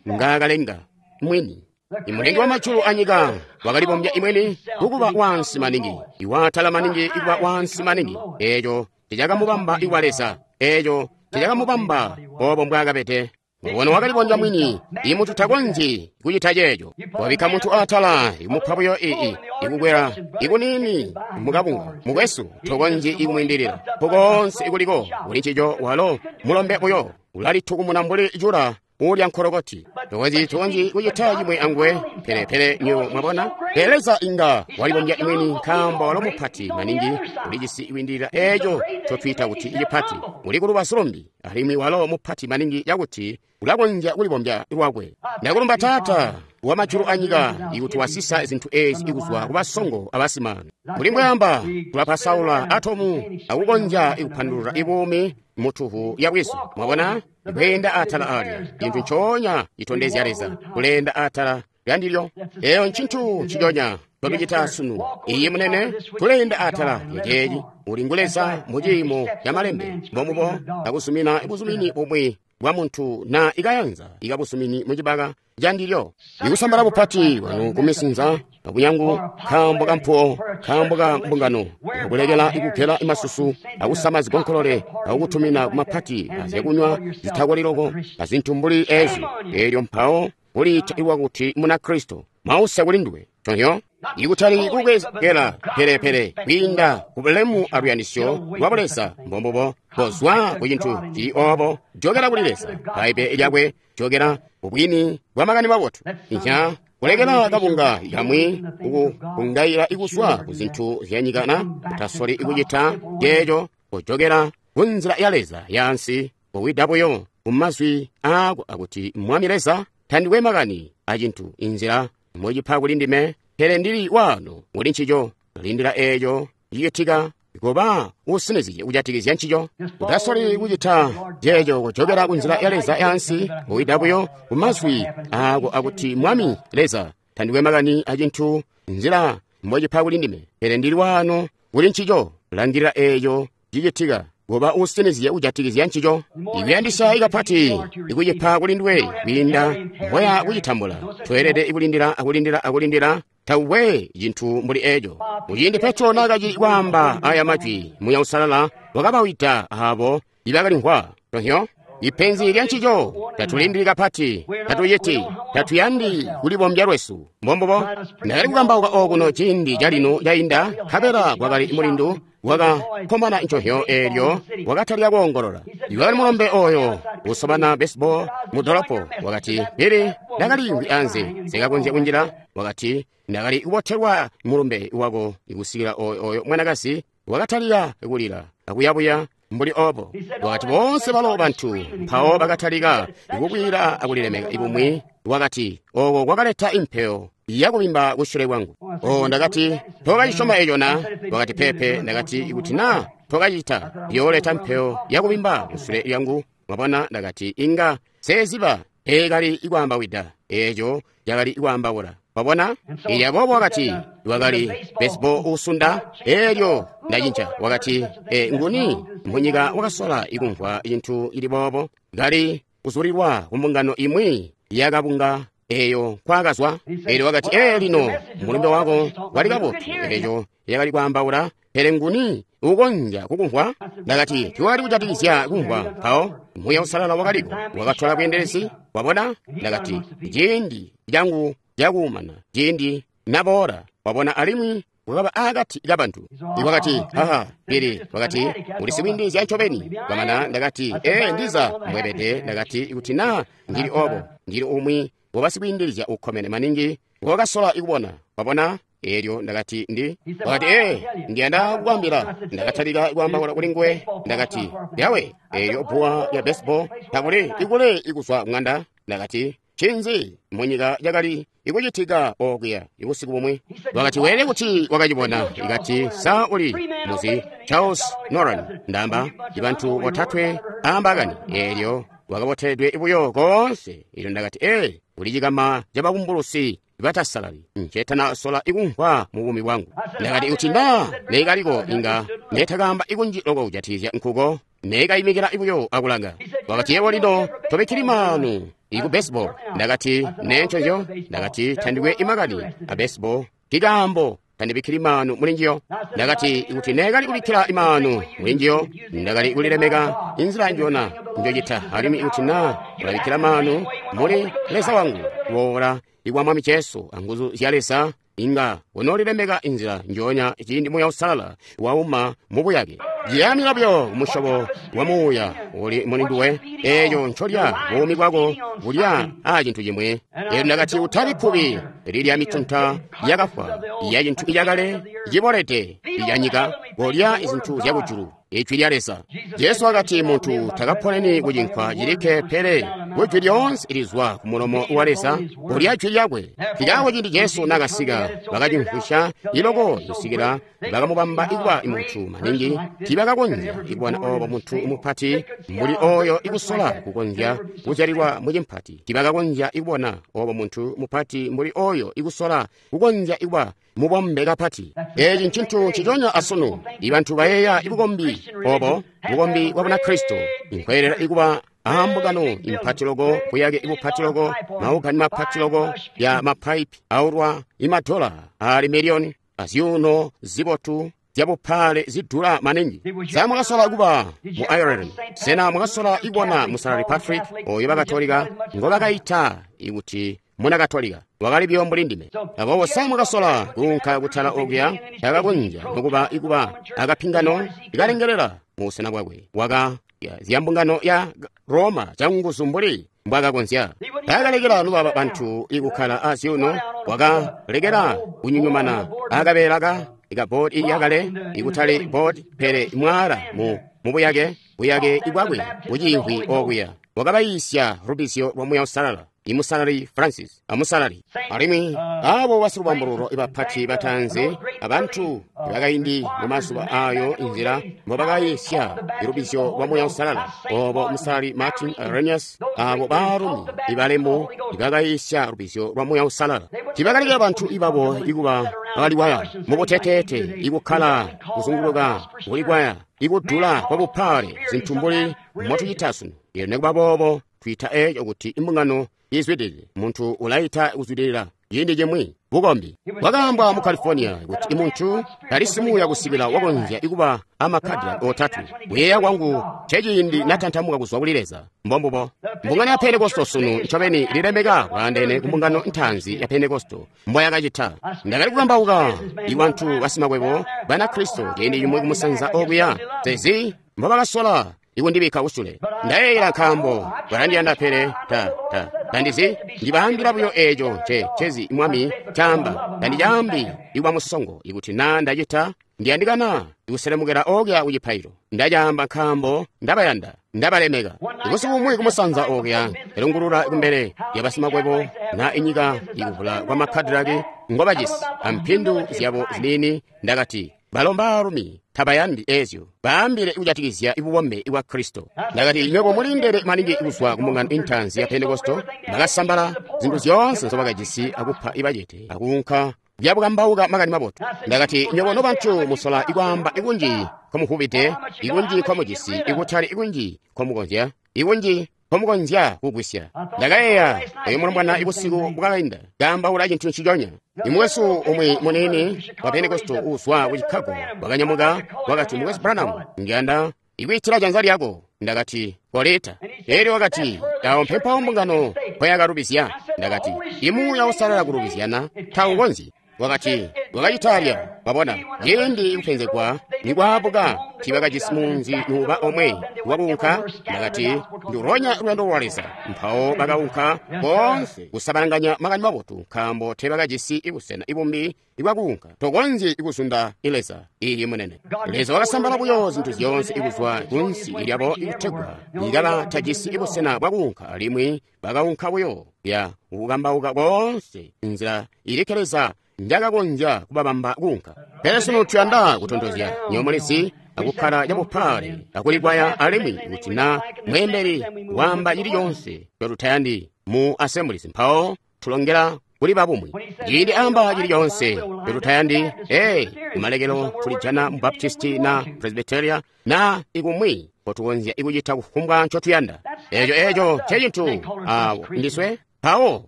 ngaakalenga mwini. Imulengi wa majulu anyika wakalibombya imweni kukuba wansi maningi, iwaatala maningi ikuba wansi maningi. Eeco ticakamubamba ikwa Leza, eeco ticakamubamba obo mbwaakabede. Mubona wakalibombya mwini, imuntu takonzyi kucita ceeco. Wabikka muntu atala, ikumupa buyo ii, ikukwela, ikunini, mukabunga, mukwesu, tokonzyi ikumwiindilila. Mpukoonse ikuliko, kuli ncico walo, mulombe buyo, ulalitukumuna mbuli cula ulya nkolokoti. Tokonzyi tokonzyi kucita cimwe anguwe, pele pele nywebo mwabona. Pele Leza inga walibombya mwini nkaambo walo mupati maningi, ulijisi iwindilila eeco ncotwiita kuti icipati. Uli kulubazu lumbi, alimwi walo mupati maningi cakuti ulakonzya kulibombya lwakwe. Ndakulumba Taata wa majulu anyika ikuti wasisa zintu eezi ikuzwa kubasongo abasimano. Mbuli mbwaamba, tulapasaula atomu akukonzya ikupandulula ibuumi mutuhu ya bwizu. Mwabona, kweenda atala alya cintu ncoonya citondezya Leza kuleenda atala lyandilyo. Eyo ncintu nciconya totucita sunu. Iye munene, tuleenda atala lyaceeci. Uli ngu Leza mu ciimo ca malembe, mbomubo akuzumina buzumini bumwi bwa muntu na ikayanza ikabuzumini mucibaka candilyo. Ikusambala bupati bwanu kumisinza akunyangu nkaambo ka mpuwo, nkaambo ka mbungano, akulekela ikugela imasusu, akusama zigonkolole, akukutumina kumapati azyakunywa zitakoliloko, azintu mbuli ezi. Eelyo mpawo kuliita iwa kuti muna Kristo. Mausa kuli nduwe. Chonyo? Ikutali kukwezela pelepele kwiinda kubulemu aluyandisyo lwa Buleza mbombubo kozwa ku cintu cili obo, jokela kuli Leza, Bbaibbele lyakwe, jokela kubwini bwa makani mabotu. Inha kulekela kabunga kamwi kukungaila ikuzwa ku zintu zyanyika na kutasoli ikucita ceeco, kujokela ku nzila ya Leza yaansi, kowida buyo ku mazwi aako akuti Mwami Leza tandikwe makani acintu inzila mucipa kuli ndime, pele ndili waano kuli ncico, lindila eeco cicitika kuba usinizye kujatikizya ncico. Utasoli kucita ceeco, kujokela ku nzila ya Leza yaansi, kowida buyo ku mazwi aako akuti Mwami Leza tandikwe makani acintu nzila mbocipa kuli ndime, pele ndili waano kuli ncico, langilila eeco cicitika kuba usinizye kujatikizya ncico. Ikuyandisya ikapati ikucipa kuli nduwe kwiinda mboya kucitambula. Tweelede ikulindila akulindila akulindila tawe cintu mbuli eeco. Muciindi Petro naakacili kwaamba aya majwi, Muya Usalala wakabawida aabo ibakalimvwa. Tonyo? Ipenzi lya ncico, tatulindili kapati, tatuciti, tatuyandi kulibombya lwesu. Mbombubo, ndakali kukambauka okuno ciindi calino cainda, nkabela kwakali mulindu wakakomana ncohyo eelyo wakatalika koongolola. Iwakali mulombe oyo usobana baseball mu dolopo, wakati, Pele ndakaliimvwi anze, sikakonzya kunjila. Wakati, ndakali kubotelwa mulumbe wako ikusikila oyo oyo mwanakazi wakatalika kulila akuyabuya mbuli obo. Wakati boonse balo bantu mpawo bakatalika ikubwila akulilemeka ibumwi. Wakati oko kwakaleta impeo yakubimba kusyule kwangu. O ndakati, tokacisyoma eco na? Wakati pepe. Ndakati ikuti na tokacita, yooleta mpeo yakubimba kusyule lyangu. Mwabona, ndakati inga seziba eekali ikwaambawida eeco cakali ikwaambaula. Wabona? Elyo aboobo wakati wakali baseball uusunda. Elyo ndacinca. Wakati e, nguni munyika wakasola ikumvwa cintu cili boobo? Kali kuzulilwa kumbungano imwi yakabunga eyo kwakazwa. Elyo wakati ee, lino mulumbe wako wali kabotu, eco yakali kwaambaula, pele nguni ukonzya kukumvwa? Ndakati tiwali kujatikizya kumvwa. Mpawo Muuya Uusalala wakaliko wakatola bweendelezi. Wabona? Ndakati ciindi cangu cakuumana, ciindi naboola. Wabona, alimwi wakaba akati kabantu. Wakati haha, pili wakati uli sikwiindilizya ncobeni. Kwamana ndakati ee, ndiza mbwebede. Ndakati kuti naa ndili obo, ndili umwi wabasikwiindilizya ukkomene maningi ngokasola ikubona. Wabona? Elyo ndakati ndi. Wakati ee, ndiyanda kukwambila. Ndakatalika kwaambaula kuli nguwe. Ndakati yawe, elyo bbuwa lya baseball takuli ikule ikuzwa ng'anda. Ndakati cinzi munyika yakali ikucitika okuya ibusiku bumwi? Wakati weele kuti wakacibona. Ikati sa uli muzi Charles Nolan, ndamba ibantu botatwe aambakani. Elyo wakaboteledwe buyo koonse. Elyo ndakati ee, uli cikama cabakumbulusi batasalali ncetana sola ikumvwa mu buumi bwangu. Ndakati kuti nda neekaliko inga netakamba ikunji loko kujatikizya nkuko, neekayimikila buyo akulanga. Wakati yebo lino tobikkili maanu iku baseball. Ndakati nenconzyo. Ndakati tandikwe imakani a baseball, kikaambo tandibikkili maanu muli njiyo. Ndakati kuti neekali kubikkila imaanu muli njiyo, ndakali kulilemeka inzila njona njocita. Alimwi kuti naa ulabikkila maanu muli Leza wangu kuboola ikwa Mwami Jesu anguzu zya Leza, inga unoolilemeka inzila njoonya ciindi Muuya Uusalala wauma mubuyake. Ciyamila buyo kumusyobo wa muuya uli muli nduwe, eeco ncolya buumi bwako bulya aa cintu cimwi. Elyo ndakati utabi kkubi lilya mitunta yakafwa ya cintu icakale cibolede icanyika, kolya izintu zyakujulu, ijwi lya Leza. Jesu wakati muntu takaponeni kucinkwa cilikke, pele kujwi lyoonse ilizwa ku mulomo wa Leza, kulya jwi lyakwe. Kikaako ciindi Jesu nakasika, bakacimvwisya iloko kusikila bakamubamba ikuba muntu maningi. Tiibakakonzya ikubona obo muntu mupati mbuli oyo ikusola kukonzya kuzyalilwa mucimpati. Tiibakakonzya ikubona obo muntu mupati mbuli oyo ikusola kukonzya ikuba mubombe kapati. Eeci ncintu nciconya asunu. Ibantu bayeeya ibukombi obo bukombi bwa Bunakristo inkweelela ikuba aambukano impati loko, buyake ibupati loko, maugani mapati loko ya mapaipi aulwa imadola ali miliyoni, azyuuno zibotu zyabupaale zidula maningi. Sa mwakasola kuba mu Ireland? Sena mwakasola ikubona Musalali Patrick oyo bakatolika ngobakaita ikuti muna Katolika? Wakali buyo mbuli ndime. Aboobo sa mwakasola kuunka kutala okuya? Takakonzya nokuba ikuba akapingano ikalengelela mu busena bwakwe. Waka zya mbungano ya Roma canguzu mbuli mbwakakonzya. Takalekela nobaba bantu ikukkala azyuuno, wakalekela kunyunyumana akabeela ka ikabodi yakale, ikutali bodi pele mwaala mu mubuyake buyake ibwakwe buciimvwi okuya. Wakabayiisya lubizyo lwa Muuya Uusalala, imusalali Francis amusalali. Alimwi abo basilubambululo ibapati bataanzi abantu bakaindi mu mazuba ayo inzila mbobakayiisya ilubizyo lwa Muuya Uusalala, obo musalali Martin Irenaeus, abo baalumi ibalemu ibakayiisya lubizyo lwa Muuya Uusalala. Tiibakalekela bantu ibabo ikuba bakaliwaya mubuteteete, ikukkala kuzunguluka kulikwaya, ikudula kwabupaale, zintu mbuli motucita sunu. Elyo nikuba boobo twiita eeco kuti imbungano izwidilile. Muntu ulaita kuzwidilila ciindi cimwi bukombi. Bwakaambwa mu California kuti imuntu tali simuuya kusikila wakonzya ikuba amakadila otatwe. Kuyeeya kwangu nceciindi natantamuka kuzwa kuli Leza. Mbombubo mbungano ya Pentekosto sunu ncobeni ililemeka bwaandeene ku mbungano ntaanzi ya Pentekosto mbwayakacita. Ndakali kukambauka ibantu basimakwebo Banakristo ciindi cimwi kumusanza okuya, sezi mbobakasola ikundibikka kusule. Ndayeeyela nkaambo balandiyanda, pele ta ta tandizi. Ndibaambila buyo eeco nce ncezi Mwami caamba. Tandicaambi ikuba musongo. Ikuti naa ndacita, ndiyandikana ikuselemukela okuya kucipailo. Ndacaamba nkaambo ndabayanda, ndabalemeka. Ibusiku bumwi kumusanza okuya elungulula kumbele lyabasimakwebo na inyika ikuvula kwa makadilaki ngobajisi ampindu zyabo ziniini. Ndakati balo mbaalumi Tabayandi ezyo. Baambile kujatikizya bubombe bwa Kristo. Ndakati, nywebo mulindele maningi kuzwa ku mbungano intanzi ya Pentekoste, bakasambala zintu zyoonse nzobakajisi akupa ibacete, akuunka byabukambauka makani mabotu. Ndakati, nywebo nobantu musola ikwaamba ikunji nkomuvubide, ikunji nkomujisi, ikutali ikunji nkomukonzya, ikunji nkomukonzya kugwisya. Ndakayeeya oyo mulombwana ibusiku bwakainda kaambaula cintu nciconya. Imwesu umwi munini wa Pentekoste uuzwa ku Chicago wakanyamuka wakati, Mukwesu Branham, ndiyanda ikwiitila janza lyako. Ndakati, koleta. Elyo wakati, awo mpepawo mbungano mpoyakalubizya. Ndakati, imuuya usalala kulubizyana taukonzyi. Wakati, wakacita wabona, ciindi kupenzegwa nikwaabuka tiibakajisi munzi nuuba omwe wakuunka. Ndakati, nduronya luyando lwa Leza. Mpawo bakaunka boonse kusabalanganya makani mabotu, nkaambo teebakajisi busena ibumbi ibwakuunka. Tokonzyi kuzunda Leza. Iyi munene. Leza wakasambala buyo zintu zyoonse ikuzwa kunsi lyabo ikutegwa ikaba tajisi busena bwakuunka, alimwi bakaunka buyo ya kukambauka koonse nzila ilikke Leza njakakonzya kubabamba kuunka. Pele sunu tuyanda kutontozya nyomulizi akukkala cabupale akulikwaya, alimwi kuti na mweembeli waamba cili conse cotutayandi mu assemblies, mpawo tulongela kuli babumwi. Ciindi amba cili conse cotutayandi, ee, kumalekelo tulijana mu Baptisti na Presbyteria na ikumwi kotukonzya ikucita kufumbwa ncotuyanda. Eco eco ncecintu awo ndiswe mpawo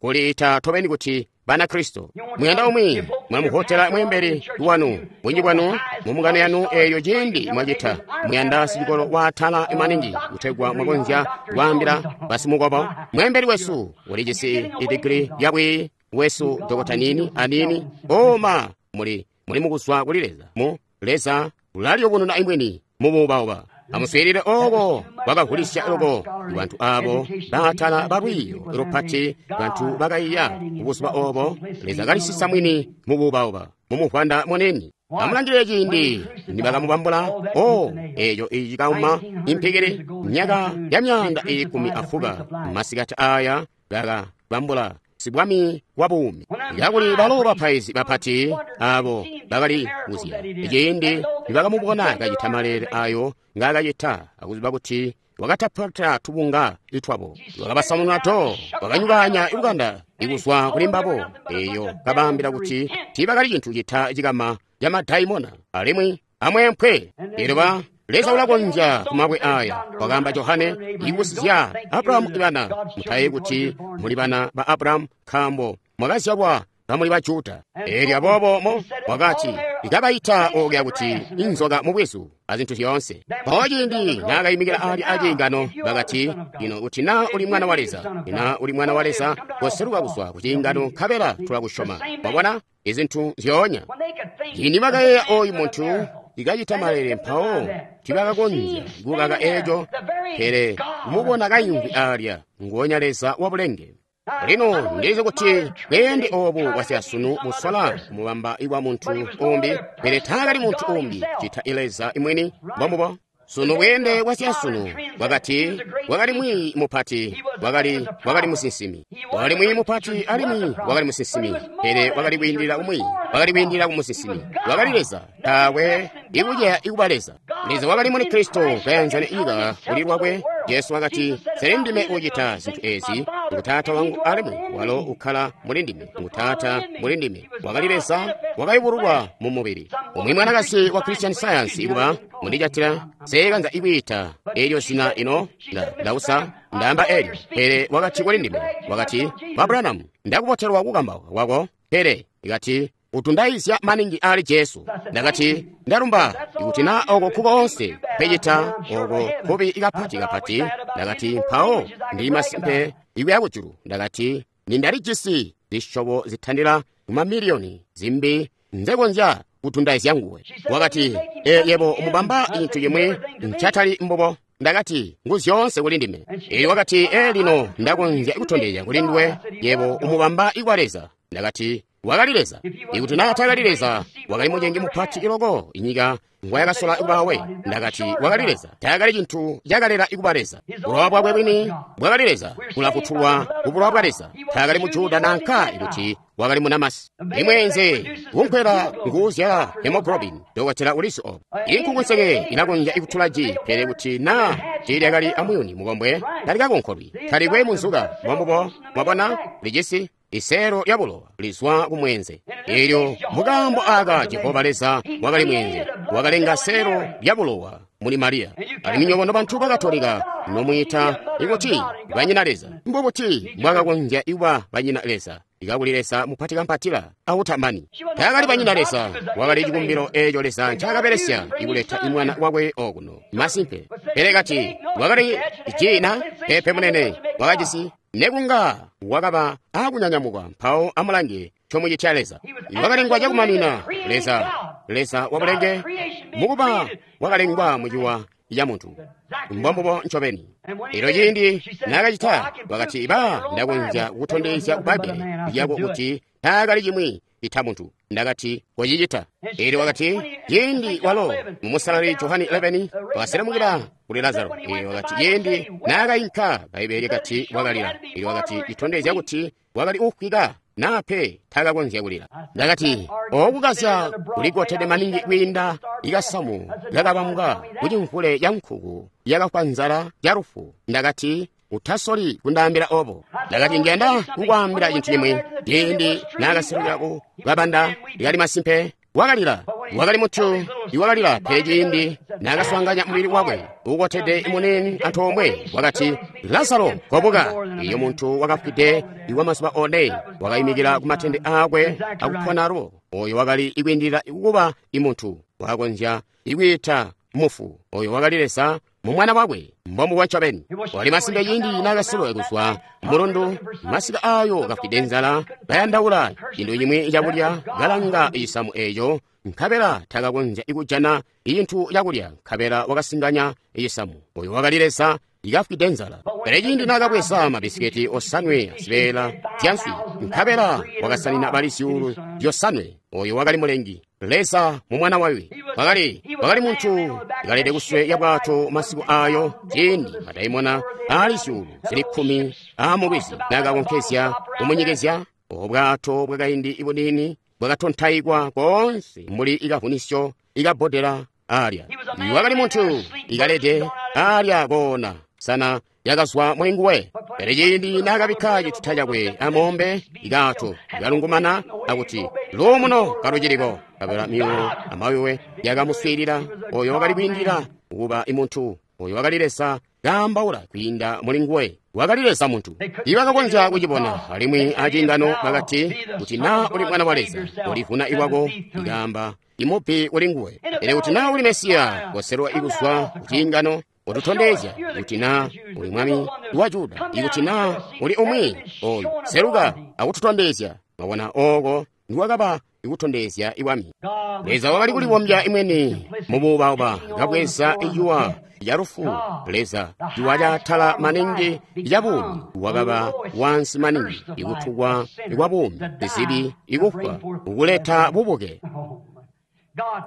kuliita tobeni kuti Banakristo. Muyanda umwi mwamuhotela mweembeli wanu, bunji bwanu mu yanu eyo ciindi mwacita muyanda sicikolo waatala maningi kutegwa mwakonzya kwaambila basimukobo. Mweembeli wesu ulijisi idigiri lyabwi wesu Dokota nini anini oma muli muli mukuzwa kuli Leza. Mu Leza ulaliyubununa imweni mubuubauba. Amuswiilile oko kwakavulisya loko bantu abo baatala balwiiyo lupati, bantu bakaiya kubuzuba obo Leza kalisisa mwini mubuubauba mumuvwanda munini. Amulangilile ciindi nibakamubambula o eco icikauma impikili myaka ya myaanda ikumi afuka masikati aya bakabambula sibwami wa buumi. Kakuli balo bapaizi bapati abo bakali kuzya ciindi nibakamubona kacita maleele ayo ngaakacita, akuziba kuti wakatapata tubunga itwabo, wakabasamununa to, wakanyukanya ibukanda ikuzwa kuli mbabo, eyo kabaambila kuti tiibakali cintu cita cikama camadaimona alimwi amwempwe. Elyo Leza ulakonzya kumabwe aya, wakaamba Johane, ikusizya Abrahamu ibana. Mutaye kuti muli bana ba Abrahamu, nkaambo mwakazyalwa kamuli ba Juda. Elyo aboobo mo wakati ikabaita okya kuti inzoka mubwizu azintu zyoonse. Mpawo ciindi naakayimikila ali aciingano bakati, ino kuti na uli mwana wa Leza, ina uli mwana wa Leza, koseluka kuzwa ku ciingano nkabela tulakusyoma. Wabona izintu zyoonya. Ciindi bakayeeya oyu muntu ikacita malele, mpawo tibakakonzya kukaka eco, pele kumubona kayimvwi alya nguonya Leza wa bulenge. Lino ndizi kuti bweende obu bwasyasunu busola kumubamba iwa muntu umbi, pele taakali muntu umbi cita Leza imweni. Mbombubo sunu bweende bwasyasunu bwakati wakali mwiiyi mupati, wakali wakali musinsimi, wakali mwiiyi mupati alimwi wakali musinsimi, pele wakali kwiindilila umwi, wakali kwiindilila kumusinsimi, wakali Leza. Taakwe ikuceya ikuba Leza. Leza wakali muli Kristo kayanzana ika kuli lwakwe. Jesu wakati, sele ndime ucita zintu ezi, ngu Taata wangu alimwi walo ukkala muli ndime, ngu Taata muli ndime. Wakali Leza wakayubululwa mu mubili. Umwi mwanakazi wa Christian Science ikuba mundijatila seekanza ikwiita elyo zina ino ndausa ndaamba elyo, pele wakati kuli ndime, wakati, ba Branham, ndakubotelwa kukambauka kwako, pele ikati utundayizya maningi ali Jesu. Ndakati, ndalumba ikuti na oko kukoonse pecita oko kubi ikapati kapati. Ndakati, mpawo ndi masimpe ikuya kujulu. Ndakati, nindalijisi zishobo zitandila kumamiliyoni zimbi nzekonzya kutundayizya nguwe. Wakati, e yebo umubamba cintu cimwi ncatali mbubo. Ndakati, ngu zyoonse kuli ndime. Elyo wakati, e lino ndakonzya kutondezya kuli nduwe yebo umubamba ikwa Leza. Ndakati, Wakali Leza. Ikuti na taakali Leza, wakali mucengi mupati loko inyika ngwayakasola kubawe. Ndakati wakali Leza. Taakali cintu cakalela ikuba Leza. Bulowa bwakwe bwini bwakali Leza, kulafutulwa ku bulowa bwa Leza. Taakali mu Juda nanka ikuti wakali munamasi. Imweenze kunkwela nguuzyala hemoglobin, dokotela ulizi obo. Inkukunseke ilakonzya ikutula ji, pele kuti na tiilyakali amuyuni mukombwe, talikakonkolwi, talikwe munzuka. Mwambubo, mwabona, lijisi iseelo lya bulowa lizwa ku mweenze. Elyo mukaambo aka Jehova Leza wakali mweenze, wakalenga seelo lya bulowa muli Mariya. Alimwi nywebo nobantu ba Katolika nomwiita ikuti banyina Leza, mbubuti mwakakonzya ikuba banyina Leza? Ikakuli Leza mupati kampatila autamani. Taakali banyina Leza, wakali cikumbilo eeco Leza ncaakabelesya ikuleta imwana wakwe okuno. Masimpe. Pele kati wakali jina pepe munene wakajisi nekunga wakaba akunyanyamuka mpawo amulange chomuchitya Leza. Wakalengwa chakumanina Leza, Leza wabulenge mukuba wakalengwa muchiwa ya muntu. Mbombubo ncobeni. Elyo ciindi naakacita, wakati ba ndakonzya kukutondezya Bbaibbele lyako kuti taakali cimwi ita muntu. Ndakati kocicita. Elyo wakati ciindi walo mumusalali Johani eleven wakaselemukila kuli Lazaro. Elyo wakati ciindi naakayinka, Bbaibbele lyakati wakalila. Elyo wakati citondezya kuti wakali ufwika nape taakakonzya kulila. Ndakati okukazya kulikotede maningi kwiinda ikasamu kakabambwa kucimvule ca nkuku yakafwa nzala ya lufu. Ndakati utasoli kundaambila obo. Ndakati ngenda kukwaambila cintu cimwi. Ciindi naakaselukila ku kabanda likali masimpe wakalila. Wakali muntu iwakalila, pele ciindi naakaswaanganya mubili wakwe uukotede munini antoomwe, wakati Lazaro kobuka. Iyo muntu wakafwide iwa mazuba one wakayimikila ku matende aakwe akupona alubo. Oyo wakali ikwiindilila kuba imuntu, wakakonzya ikwiita mufu. Oyo wakali Leza mu mwana wakwe, mbombubo ncobeni. Wali masimpe ciindi naakaselwa kuzwa mulundu, masika ayo kafwide nzala, kayandaula cintu cimwi cakulya, kalanga cisamu eeco, nkabela takakonzya ikujana cintu cakulya, nkabela wakasinganya cisamu. Oyo wakali Leza ikafwide nzala. Pele ciindi naakabweza mabisiketi osanwe azibeela zyanswi, nkabela wakasanina bali zyuulu zyosanwe. Oyo wakali mulengi, Leza mu mwana wakwe. Wakali wakali muntu ikalede kuswe ya bwato masiku ayo, ciindi madaimona ali zyuulu zili kkumi aamulwizi naakakonkezya kumunyekezya. Obwato bwakaindi ibuniini bwakatontaikwa koonse mbuli ikavunisyo ikabbodela alya. Wakali muntu ikalede alya koona sana yakazwa muli nguwe. Pele ciindi naakabikka cituta cakwe amombe ikato ikalungumana akuti luumuno kaluciliko, kabela myuulo amawiwe yakamuswiilila. Oyo wakali kwiindilila kuba imuntu, oyo wakali Leza kaambaula kwiinda muli nguwe. Wakali Leza muntu. Ibakakonzya kucibona alimwi aciingano bakati kuti na uli mwana wa Leza ulivuna iwako, ikaamba imupi kuli nguwe. Pele kuti na uli Mesiya koselwa ikuzwa kuciingano, ututondezya kuti na uli mwami wa Juda, ikuti na uli umwi oyu seluka akututondezya. Mwabona, oko ndiwakaba ikutondezya iwami. Leza wakali kulibombya imweni mubuubauba, kabweza ijuwa ya lufu. Leza juwa lyatala maningi ya buumi wakaba wansi maningi ikutukwa kwa buumi, zibi ikufwa, ukuleta bubuke.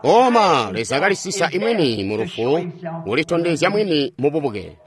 Oma Leza kalisisa imweni mu lufu, ulitondezya mwini mu bubuke.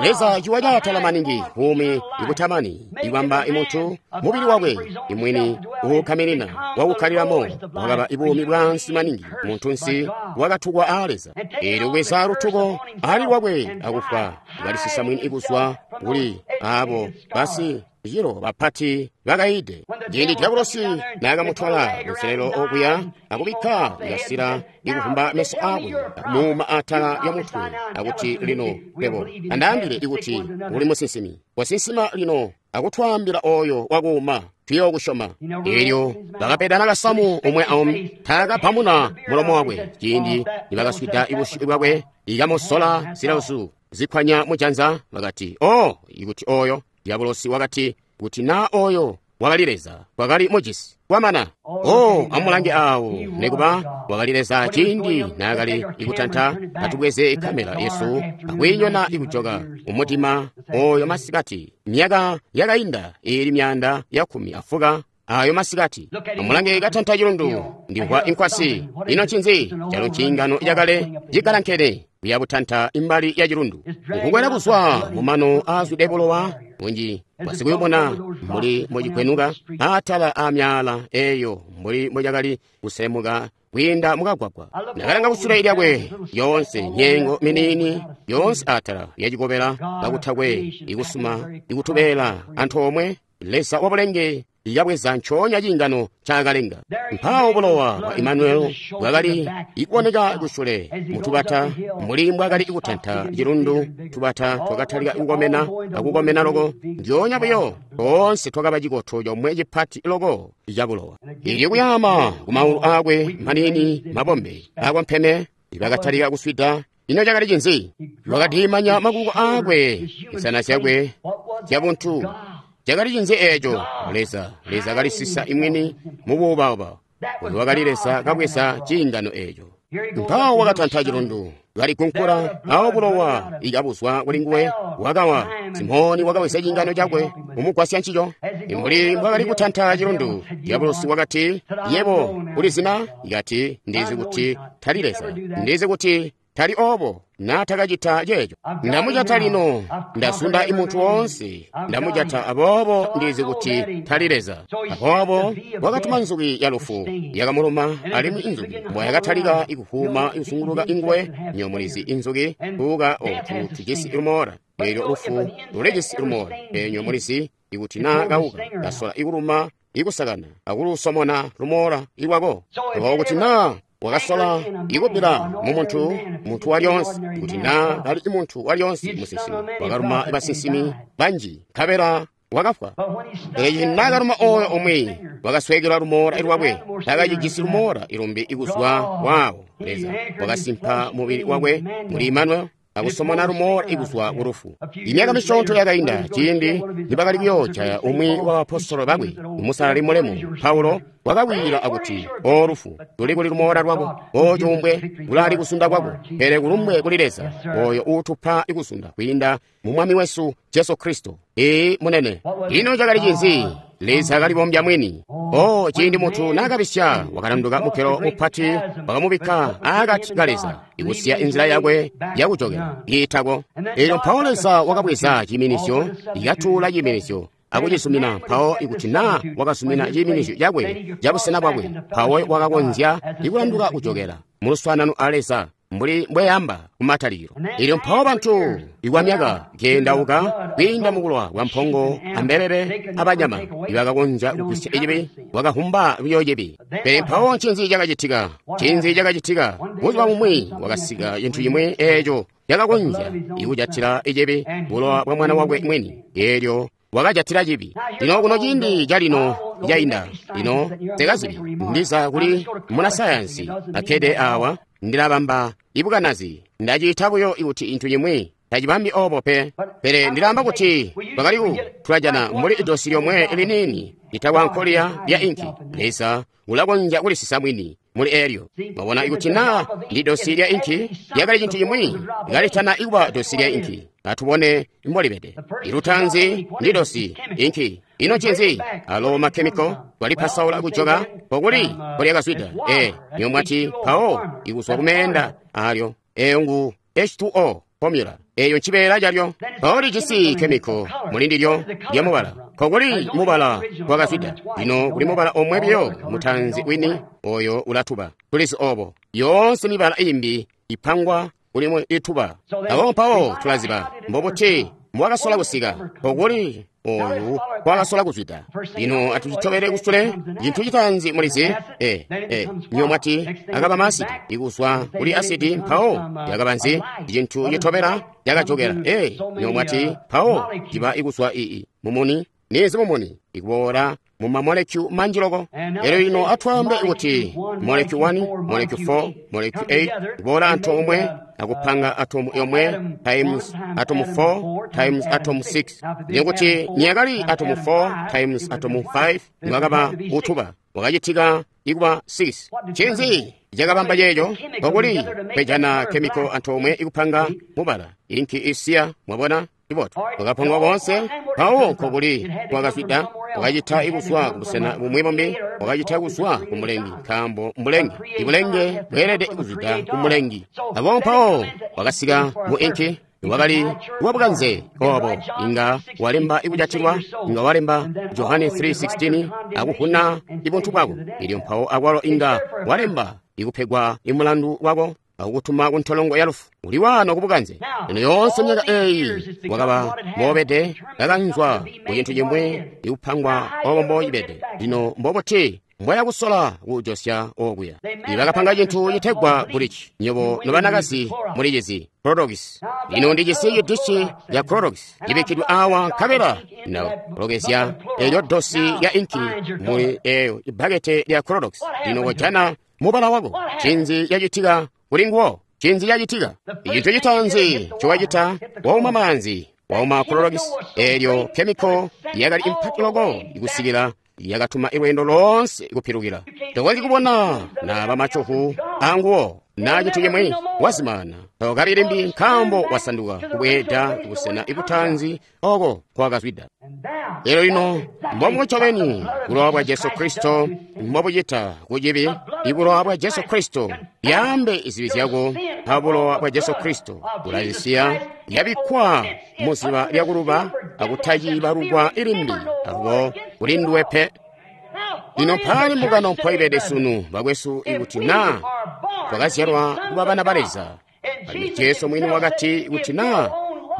Leza ciwa lyatala maningi buumi ikutamani, ikwamba imuntu mubili wakwe imwini uukkaminina wakukkalilamo wakaba ibuumi bwansi maningi muntunsi wakatukwa aa Leza. Eelyo kubweza lutuko ali lwakwe akufwa, kalisisa mwini ikuzwa kuli abo basi cilo bapati bakaide. Ciindi Diabolosi naakamutwala kunselelo okuya akubikka ikasila ikuvumba meso akwe akumuuma atala ya mutwe akuti lino pebo andaambile ikuti uli musinsimi, wasinsima lino akutwaambila oyo wakuuma tuyookusyoma. Eelyo bakapedana kasamu umwe aumwi, taakapamuna mulomo wakwe. Ciindi nibakaswida ibusyu bwakwe ikamusola zilauzu zikwanya mujanza, bakati o ikuti oyo. Diabolosi wakati kuti na oyo wakali Leza wakali mujisi kwamana. O amulange awo, nekuba wakali Leza ciindi naakali ikutanta atubweze ikamela yesu akwiinyona ikujoka umutima oyo masikati myaka yakainda ili myanda ya kumi afuka ayo masikati. Amulange katanta cilundu, ndimvwa inkwasi. Ino ncinzi? Calo nciingano cakale cigalankene kuya butanta imbali ya cilundu, nkukwela kuzwa mumano aazwide bulowa bunji bwasikuyubona mbuli mbocikwenuka atala a myaala eyo mbuli mbocakali kuselemuka kwiinda mukagwagwa. Ndakalanga kusule lyakwe yoonse nyengo miniini yoonse atala yacikobela kakutakwe ikusuma ikutubeela antoomwe. Leza wabulenge yabweza ncoonya ciingano ncaakalenga. Mpawo bulowa bwa Imanueli bwakali ikuoneka kusule mutubata mbuli mbwakali kutanta cilundu. Tubata twakatalika kukomena akukomena loko, ndyoonya buyo toonse twakaba cikoto comwe cipati loko ca bulowa. Ilyo kuyaama kumaulu aakwe maniini mabombe akompeme bakatalika kuswida. Ino cakali cinzi? Wakadiimanya makuko aakwe, insana zyakwe zyabuntu. Cakali cinzi eeco? Leza, Leza kalisisa imwini mubuubauba. Oyo wakali Leza kabweza ciingano eeco. Mpawo wakatanta cilundu, kaligunkula, awo bulowa ikabuzwa kuli nguwe, wakawa. Simoni wakabweza ciingano cakwe kumugwasya ncico. Mbuli mbwakali kutanta cilundu, Diabolosi wakati, yebo ulizina? Ikati, ndizi kuti tali Leza, ndizi kuti tali obo natakacita ceeco. Ndamujata lino, ndasunda imuntu woonse, ndamujata, aboobo ndizi kuti tali Leza. Aboobo wakatuma nzuki ya lufu yakamuluma, alimwi inzuki mbwayakatalika ikuhuma ikusunguluka inguwe. Nyomulizi inzuki tuuka otu tujisi lumoola, eelyo lufu lulijisi lumoola. Enyo mulizi ikuti naa kauka kasola ikuluma ikusakana akulusomona lumoola ilwako. Aboobo kuti naa wakasola ikupila mumuntu muntu walyonse, kuti naa kali muntu walyonse musinsimi, wakaluma basinsimi banji nkabela wakafwa. Pele naakaluma oyo umwi wakasweekelwa lumoola lwakwe, takacijisi lumoola ilumbi ikuzwa waawo. Leza wakasimpa mubili wakwe muli Imanueli akusomona lumoola ikuzwa kulufu. Imyaka misyoonto yakainda ciindi nibakali kuyoojaya umwi wa baapostolo bakwe, umusalali mulemu Paulo wakawilila akuti, o lufu, tuli kuli lumoola lwako, o cuumbwe, kulali kusunda kwako. Pele kulumbwe kuli Leza oyo uutupa ikusunda kwiinda mu Mwami wesu Jesu Kristo. Ee munene, ino cakali cinzi? Leza akalibombya mwini. O ciindi muntu naakabisya, wakalanduka mukelo mupati, wakamubikka aakati ka Leza, ikusiya inzila yakwe yakujokela iitako. Eelyo mpawo Leza wakabweza ciiminisyo, ikatuula ciiminisyo akucizumina. Mpawo ikuti naa wakazumina ciiminisyo cakwe cabusena bwakwe, mpawo wakakonzya ikulanduka kujokela muluswaanano a Leza mbuli mbweyamba kumatalikilo. Ilyo mpawo bantu ikwamyaka keendauka kwiinda mukulwa kwa mpongo ambelele abanyama ibakakonzya kugwisya icibi, wakahumba buyo cibi. Pele mpawo ncinzi cakacitika? Ncinzi cakacitika? Buzuba bumwi wakasika cintu cimwi eeco cakakonzya ikujatila icibi, bulowa bwa mwana wakwe mwini. Eelyo wakajatila cibi. Lino kuno ciindi calino cainda, lino sekazibi ndiza kuli munasayansi akkede awa, ndilabamba ibukanazi, ndaciita buyo ikuti intu cimwi tacibambi obo pe. Pele ndilamba kuti twakali tulajana mbuli idosi lyomwe liniini litakwa nkoliya lya inki. Leza ulakonzya kulisisa mwini muli elyo. Mwabona, ikuti naa ndi dosi lya inki lyakali cintu cimwi kalitana ikuba dosi lya inki. Atubone mbolibede. Ilutanzi ndi dosi inki. Ino ncinzi? Alo makhemiko twalipasaula kujoka pokuli polyakazwida. E niyo mwati mpawo ikuzwa kumeenda alyo eyo ngu H two O formula. Eyo ncibeela calyo. Mpawo lijisi khemiko muli ndilyo lya mubala. Kokuli mubala wakazwida. Lino kuli mubala omwe biyo mutanzi wini oyo ulatuba. Tulizi obo. Yoonse mibala imbi ipangwa kulimwe ituba. Abo mpawo tulaziba mbobuti mbwakasola kusika pokuli oyu kwakasola kuzwida. Lino atucitobele kusule cintu citanzi mulizi. E e niyo mwati akaba maasidi ikuzwa kuli asidi, mpawo yakaba nzi? Cintu citobela yakajokela. E niyo mwati mpawo ciba ikuzwa ii mumuni. Nizi mumuni ikuboola mu mamolekyu manji loko. Elyo lino atwaambe kuti molekyu one, molekyu four, molekyu eight kuboola antoomwe akupanga atomu yomwe times atomu four times atomu six. Nikuti niyakali atomu four times atomu five niwakaba utuba wakacitika ikuba six. Ncinzi cakabamba ceeco? Pokuli kwejana khemiko antoomwe ikupanga mubala inki isiya. Mwabona? Ibotu wakapangwa bonse mpawo nkokuli kwakazwida. Wakacita kuzwa kubusena bumwi bumbi, wakacita kuzwa ku Mulengi, nkaambo Mulengi. Ibulenge bweelede kuzwida ku Mulengi. Aboobo mpawo wakasika mu inki, wakali wabukanze obo, inga walemba ikujatilwa, inga walemba Johane three sixteen akuvuna ibuntu bwako. Elyo mpawo akwalo inga walemba ikupegwa imulandu wako akukutuma ku ntolongo ya lufu. Uli wano kubukanze. Lino yoonse myaka eyi wakaba mobede kakanzwa ku cintu cimwi ikupangwa obo mbocibede. Lino mbobuti mbwaya kusola kujosya okuya. Ibakapanga cintu citegwa bulici. Nyobo nobanakazi mulicizi Clorox. Lino ndijisi cidishi ya Clorox cibikkidwe awa nkabela nakulogezya elyo dosi ya inki muli eyo ibbakete lya Clorox. Lino kojana mubala wako. Cinzi yacitika kuli nguwo? Cinzi yacitika? Icintu citaanzi ncowacita, wauma maanzi, wauma Clorox, elyo chemical yakali impati loko ikusikila yakatuma ilwendo loonse kupilukila. Tokonzyi kubona naba macuhu anguwo na cintu cimwi wazimana. Tokali limbi nkaambo wasanduka kubweeda kubusena ibutanzi oko kwakazwida. Lero lino mbomwe ncobeni bulowa bwa Jesu Kristo mbobucita kucibi. Ibulowa bwa Jesu Kristo yaambe izibi zyako. Pa bulowa bwa Jesu Kristo bulazisiya yabikkwa muziba lyakuluba akutacibalukwa ilimbi alubo kulinduwe pe. Lino mpali mbungano mpoibede sunu bakwesu, ikuti na twakazyalwa kuba bana ba Leza. Alimwi Jesu mwini wakati kuti na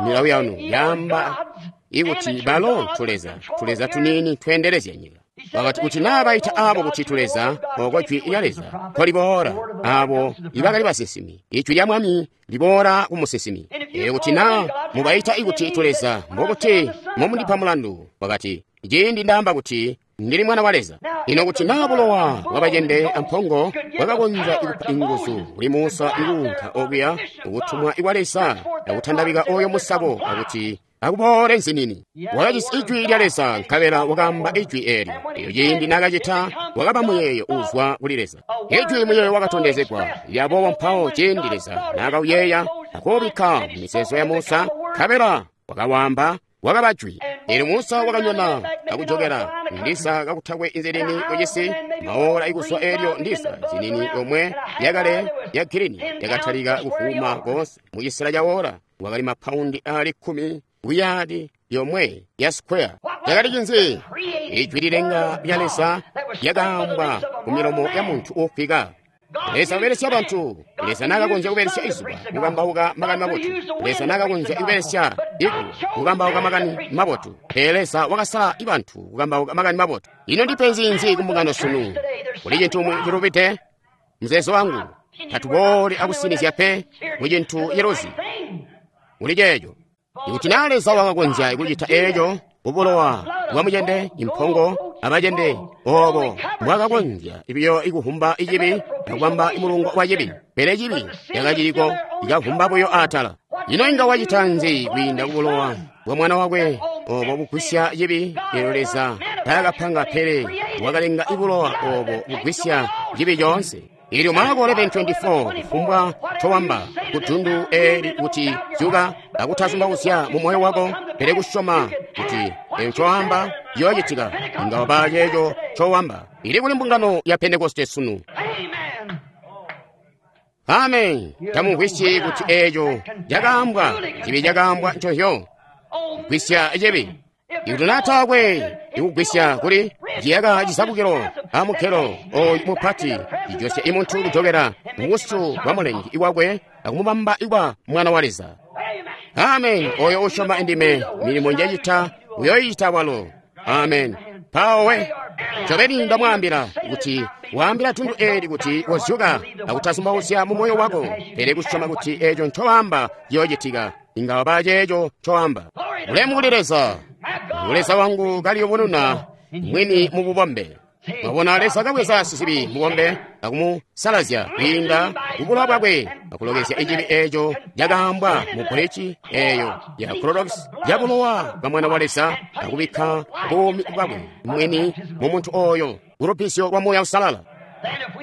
milawo yanu yaamba ikuti balo tuleza, tuleza tunini tweendelezya nyika. Wakati kuti na baita abo kuti tuleza, oko jwi lya Leza nkoliboola, abo ibakali basinsimi, ijwi lya Mwami liboola ku musinsimi. Elyo kuti na mubaita ikuti tuleza, mbokuti momundipa mulandu. Wakati ciindi ndaamba kuti ndili mwana wa Leza. Lino kuti na bulowa bwabacende ampongo bwakakonzya ikupa inguzu kuli Musa ikuunka okuya ukutumwa ikwa Leza akutandabika oyo musako akuti akuboole nzinini. Wakajisi ijwi lya Leza nkabela wakaamba ijwi eelyo. Eyo ciindi nakacita wakaba muyeeyo uzwa kuli Leza. Ijwi muyeeyo wakatondezegwa. Lyaboobo mpawo ciindi Leza nakauyeeya akuubikka mu mizeezo ya Musa nkabela wakawamba wakaba jwi. Elyo Musa wakanyona akujokera ndisa kakutakwe inzinini kucisi maola ikuswa elyo ndisa zinini yomwe yakale ya girini yakatalika kuvuma konse mucisela ca ola. Wakali mapaundi ali kkumi kuyadi yomwe ya square. Yakali cinzi? Ijwi lilenga lya Leza lyakaambwa ku milomo ya muntu uufwika. Leza kubelesya bantu. Leza nakakonzya kubelesya izuba kukambauka makani mabotu. Leza nakakonzya kubelesya igu kukambauka makani mabotu. Pele Leza wakasala ibantu kukambauka makani mabotu. Ino ndipenzi nzi kumbungano sunu? Kuli cintu cilubide? Muzeezo wangu tatubooli akusinizya pe mu cintu ciluzi. Kuli ceeco. Ikuti na Leza wakakonzya kucita eeco kubulowa bwa mucende, impongo abacende, obo mbwakakonzya ibiyo ikuhumba icibi akubamba imulungo wa cibi, pele cibi cakaciliko ikahumba buyo atala. Ino inga wacita nzi kwiinda kubulowa bwa mwana wakwe obo bugwisya cibi? Elyo Leza taakapanga pele wakalenga ibulowa obo bugwisya cibi coonse. Ilyo Marko eleven twenty-four kufumbwa towamba kudundu eli kuti zyuka akutazumbauzya mu moyo wako, pele kusyoma kuti eyo ncoamba yoocitika, inga waba ceeco cowamba. Ili kuli mbungano ya Pentekoste sunu. Amen. Tamumvwisyi kuti eeco cakaambwa, cibi cakaambwa nconzyo. Gwisya cibi. Ikuti na taakwe ikugwisya kuli ciyaka cisabukilo amukelo oyu mupati cijosya imuntu kujokera mubusu bwa Mulengi iwakwe akumubamba ikwa mwana wa Leza. Amen. Oyo usyoma indime, milimo njacita uyoyicita walo. Amen. Mpawo ncobeni ndamwaambila kuti waambila tundu eli kuti wozyuka akutazumbauzya mu moyo wako, pele kusyoma kuti eeco ncowaamba ciyoocitika, inga waba ceeco ncowaamba. Ulemu kuli Leza. Leza wangu kaliyubununa mwini mu bubombe. Mwabona Leza kabweza sizibi mubombe akumusalazya kwiinda kubulowa bwakwe akulogezya icibi eeco cakaambwa mu bulici eeyo ya Clorox ya bulowa bwa mwana wa Leza akubikka buumi bwakwe mwini mu muntu oyo kulubizyo lwa Muuya Uusalala.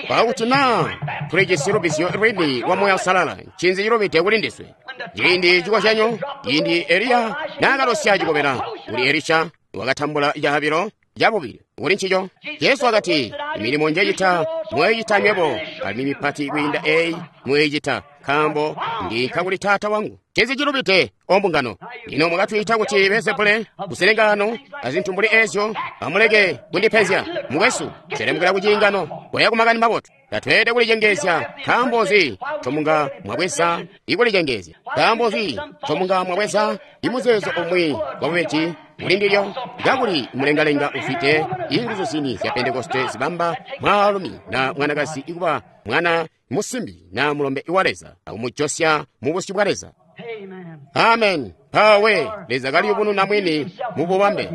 Pakuti na tulijisi lubizyo lwini lwa Muuya Uusalala, ncinzi cilubide kuli ndiswe? Ciindi cikozyanyo, ciindi Eliya naakalosya cikobela kuli Elisha, wakatambula caabilo cabubili kuli ncico. Jesu wakati, milimo njecita mweecita nywebo, alimwi mipati kwiinda eyi mweecita, nkaambo ndinka kuli Taata wangu. Ncinzi cilubide ombungano? Lino mwakatwiita kuti Beelzebule, kuselengano azintu mbuli ezyo. Amuleke kundipenzya mukwesu, selemukila kuciingano, koya kumakani mabotu. Tatweelede kulicengeezya. Nkaambo nzi ncomunga mwabweza ikulicengeezya? Nkaambo nzi ncomunga mwabweza imuzeezo umwi wabubeji muli ndilyo? Kakuli mulengalenga ufwide inguzu zini zya Pentekoste zibamba mwaalumi na mwanakazi ikuba mwana musimbi na mulombe wa Leza, akumujosya mu busyu bwa Leza. Amen. Mpawe Leza kaliyubununa mwini mu bubambe.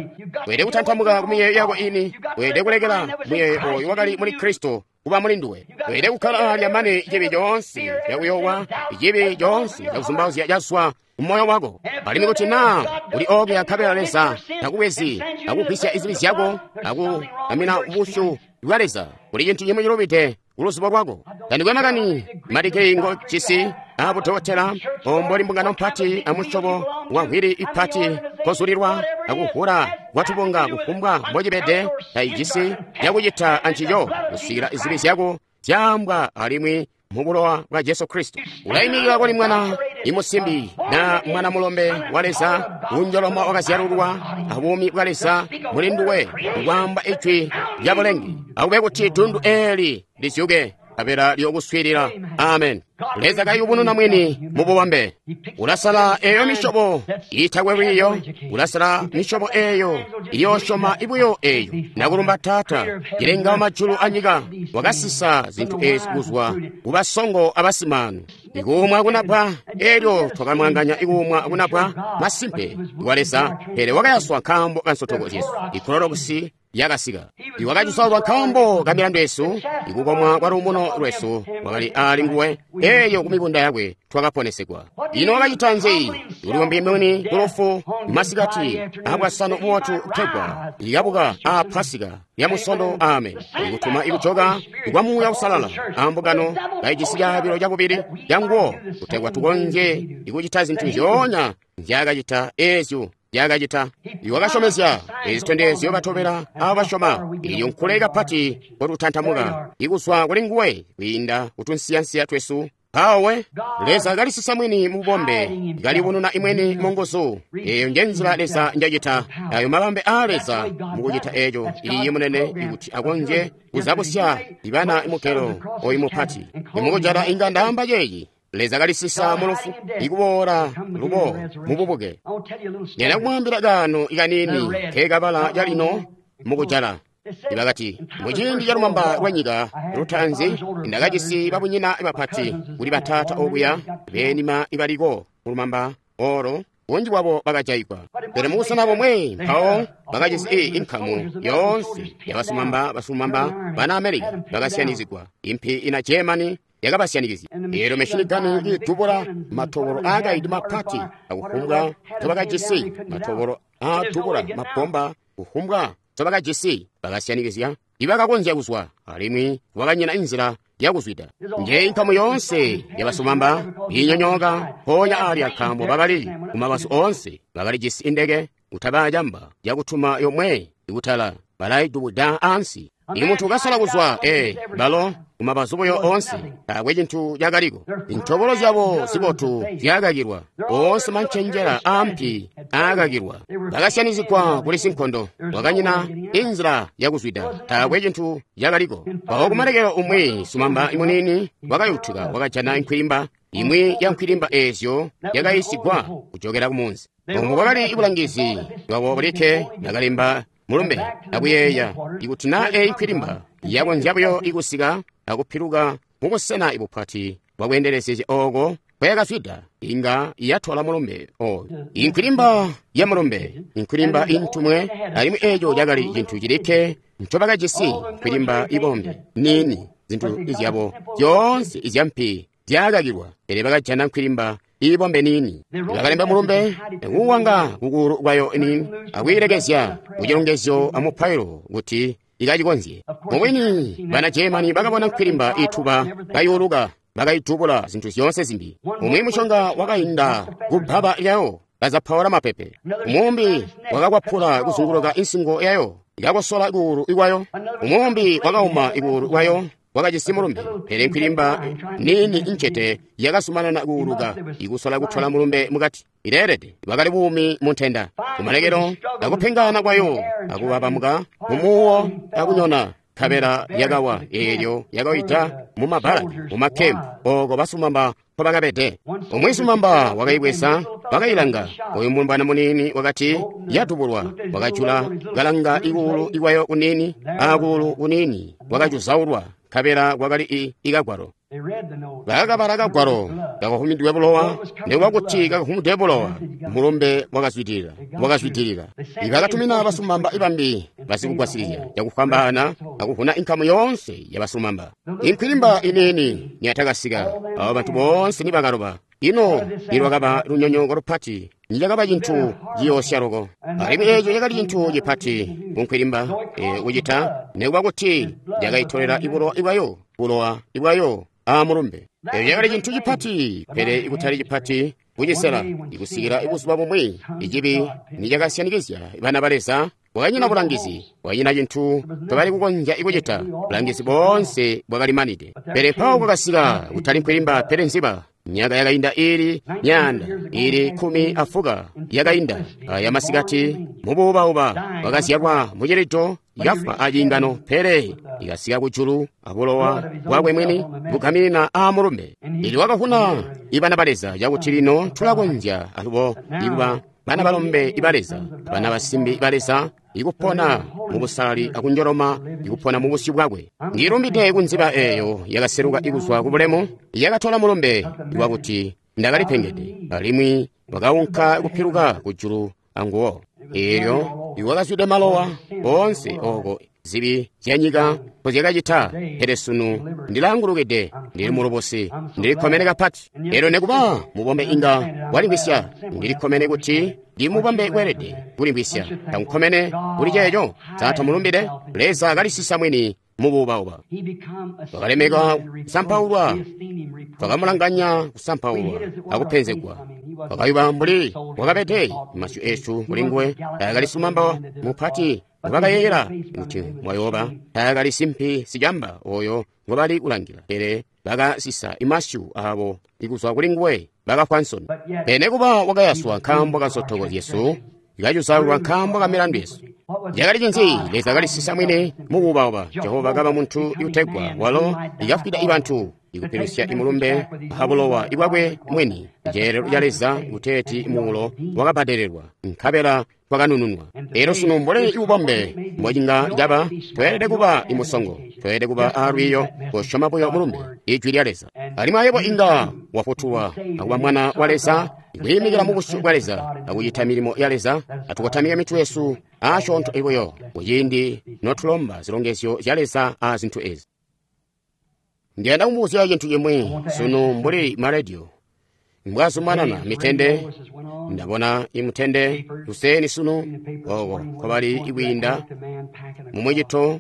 Weelede kutantamuka ku miyeeyo yako ini. Weelede kulekela muyeeyo oyo wakali muli Kristo kuba muli nduwe. Weelede kukkala alya mane cibi coonse cakuyowa, cibi coonse cakuzumbauzya cazwa mumoyo wako. Alimwi kuti naa uli okuya nkabela Leza takubwezi akugwisya izibi zyako akuamina busyu bwa Leza, kuli cintu cimwi cilubide kuluzubo lwako. Tandikwe makani madigiri ngo jisi abudokotela, omboli mbungano mpati amusyobo wa nkhwili ipati kozulilwa akuvula kwatubunga kufumbwa mbocibede, taijisi yakucita ancico kusikila izibi zyako zyaambwa alimwi mu bulowa bwa Jesu Kristo. Ulayimikila kuli mwana imusimbi na mwana mulombe wa Leza, unjoloma wakazyalulwa abuumi bwa Leza muli nduwe, kwaamba ijwi lya bulengi. Akube kuti dundu eli lizyuke kabela lyokuswiilila. Amen. Leza kayubununa mwini mu bubambe. Ulasala eyo misyobo iitakwe lwiiyo, ulasala misyobo eyo iyoosyoma ibuyo eyo. Nakulumba Taata, cilenga wa majulu anyika, wakasisa zintu ezi kuzwa kubasongo abasimaanu. Ikuumwa kunabwa, elyo twakamwanganya ikuumwa kunabwa masimpe wa Leza, pele wakayaswa nkaambo ka nsotoko zyesu. Ikulolokusi yakasika. Iwakacisolwa nkaambo ka milandu yesu, ikukomwa kwa luumuno lwesu wakali ali nguwe, eyo kumibunda yakwe twakaponesegwa. Ino wakacita nzi? Uliwambi mwini kulufu masikati abwasanu bubotu kutegwa ikabuka a Pasika ya musondo. Amen. Ikutuma ikujoka kwa Muuya Usalala ambungano kaijisi caabilo cakubili canguwo kutegwa tukonzye ikucita zintu nzyoonya nzyakacita ezyo yakacita. Iwakasyomezya ezitondezyo batobela abasyoma. Ilyo nkule kapati kotutantamuka ikuzwa kuli nguwe kwiinda kutunsiyansiya twesu. Mpawe Leza kalisisa mwini mu bubombe, kalibununa imweni mu nguzu. Eyo nje nzila Leza njacita. Ayo mabambe a Leza mukucita eco iliyi munene ikuti akonzye kuzabusya ibana imugelo oyu mupati. Imukujala inga ndaamba ceeci. Leza kalisisa mu lufu ikuboola lubo mububuke. Nena kumwambila kano ikanini kekabala calino mukujala. Ibakati muciindi calumamba lwa nyika lutaanzi ndakajisi babunyina bapati kuli batata okuya beenima ibaliko mulumamba olo bunji bwabo bakajayigwa. Pele mubusena bomwe mpawo bakajisi i inkamu yoonse yabasumamba basumamba bana Amerika bakasyanizigwa. Impi ina Germany yakabasyanikizya. Eelyo meshinigani idubula matobolo aakaidi mapati akufumbwa nzobakajisi, matobolo aadubula mabomba kufumbwa nzobakajisi bakasyanikizya. Ibakakonzya kuzwa alimwi wakanyina inzila yakuzwida. Nje inkamu yoonse yabasumamba inyonyooka mpoonya alya nkaambo bakali kumabazu oonse bakalijisi indeke kutabaa camba yakutuma yomwe ikutala balaidubuda ansi. Ili munthu ukasala kuzwa ee balo kumabazu buyo onse taakwe cinthu chakaliko. Intobolo zyabo zibotu zyakakilwa, onse mancenjera ampi aakakilwa, bakasyanizigwa kuli sinkondo. Wakanyina inzila yakuzwida, taakwe cinthu chakaliko. Mpawo kumalekelo umwi sumamba imunini wakayutuka wakajana nkhwilimba imwi ya nkhwilimba ezyo yakayisigwa kuchokera kumunzi. Omwe bwakali ibulangizi bwabo bulikke nakalemba mulumbe akuyeeya ikuti na eyi nkhwilimba yakonzya buyo ikusika akupiluka mubusena ibupati bwakwendelezezya oko kwayakazwida inga yatwala mulumbe oyo. Inkhwilimba ya mulumbe, inkhwilimba intumwe, alimwi eco cakali cintu cilikke ncobakajisi, nkhwilimba ibombe nini. Zintu izyabo zyoonse izyampi zyakakilwa, pele bakajana nkhwilimba ibombe nini. Bakalemba mulumbe kuwanga kukulu kwayo nini akwiilekezya kucilongezyo amupailo kuti ikacikonzye. Mubwini bana Germany bakabona nkhwilimba ituba kayuluka, bakayidubula zintu zyoonse zimbi. Umwi mushonga wakainda kubbaba lyawo kazapaula mapepe. Umumbi wakakwapula kuzunguluka insingo yayo Ikakosola kuulu ikwayo. Umumbi wakauma ikuulu kwayo wakajisi mulumbe, pele nkwilimba niini incete yakazumanana kuuluka ikusola kutola mulumbe mukati. Ileelede bwakali buumi mu ntenda. Kumalekelo akupengana kwayo akubabamuka mumuwo akunyona, nkabela yakawa eelyo yakawida mumabbalaki mumakhempu oko basumamba nkobakabede. Umwi sumamba wakaibweza wakailanga. Oyu mulombwana muniini wakati yatubulwa, wakajula kalanga ikuulu ikwayo kuniini akuulu kuniini wakacuzaulwa, nkabela kwakali ikagwalo. Bakakabala kagwalo kakahumidwe bulowa, nikuba kuti kakahumidwe bulowa, mulumbe wakazwidilila, wakazwidilila. Ibakatumina basumamba ibambi basikugwasilizya cakufwambaana akuvuna inkamu yoonse yabasulumamba. Inkwilimba iniini niyatakasika, abo bantu boonse nibakaloba. Ino nilwakaba lunyonyooko lupati, nicakaba cintu ciyoosya loko. Alimwi eeco cakali cintu cipati kunkwilimba e, kucita, nikuba kuti yakaitolela ibulowa ibwayo, bulowa ibwayo amulumbe. Eeco cakali cintu cipati, pele ikutali cipati kucisela, ikusikila ibuzuba bumwi icibi nicakasyanikizya bana ba Leza. Bwakanyina bulangizi, bwakanyina cintu tobali kukonzya ikucita. Bulangizi boonse bwakalimanide. Pele mpawo kwakasika kutali nkwilimba pele nziba. Myaka yakainda ili myaanda ili kkumi afuka yakainda aya masikati mubuubauba wakazyalwa mucilido ikafwa aciingano, pele ikasika kujulu abulowa bwakwe mwini bugaminina amulumbe. Ili wakavuna ibana ba Leza cakuti lino tulakonzya alubo ikuba bana balombe iba Leza, bana basimbi ba Leza, ikupona mubusalali akunjoloma, ikupona mubusyu bwakwe. Ndilumbide kunziba eeyo yakaseluka ikuzwa kubulemu, yakatola mulumbe wakuti ndakalipengede, alimwi wakaunka kupiluka kujulu anguwo. Eelyo iwakazwide malowa oonse oko zibi zyanyika mpozyakacita, pele sunu ndilaangulukide, ndili mulubusi, ndilikkomene kapati. Eelyo nikuba mubombe inga walimvwisya, ndilikkomene kuti ndimubombe kweelede kulimvwisya. Tamukkomene kuli ceeco? Sa tamulumbide? Leza kalisisa mwini mubuubauba. Wakalemeka kusampaulwa, twakamulanganya kusampaulwa akupenzegwa. Wakayuba mbuli wakabede masyu eesu kulinguwe. Taakali sumamba mupati ngobakayeeyela kuti mwayooba, taakali simpi sicamba oyo ngobali kulangila, pele bakasisa imasyu aabo ikuzwa kulinguwe, bakafwa nsoni. Pele nikuba wakayaswa nkaambo ka nsotoko zyesu, ikacuzaulwa nkaambo ka milandu yesu. Cakali cinzi? Leza kalisisa mwini mubuubauba. Jehova kaba muntu utegwa walo ikafwida ibantu, ikupilusya imulumbe abulowa ibwakwe mwini. Ceelelo ca Leza kuteeti muulo wakabbadelelwa, nkabela twakanununwa. Eelyo sunu mbuli ibubombe mbocinga caba, tweelede kuba imusongo, tweelede kuba alwiiyo, kosyoma buyo mulumbe ijwi lya Leza. Alimwi ayebo inga wafutulwa akuba mwana wa Leza, kwiimikila mubusyu bwa Leza akucita milimo ya Leza. Atukotamike mitwe yesu asyoonto ibuyo kuciindi notulomba zilongezyo zya Leza a zintu ezi. Ndiyanda kumubuzya cintu cimwi sunu mbuli marediyo mbwazumanana mitende. Ndabona imutende luseni sunu oko nkobali ikwiinda mumucito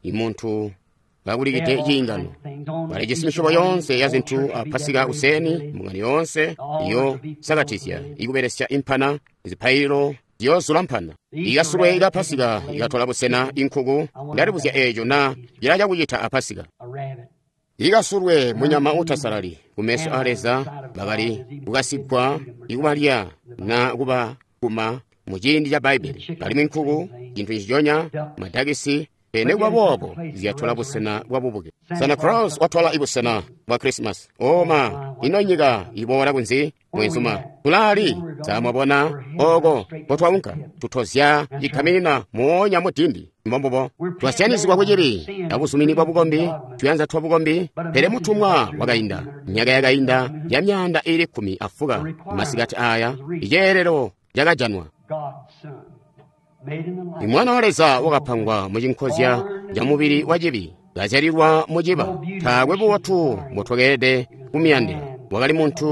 imuntu kakulikide ciingano. Balijisi misyobo yoonse ya zintu a Pasika kuseni, mbungano yoonse iyo sakatizya ikubelesya impana, zipaililo ziyozula mpana. Ikasulwe ika Pasika ikatola busena inkuku. Ndalibuzya eeco na cila cakucita a Pasika. Ikasulwe munyama utasalali kumeso a Leza, bakali kukasigwa ikubalya na kuba kuma muciindi ca Bbaibbele. Alimwi nkuku cintu nciconya, madakisi, pele nikuba boobo zyatola busena bwa bubuke. Santa Claus watola ibusena bwa Christmas. Oma, ino nyika iboola kunzi mwenzuma tulaali samwabona oko kotwaunka tutozya ikaminina moonya mudindi. Mbombubo twasyanizigwa kucibi abuzumini bwa bukombi, tuyanza twa bukombi. Pele mutumwa wakainda myaka yakainda ya myaanda ili kkumi afuka masikati aya iceelelo cakajanwa. Imwana wa Leza wakapangwa mucinkozya ca mubili wa cibi, kazyalilwa muciba. Taakwe bubotu mbotwakeelede kumuyandila. Wakali muntu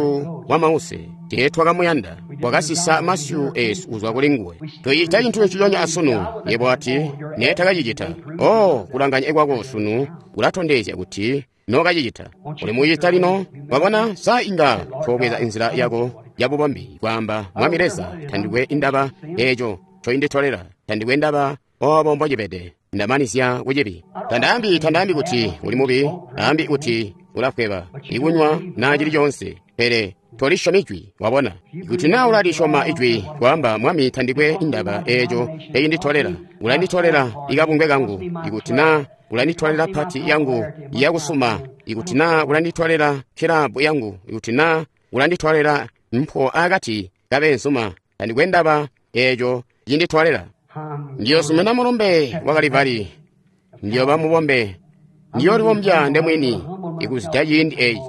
wa mause, teetwakamuyanda. Wakasisa masyu eesu kuzwa kuli nguwe. Tucita cintu nciconya asunu. Yebo ati neetakacicita. Oh, kulanganya kwako sunu kulatondezya kuti nookacicita. Uli mucita lino. Wabona, sa inga toobweza inzila yako ya bubombi kwaamba, Mwami Leza, tandikwe indaba eeco ncoinditolela, tandikwe ndaba Obo mbocibede. Ndamanizya kucibi. Tandaambi tandaambi kuti uli mubi, ambi kuti ulafweba, ikunywa na cili conse, pele tolisyomi ijwi, wabona. Kuti naa ulalisyoma ijwi, kwaamba Mwami tandikwe indaba eeco ecinditolela, ulanditolela ikabungwe kangu, ikuti naa ulanditolela pati yangu yakusuma, ikuti naa ulanditolela kilabu yangu, ikuti naa ulanditolela mpho akati kabeenzuma, tandikwe ndaba eeco cinditolela. Ndiyosumena mulumbe wa Kalivali, ndiyoba mubombe, ndiyolibombya ndemwini ikuzida ciindi eeci.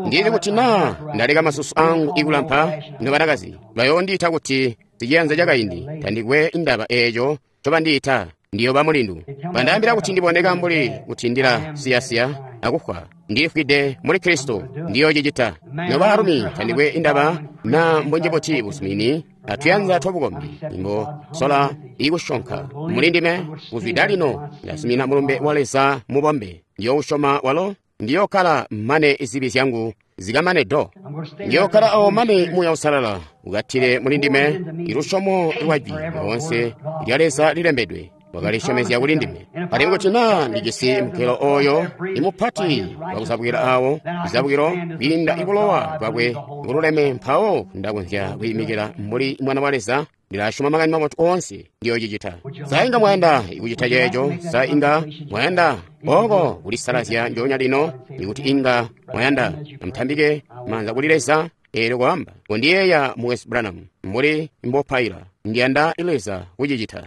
Ndili kuti naa ndaleka masusu angu ikulampa, nobanakazi bayoondiita kuti siciyanza cakaindi, tandikwe indaba eeco ncobandiita, ndiyoba mulindu. Bandaambila kuti ndiboneka mbuli kuti ndila siyasiya akufwa, ndifwide muli Kristo, ndiyocicita. Nobaalumi tandikwe indaba naa mbunji buti busumini atuyanza twabukombi, imbo sola ikusyonka muli ndime. Kuzwida lino ndasumina mulumbe wa Leza mubombe, ndiyousyoma walo, ndiyokkala mane zibi zyangu zikamane do. Ndiyokkala awo mane Muuya Uusalala ukatile muli ndime ilusyomo lwa jwi lyoonse lya Leza lilembedwe wakalisyomezya kuli ndime. Alimwi kuti naa ndijisi mukelo oyo imupati wakuzabukila awo izabukilo kwiinda ibulowa bwakwe bululeme, mpawo ndakonzya kwiimikila mbuli mwana wa Leza. Ndilasyoma makani mabotu oonse, ndiyocicita. Sa inga mwayanda ikucita ceeco? Sa inga mwayanda oko kulisalazya njoonya lino? Ikuti inga mwayanda, amutambike maanza kuli Leza eelyo kwaamba, "Kondiyeeya Mukwesu Branham mbuli mbopaila, ndiyanda Leza kucicita."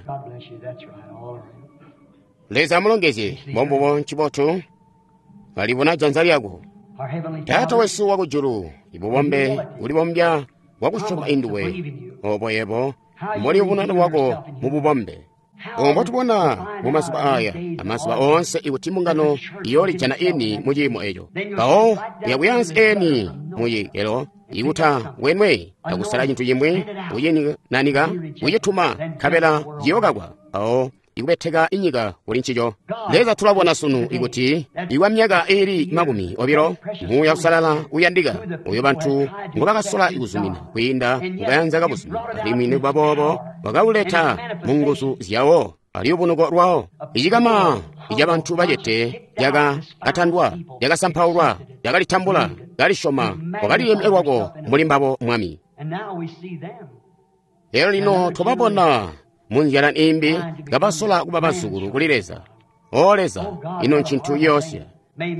Leza amulongezye. Mbombubo, ncibotu. Alibona janza lyako. Taata wesu wakujulu, ibubombe kulibombya wakusyoma induwe, obo yebo mbuli ubunana bwako mububombe. Obo mbotubona mumazuba aya amazuba oonse, ikuti mbungano iyoolijana ini mu ciimo eco, mpawo yakuyansi eni mucikelo ikuta wenwe akusala cintu cimwi, kucinanika, kucituma, nkabela ciyokakwa, mpawo ikubeteka inyika kuli ncico. Leza, tulabona sunu ikuti ikwa myaka iili makumi obilo Muuya Uusalala uyandika uyo bantu ngobakasola ikuzumina kwiinda mukayanza kabuzumina, alimwi nikuba boobo wakauleta mu nguzu zyawo aliyubunuko lwawo. Icikama icabantu bacete cakatandwa, cakasampaulwa, cakalitambula, calisyoma, wakalilemya lwako muli mbabo, Mwami. Lero lino twababona munzila imbi kabasola kuba bazukulu kuli Leza. O Leza, ino ncintu yoosya.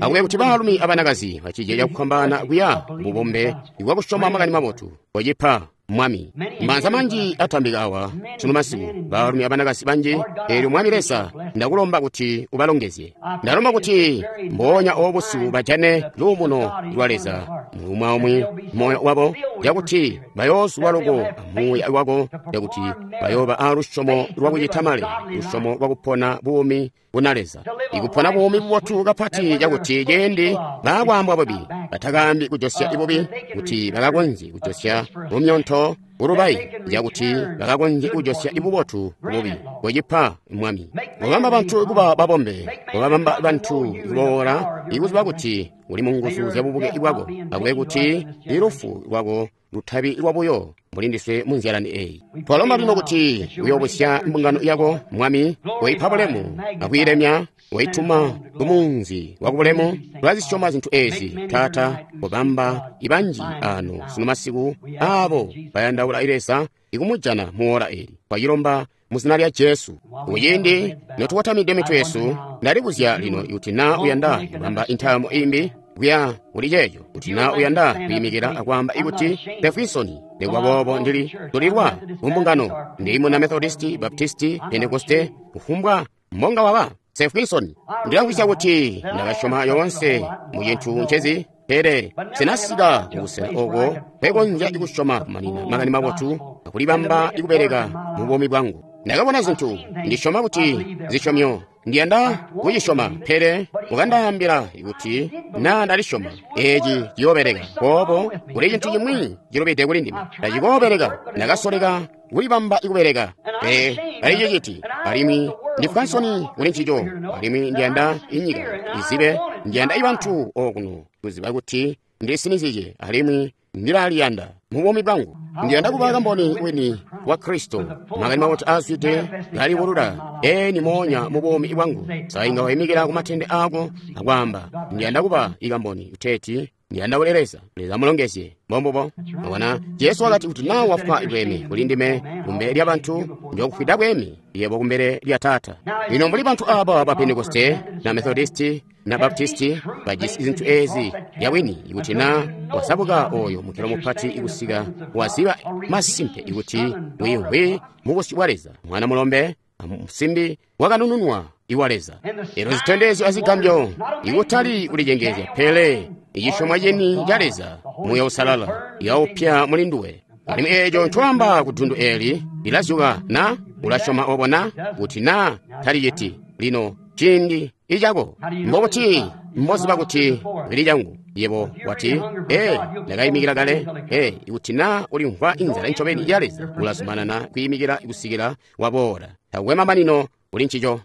Akube kuti baalumi abanakazi bacije cakufwambaana kuya bubombe ibwakusyoma makani mabotu kocipa, Mwami. Maanza manji atambika awa sunu masiku, baalumi abanakazi banji. Eelyo Mwami Leza, ndakulomba kuti ubalongezye. Ndalomba kuti mboonya obusiku bajane luumuno lwa Leza mumwaumwi moyo wabo, cakuti bayoozulwa loko amuuya wako, cakuti bayooba alusyomo lwakucita male, lusyomo lwakupona buumi buna Leza, ikupona buumi bubotu kapati, cakuti ciindi baakwaambwa bubi batakaambi kujosya ibubi, kuti bakakonzye kujosya lumyonto ulubayi, cakuti bakakonzye kujosya ibubotu bubi. Kocipa, Mwami. Kobamba bantu kuba babombe, kobabamba bantu kuboola ikuziba kuti uli mu nguzu zya bubuke bwako. Akube kuti ilufu lwako lutabi lwabuyo mbuli ndiswe mu nzyalani eyi. Twalomba lino kuti uyoobusya mbungano yako, Mwami, koipa bulemu akwiilemya, koituma kumunzi wakubulemu. Tulazisyoma zintu ezi, Taata. Kobamba ibanji ano sunu masiku aabo bayandaula Leza ikumujana muola eli. Twacilomba mu zina lya Jesu. Kuciindi notukotamide mitwe yesu, ndalibuzya lino kuti naa uyanda kubamba intaamo imbi kuya kuli ceeco, kuti naa uyanda kwiimikila akwaamba ikuti, "Pefwisoni, nikuba boobo ndili tulilwa kumbungano, ndili muna Methodisti, Baptisti, Pentekoste, kufumbwa mbonga waba Sefwisoni. Ndilamvwisya kuti ndakasyoma yoonse mu cintu ncezi, pele sinasika kubusena oko kwekonzya ikusyoma kumanina makani mabotu akulibamba ikubeleka mu buumi bwangu. Ndakabona zintu, ndisyoma kuti zisyomyo, ndiyanda kucisyoma, pele ukandaambila kuti naa ndalisyoma eci ciyoobeleka. Boobo kuli cintu cimwi cilubide kuli ndime, tacikoobeleka. Ndakasoleka kulibamba ikubeleka, pele taliciciti, alimwi ndifwa nsoni kuli ncico, alimwi ndiyanda inyika izibe, ndiyanda ibantu okuno kuziba kuti ndisinizye, alimwi ndilaliyanda mu buumi bwangu. Ndiyanda kuba kamboni wini wa Kristo, makani mabotu aazwide kalibulula eni moonya mu buumi bwangu. Sainga wayimikila ku matende ako akwaamba, ndiyanda kuba ikamboni uteeti ndiyanda kuli Leza. Leza mulongezye. Mbombubo. Mwabona, Jesu wakati kuti naa wafwa bweme kuli ndime kumbele lya bantu, njokufwida bweme yebo kumbele lya Taata. Lino mbuli bantu aba ba Pentekoste na Methodisti na Baptisti bajisi zintu ezi yawini, ikuti na wasabuka oyo mukelo mupati ikusika waziba masimpe ikuti wiimvwi mu busyu bwa Leza, mwana mulombe musimbi wakanununwa iwa Leza. Ero zitondezyo azigambyo ikutali kulicengezya, pele icisyomwa ceni ca Leza, Muuya Uusalala yaupya muli nduwe. Alimwi eeco ncoamba ku dundu eli lilazyuka na ulasyoma obo na kuti na taliciti. Lino ciindi icako mbokuti mboziba kuti lili cangu. Yebo wati, ee, ndakayimikila kale. Ee, ikuti na ulimvwa inzala ncobeni ya Leza, ulazumanana kuyimikila kusikila waboola. Takwe mamanino kuli ncico.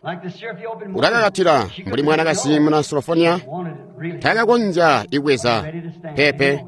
Ulakakatila mbuli mwanakazi muna Solofonia, takakonzya ikweza pepe,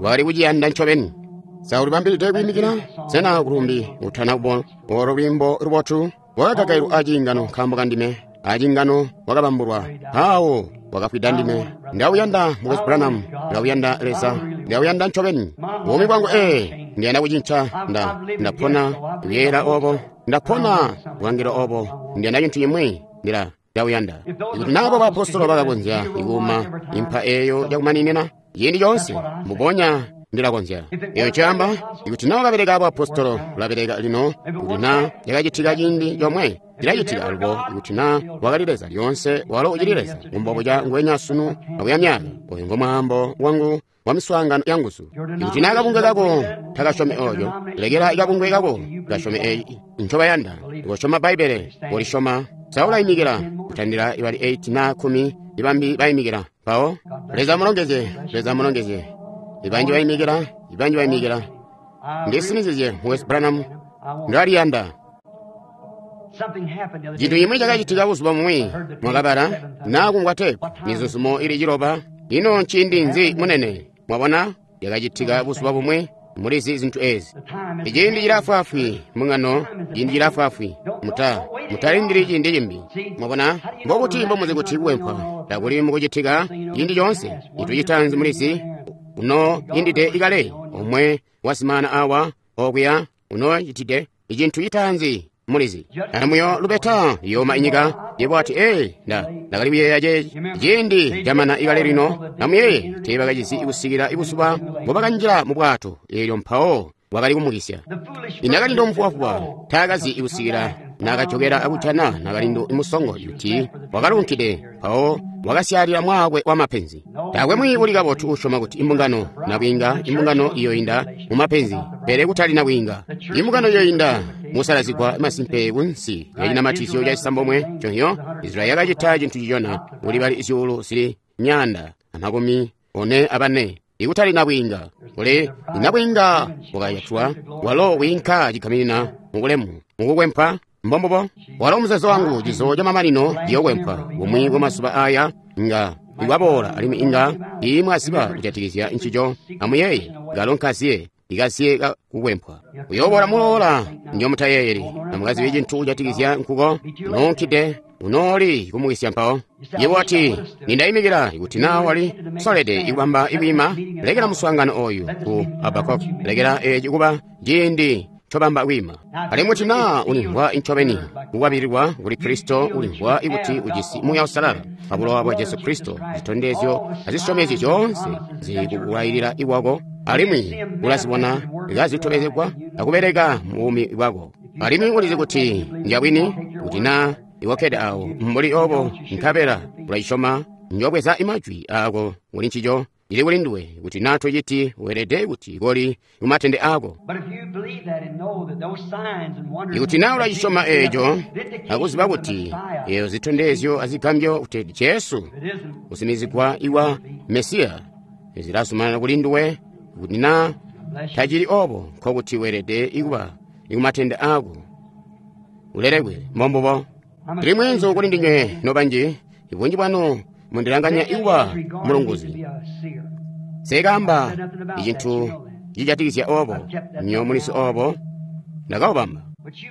wakali kuciyanda ncobeni. Sa ulibambilide kuyimikila? Sena kulumbi utana kubona olo lwimbo lubotu? Wakagagailwa aciingano nkaambo kandime, aciingano wakabambulwa, awo wakafwida ndime. Ndawuyanda Mukwesu Branham, ndawuyanda Leza, ndawuyanda ncobeni buumi bwangu. Ee, ndiyanda kucinca. Nda ndapona kuyeera obo, ndapona kulangila obo, ndiyanda cintu cimwi, ndila ndawuyanda. Ikuti nabo baapostolo bakakonzya ikuuma impa eyo yakumaninina ciindi coonse, mbubonya ndilakonzya. Eyo ncaamba, ikuti na wakabeleka abaapostolo, ulabeleka lino. Ikuti na yakacitika ciindi comwe, cilacitika alubo. Ikuti na wakali Leza lyoonse, walo ucili Leza mumbobuca nguwenya sunu akuya myaka. Oyu ngo mwaambo wangu wa miswaangano ya nguzu. Ikuti na kabungwe kako takasyomi oyo, lekela kabungwe kako kasyome eyi ncobayanda. Ukosyoma Bbaibbele, ulisyoma. Sa ulayimikila kutandila ibali eight na kumi ibambi bayimikila mpawo. Leza mulongezye, Leza mulongezye. Ibanji bayimikila, ibanji bayimikila. Ndisinizizye Mukwesu Branham, ndaliyanda. Cintu cimwi cakacitika buzuba bumwi, mwakabala naa kumvwa teepu, mizuzumo ili ciloba. Ino nciindi nzi munene? Mwabona, yakacitika buzuba bumwi. Mulizi zintu ezi. Iciindi cilafwaafwi mung'ano, ciindi cilafwaafwi. Muta mutalindili ciindi cimbi. Mwabona, mbokuti mbomuzi kuti kuwempwa takuli mukucitika ciindi coonse. Cintu citaanzi mulizi, uno yindide ikale omwe wasimana awa okuya uno citide icintu citaanzi mulizi. Amuyo lubeta yoma inyika. Yebo ati, ee, nda ndakali kuyeeya ceeci ciindi camana ikale lino. Namuyeye teebakacizi kusikila ibuzuba mbobakanjila mu bwato, eelyo mpawo bwakali kumukisya. Inakalindo mufubafuba taakazi ikusikila nakajokera akujana nakalindo imusongo kuti wakalunkide, mpawo wakasyalila mwaakwe wa mapenzi. Taakwe mwi uli kabotu usyoma kuti imbungano nabwiinga, imbungano iyoinda mu mapenzi, pele kutali nabwiinga. Imbungano iyoinda musalazigwa masimpe kunsi ya cinamatizyo ca cisambomwe conyo. Israeli yakacita cintu cicona kuli bali zyuulu zili myaanda amakumi one abane. Ikutali nabwiinga, kuli nabwiinga wakayatwa walo wiinka cigaminina mubulemu mukukwempa. Mbombubo walo muzeezo wangu, cizo ca mamanino ciyokwempwa bumwi bwa mazuba aya nga iwaboola, alimwi inga imwaziba kujatikizya ncico. Amuyeeye kalo nkaziye ikaziye kukwempwa uyoboola muloola njomutayeeyeli. Amukazibe cintu kujatikizya nkuko nuunkide unooli kumukisya mpawo. Yebo ati, nindayimikila. Ikuti na wali solede ikubamba ikwiima, lekela muswaangano oyu ku Habakuk, lekela eci kuba ciindi ncobamba kwiima. Alimwi kuti naa ulimvwa incobeni kukwabililwa kuli Kristo, ulimvwa ikuti ujisi Muuya Uusalala pa bulowa bwa Jesu Kristo, zitondezyo azisyomezyo zyoonse zikukulayilila iwako, alimwi ulazibona kazitobezegwa akubeleka mu buumi bwako, alimwi ulizi kuti njabwini, kuti naa iwakkede awo mbuli obo nkabela ulacisyoma, njobweza imajwi ako kuli ncico. Ili kuli nduwe. Kuti naa tociti, weelede kuti koli kumatende ako. Ikuti naa ulacisyoma eeco akuziba kuti eyo zitondezyo azigambyo kuti Jesu kusimizigwa iwa Mesiya zilazumanana kuli nduwe, kuti naa tacili obo, nkokuti weelede ikuba ikumatende ako ulelekwe. Mbombubo. Ndili mweenzu kuli ndinywe nobanji, ibunji bwanu mundilanganya ikuba mulunguzi. Sekamba icintu cijatikizya obo. Nyo mulizi obo. Ndakaubamba.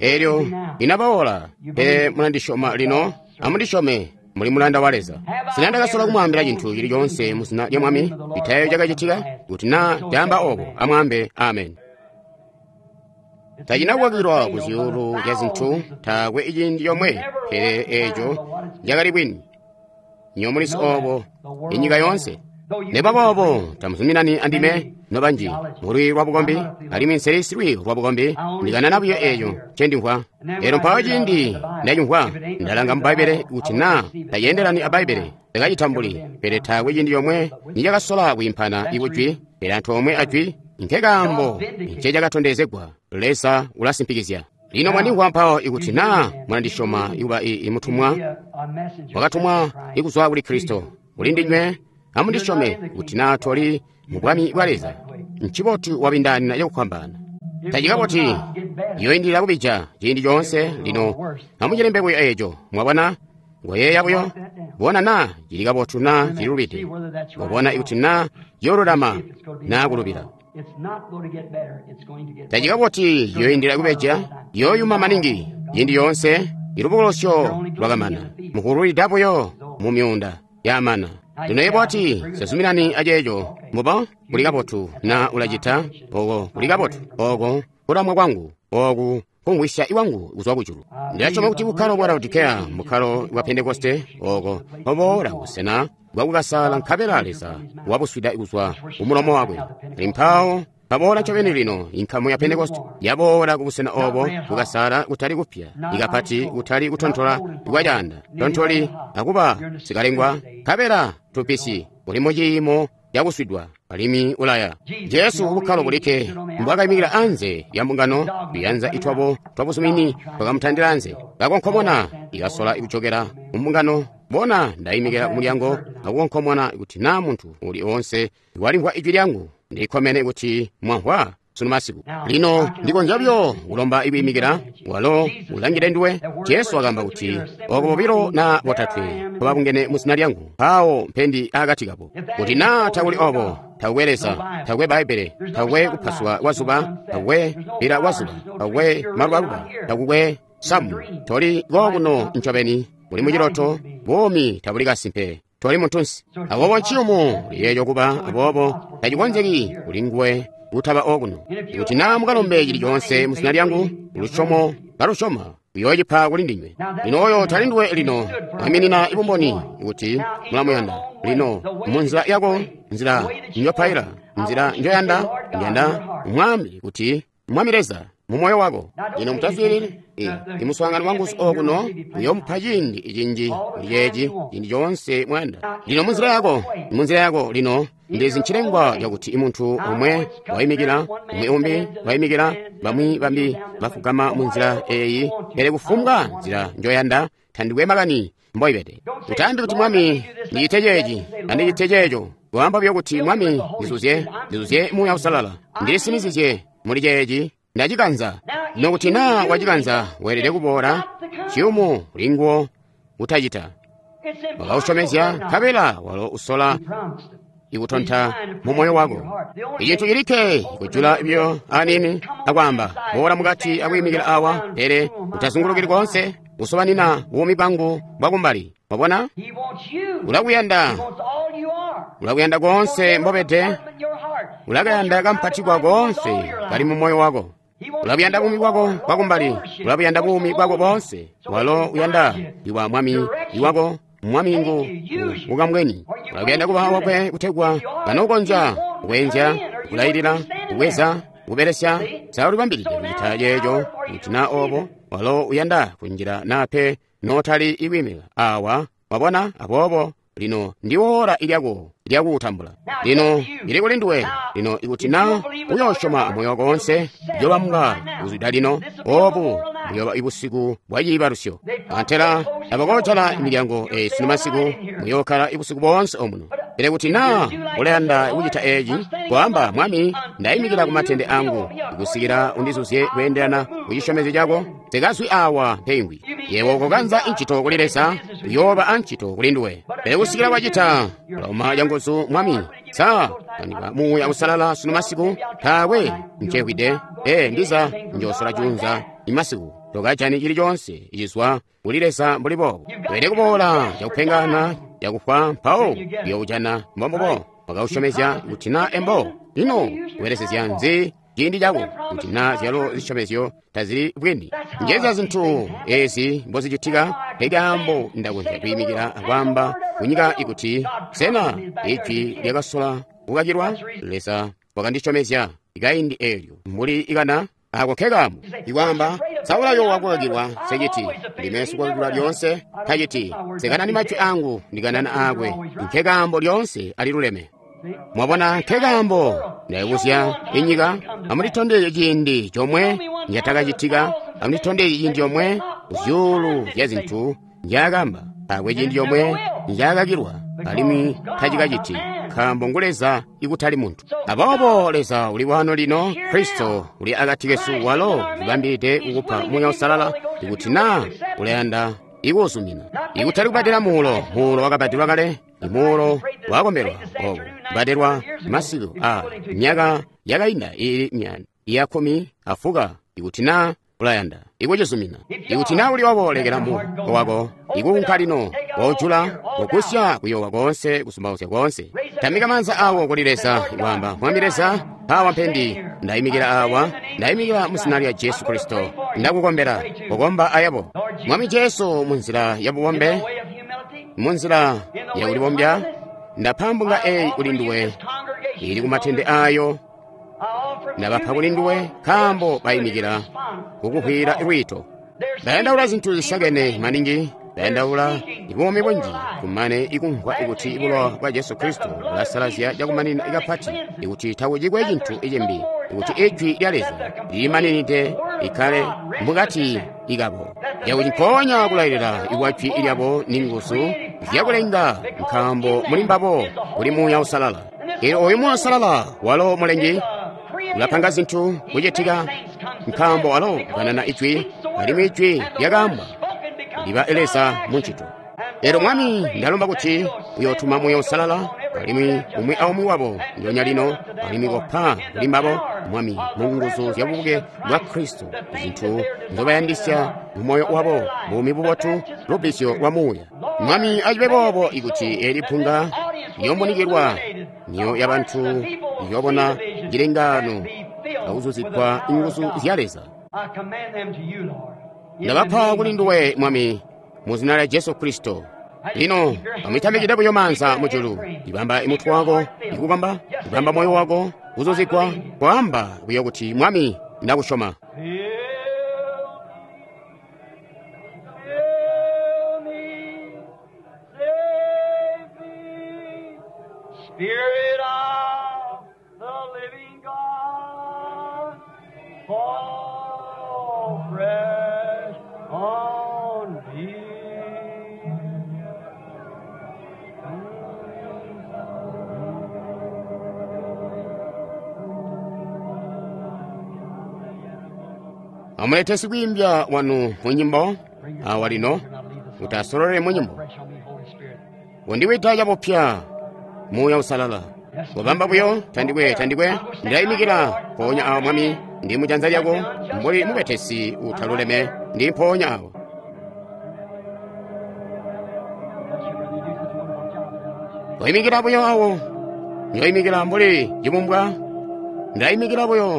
Elyo inabaola, pele mulandisyoma lino, amundisyome muli mulanda wa Leza. Sina ndakasola kumwaambila cintu cili coonse mu zina lya Mwami, itayo cakacitika, kuti naa ndaamba obo, amwaambe amen. Tacina kukwakilwa ku zyuulu zya zintu, taakwe ciindi comwe, pele eeco cakali bwini. Nyo mulizi obo, inyika yoonse. Neba boobo tamuzuminani andime nobanji mulwi lwa bukombi, alimwi nseli silwi lwa bukombi, ndikanana buyo eeco ncendimvwa. Elyo mpawo ciindi ndacimvwa, ndalanga mu Bbaibbele kuti naa taceendelani a Bbaibbele, ndakacitambuli, pele taakwe ciindi comwe nicakasola kwiimpana ikujwi, pele antoomwe ajwi, nkekaambo ncecakatondezegwa. Leza ulasimpikizya. Lino mwandimvwa mpawo ikuti naa mwandisyoma ikuba imutumwa wakatumwa ikuzwa kuli Kristo kuli ndinywe, amundisyome kuti naa toli mu bwami bwa Leza. Ncibotu wabindaanina cakufwambaana. Tacikaboti yoindilila kubija ciindi coonse. Lino amucilembe buyo eeco, mwabona, ngoyeeya buyo bona naa cili kabotu naa cililubide, mwabona ikuti naa ciyoolulama naa kulubila. Tacikaboti yoindilila kubeja, yoyuma maningi ciindi yoonse. Ilubukulusyo lwakamana, mukululida buyo mu myuunda yamana. Lino yebo wati, sazuminani aceeco, mbubo kuli kabotu na ulacita oko kuli kabotu, oko kulamwa kwangu, oku kumvwisya iwangu kuzwa kujulu. Ndilasyoma kuti bukkalo bwa Laodikeya mbukkalo bwa Pentekoste, oko oboola busena bwakukasala nkabela Leza wabuswida kuzwa kumulomo wakwe. Ali mpawo paboola ncobeni lino inkamu ya Pentekoste yaboola kubusena obo bukasala kutali kupya, ikapati kutali kutontola kwacaanda, tontoli akuba sikalengwa, nkabela tupisi uli muciimo cakuswidwa alimwi ulaya. Jesu bukkalo bulikke mbwakayimikila anze lya mbungano, tuyanza itwabo twabuzumini twakamutandila anze, kakonkomona ikasola kujokera mu mbungano. Bona, ndayimikila kumulyango akukonkomona kuti naa muntu uli oonse walimvwa ijwi lyangu. Ndikkomene kuti mwamvwa sunu masiku. Lino ndikonzya buyo kulomba ikuyimikila, walo ulangile nduwe. Jesu wakaamba kuti oko bobilo na botatwe babungene mu zina lyangu, mpawo mpendi akati kabo. Kuti naa takuli obo, takukwe Leza, takukwe Bbaibbele, takukwe kupaswa kwa zuba, takukwe bila kwa zuba, takukwe malubaluba, takukwe samu, toli kokuno ncobeni, uli muciloto, buumi tabuli kasimpe, toli muntunsi. Aboobo nciyumu liyeeyo kuba aboobo tacikonzeki kuli nguwe kutaba okuno. Kuti naa mukalombe cili coonse mu zina lyangu, lusyomo kalusyoma uyoocipa kuli ndinywe. Lino oyo tali nduwe lino, mwiiminina ibumboni kuti mulamuyanda. Lino munzila yako, nzila njopaila, nzila njoyanda, njanda mwambi kuti Mwami Leza mu moyo wako. Lino mutaswiilili imuswaangano wangu okuno uyomupa ciindi cinji kuli ceeci ciindi coonse mwayanda. Lino munzila yako, munzila yako lino ndizi ncilengwa cakuti muntu omwe wayimikila, umwi umbi wayimikila, bamwi bambi bafugama munzila eeyi, pele kufumbwa nzila njoyanda tandikwe makani mboibede. Utaambi kuti Mwami ndicite ceeci, andicite ceeco. Waamba buyo kuti Mwami ndizuzye, ndizuzye Muuya Uusalala, ndilisinizizye muli ceeci, ndacikanza. Nokuti naa wacikanza weelede kuboola ciyumu kulinguwo kutacita. Wakausyomezya nkabela walo usola ikutonta mu moyo wako. Icintu cilikke kujula buyo aniini akwaamba boola mukati akuyimikila awa, pele utazungulukili koonse kusobanina buumi bwangu bwakumbali. Wabona? Ulakuyanda, ulakuyanda koonse mbobede, ulakayanda kampatikwa koonse kali mu moyo wako. Ulabuyanda buumi bwako bwakumbali, ulabuyanda buumi bwako boonse. Walo uyanda iwa mwami iwako, mwami ngu ukamweni. Ulakuyanda kuba wakwe kutegwa kanokonzya kukwenzya, kulayilila, kukweza, kubelesya. Saulibambilide kucita ceeco kuti naa obo walo uyanda kunjila naa pe nootali ikwiimika awa. Wabona? Aboobo lino ndiwoora ilyako lyakuutambula. Lino ili kuli nduwe. Lino ikuti naa uyoosyoma moyo wako wonse, uyoobambwa kuzwida lino. Obu buyoba ibusiku bwa ciibalusyo. Antela abakoojala milyango eyi sunu masiku, muyookkala ibusiku boonse omuno. Pele kuti naa ulayanda kucita eeci, kwaamba Mwami, ndayimikila ku matende angu kusikila undizuzye kweendelana kucisyomezyo cako, nsikazwi awa mpengwi. Yebo kokanza incito kuli Leza, uyooba ancito kuli nduwe. Pele kusikila wacita, ulauma canguzu Mwami, sa Andika Muuya Uusalala sunu masiku, taakwe ncehwide. Ee, ndiza njosola junza imasiku. Tokajani chili chonse ichizwa kuli Leza mbuli boobo. Weelede kuboola cakupengana, cakufwa, mpawo uyoojana mbombubo. Wakausyomezya kuti na embo. Lino ubelesezya nzi ciindi cako kuti na zyalo zisyomezyo tazili bwini. Njezya zintu ezi mbozicitika, nkaambo ndakonzya kwiimikila akwaamba kunyika ikuti sena ijwi lyakasola kukakilwa? Leza wakandisyomezya ikaindi eelyo mbuli ikana ako nkekamu. Ikwaamba saulayo wakukakilwa seciti ndime sikukakilwa lyoonse taciti sekanani majwi angu ndikanana aakwe nkekaambo lyoonse aliluleme. Mwabona nkekaambo ndayibuzya inyika, amunditondezye ciindi comwe njatakacitika, amunditondezye ciindi comwe zyuulu zya zintu njaakamba, taakwe ciindi comwe njaakakilwa, alimwi tacikaciti, nkaambo ngu Leza ikutali muntu. Aboobo Leza uli wano lino, Kristo uli akati kesu, walo ulibambilide kukupa Muuya Uusalala ikuti naa ulayanda ikuuzumina. Ikutali kubadela muulo, muulo wakabadelwa kale, imuulo wakombelwa obo kubadelwa masiku a myaka yakainda iili myanda iya kkumi afuka ikuti naa ulayanda ikucizumina. Ikuti naa uli obo, lekela moyo wako ikuunka lino, wojula kugusya kuyowa koonse, kusumbauzya koonse. Tamika maanza awo kuli Leza, ikwaamba, Mwami Leza, awa mpendi, ndayimikila awa, ndayimikila mu zina lya Jesu Kristo, ndakukombela, kukomba ayabo. Mwami Jesu, munzila ya bubombe, munzila ya kulibombya, ndapa mbunga eyi kuli nduwe, ili kumatende ayo, ndabapa kuli nduwe, nkaambo bayimikila kukuhwira lwiito. Ndayandaula zintu zisakene maningi, ndayandaula ibuumi bunji, kumane ikumvwa ikuti ibulowa bwa Jesu Kristo bulasalazya cakumanina ikapati, ikuti takucikwe cintu icimbi, ikuti ijwi lya Leza lilimaninide likkale mukati ikabo, yakuti mpoonya kulailila ikwa jwi lyabo ni nguzu zyakulenga, nkaambo muli mbabo kuli Muuya Uusalala. Eelyo oyu Muuya Uusalala walo mulengi ulapanga zintu kucitika, nkaambo walo ukanana ijwi, alimwi ijwi lyakaambwa liba Leza muncito. Eelyo Mwami, ndalomba kuti uyootuma Muuya Uusalala, alimwi umwi aumwi wabo ndyoonya lino, alimwi kopa kuli mbabo, Mwami, mu nguzu zya bubuke bwa Kristo, zintu nzobayandisya mu moyo wabo, buumi bubotu, lubbizyo lwa Muuya. Mwami, acibe boobo ikuti eli punga liyomunikilwa, myoyo yabantu iyobona cilengaano akuzuzigwa nguzu zya Leza. Ndabapa kuli nduwe, Mwami, mu zina lya Jesu Kristo. Lino amutamikide buyo maanza mujulu, ibamba imutwe wako ikukomba, ibamba moyo wako kuzuzigwa, kwaamba buyo kuti, Mwami, ndakusyoma. Spirit of the living God, fall fresh on me. Amulete sikwiimbya wanu mu nyimbo awa lino, kuti asololele mu nyimbo. Fresh on me, Holy Spirit. Undiwita cabupya Muuya Uusalala. Wabamba buyo tandikwe tandikwe ndayimikila mpoonya awa, Mwami, ndi mujanza lyako mbuli mubetesi utaluleme, ndi mpoonya awa. Koyimikila buyo awo, njoyimikila mbuli cibumbwa, ndayimikila buyo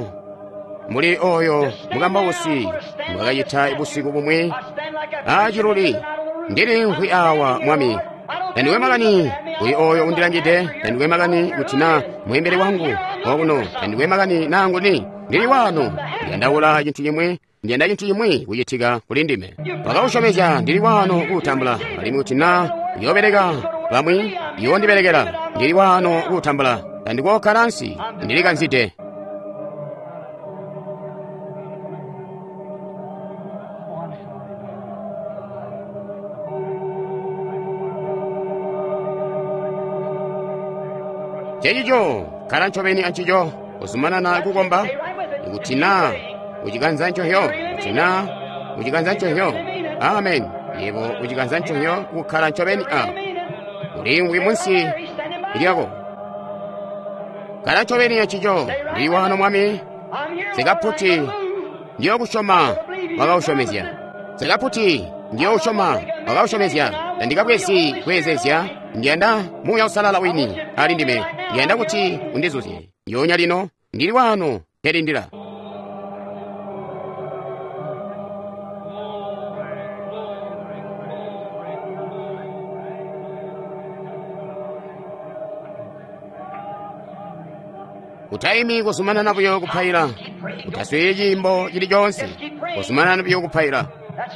mbuli oyo mukambausi mbwakacita busiku bumwi aciluli. Ndili nkwi awa, Mwami, tandikwe makani kuli oyo undilangide, tandikwe makani kuti na mweembeli wangu wakuno, tandikwe makani nanguni, ndili wano, ndiyandaula cintu cimwi, ndiyanda cintu cimwi kucitika kuli ndime. Wakausyomezya, ndili wano kuutambula, alimwi kuti na uyoobeleka bamwi yoondibelekela, ndili wano kuutambula, tandikookkala ansi, ndilikanzide. Chechicho khala ncobeni ancicho, kuzumanana kukomba, kuti na uchikanza nchohyo, kuti na uchikanza nchohyo. Amen. Yebo uchikanza nchohyo kukhala ncobeni a ulingwi munsi lyako. Kala ncobeni encico. Ndili wano, Mwami. Sikaputi ndiyokusyoma wakausyomezya. Sikaputi ndiyousyoma wakausyomezya. Tandikabwezi kweezezya. Ndiyanda Muuya Uusalala wini ali ndime. Ndiyanda kuti undizuzye. Ndyoonya lino ndili wano nkelindila. Utaimi kuzumanana buyo kupaila. Utaswiili ciimbo cili coonse. Kuzumanana buyo kupaila.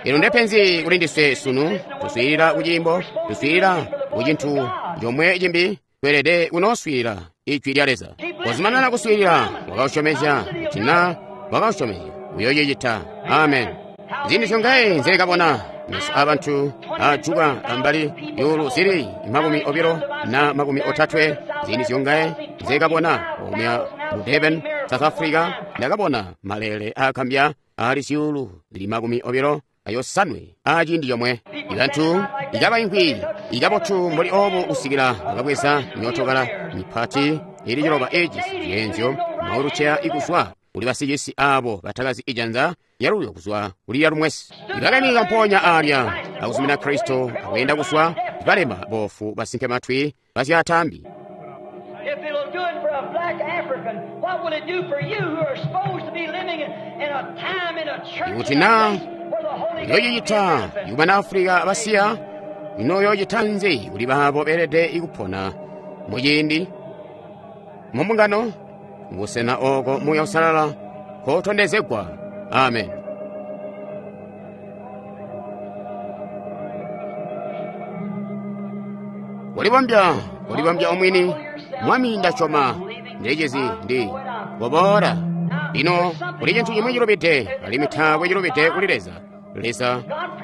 Ino ndepenzi kuli ndiswe sunu. Tuswiilila ku ciimbo, tuswiilila ku cintu comwe cimbi. Tweelede kunooswiilila ijwi lya Leza. Kuzumanana kuswiilila. Wakausyomezya kuti na wakausyomezya uyoocicita. Amen. Ziindi zyongaye nzekabona meso abantu ajuka ambali yulu zili makumi obilo na makumi otatwe. Ziindi zyongaye nzekabona omuya mu Durban, South Africa. Ndakabona malele akambya ali zyuulu zili makumi obilo ayosanwe aciindi comwe. Ibantu ikabaimvwi ikabotu mbuli obo kusikila bakabweza myootokala mipati ili ciloba ejisi zyeenzyo mauluceya ikuzwa kuli basicisi abo batakazi ijanza lyaluyo kuzwa kuli lyalumwesi. Ibakaimika mpoonya alya akuzumina Kristo akuyenda kuzwa balema bofu basinke matwi basyatambi. If it'll do it for a black African, what will it do for you who are supposed to be living in, in a time in a church Ikuti in a na place where the Holy Ghost is yoyicita manifest? yubana Afrika basiya ino yoyicita nzi kuli baabo beelede ikupona muciindi mumbungano busena oko Muuya Uusalala kotondezegwa. Amen. Kulibombya, kulibombya omwini. Mwami ndasyoma ndicizi ndi koboola. Lino kuli cintu cimwi cilubide, alimwi taakwe cilubide kuli Leza. Leza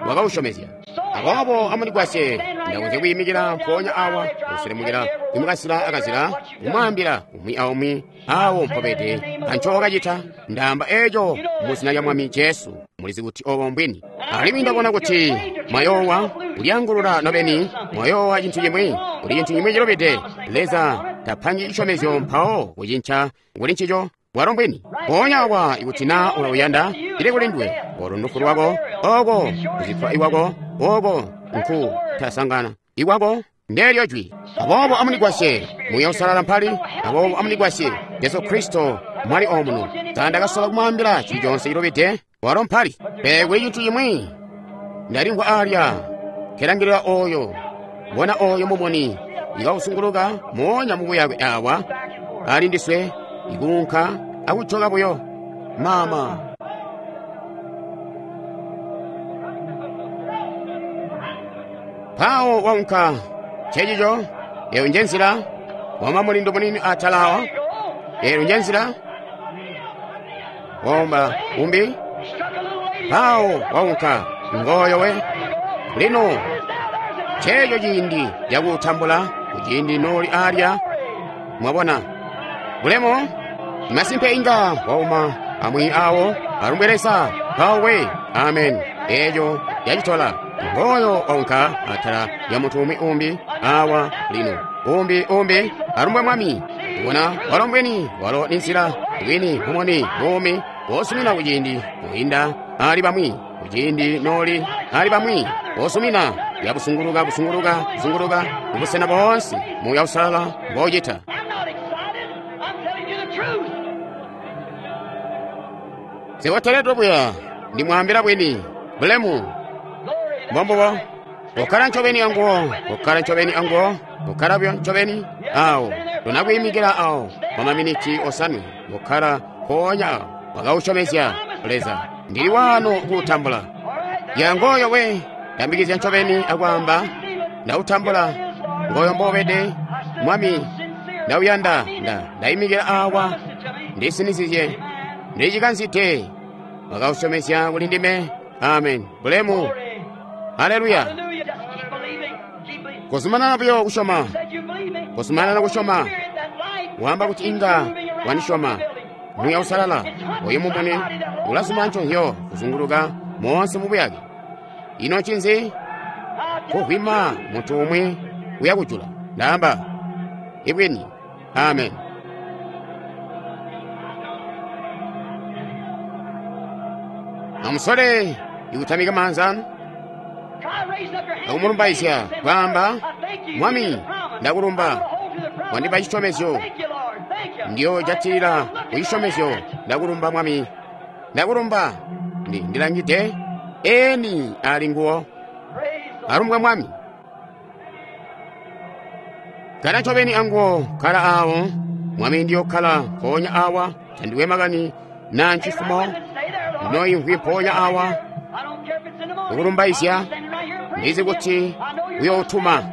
wakausyomezya. Aboobo amundigwasye ndakonzya kuyimikila mpoonya awa kuselemukila kumukasila akazila kumwaambila umwi aumwi awo mpobede ancokacita. Ndaamba eco mu zina lya Mwami Jesu. Mulizi kuti obo mbwini. Alimwi ndabona kuti mwayowa kulyangulula nobeni, mwayowa cintu cimwi, kuli cintu cimwi cilubide. Leza tapangi cisyomezyo mpawo kucinca kuli ncico. Bwalo mbwini. Mpoonya awa ikuti na ulauyanda, cili kuli nduwe. Olo ndufu lwako, oko kuzifa iwako, oko nku tasangana iwako ndelyo jwi. Aboobo amundigwasye Muuya Uusalala mpali. Aboobo amundigwasye Jesu Kristo mwali omuno. Tandakasola kumwaambila cili conse cilubide. Walo mpali. Pele kuli cintu cimwi ndalimvwa alya kelangilila oyo bona oyo mumuni ikawusunguluka moonya mubuyakwe awa ali ndiswe ikuunka akujoka buyo mama. Pawo waunka cecico. Eyo nje nzila wama mulindo munini atala awa. Eyo nje nzila womba umbi. Pawo waunka ngoyo we. Lino ceco ciindi cakutambula kuciindi noli alya. Mwabona bulemo masimpe inga wauma amwi awo alumbwelesa pawo we. Amen. Eco yacitola ngoyo waunka atala ya mutu umwi umbi awa lino umbi umbi alumbwe Mwami. Kubona walo mbweni walo ni nzila bwini mumoni bumi wosumina kuciindi kuinda ali bamwi kuciindi noli ali bamwi wosumina yabusunguluka busunguluka busunguluka kubusena boonse Muuya Uusalala mbocita. I'm not excited. I'm telling you the truth. Siwoteledwe buya ndimwambila bwini bulemu Glory. mbombubo. Kukkala ncobeni anguwo, kukkala ncobeni anguwo, kukkala buyo ncobeni awo. Tunakuyimikila awo kwa maminiti osanwe, kukkala mpoonya awo. Wakausyomezya Leza, ndili wano kuutambula. Yangoyo we ndambikizya ncobeni akwaamba ndautambula. Ngoyo mbobede Mwami, ndauyanda nda ndayimikila awa ndisinizizye ndicikanzite. Wakausyomezya kuli ndime. Amen. Bulemu. Haleluya. Hallelujah. Just keep believing. Keep believing. Kuzumanana buyo kusyoma, Said you believe me. kuzumanana kusyoma. Spirit, that light Wamba kuti inga wanisyoma. Muuya Uusalala oyo mumuni ulazuma nconzyo kuzunguluka moonse mubuyake. Ino ncinzi? Kuvwima munthu umwe uyakujula. Ndamba ibwini. Amen. Amusole ikutamika maanza anu akumulumbaizya, kwaamba, Mwami, ndakulumba, wandipa cisyomezyo, ndiyojatilila ku cisyomezyo. Ndakulumba, Mwami, ndakulumba. Ndi ndilangide eni ali nguwo. Alumbwa Mwami. Kala ncobeni anguwo, kala awo Mwami, ndiyokkala mpoonya awa, tandiwe makani na ncifumo ndinoimvwi mpoonya awa kukulumbaizya. Ndizi kuti uyootuma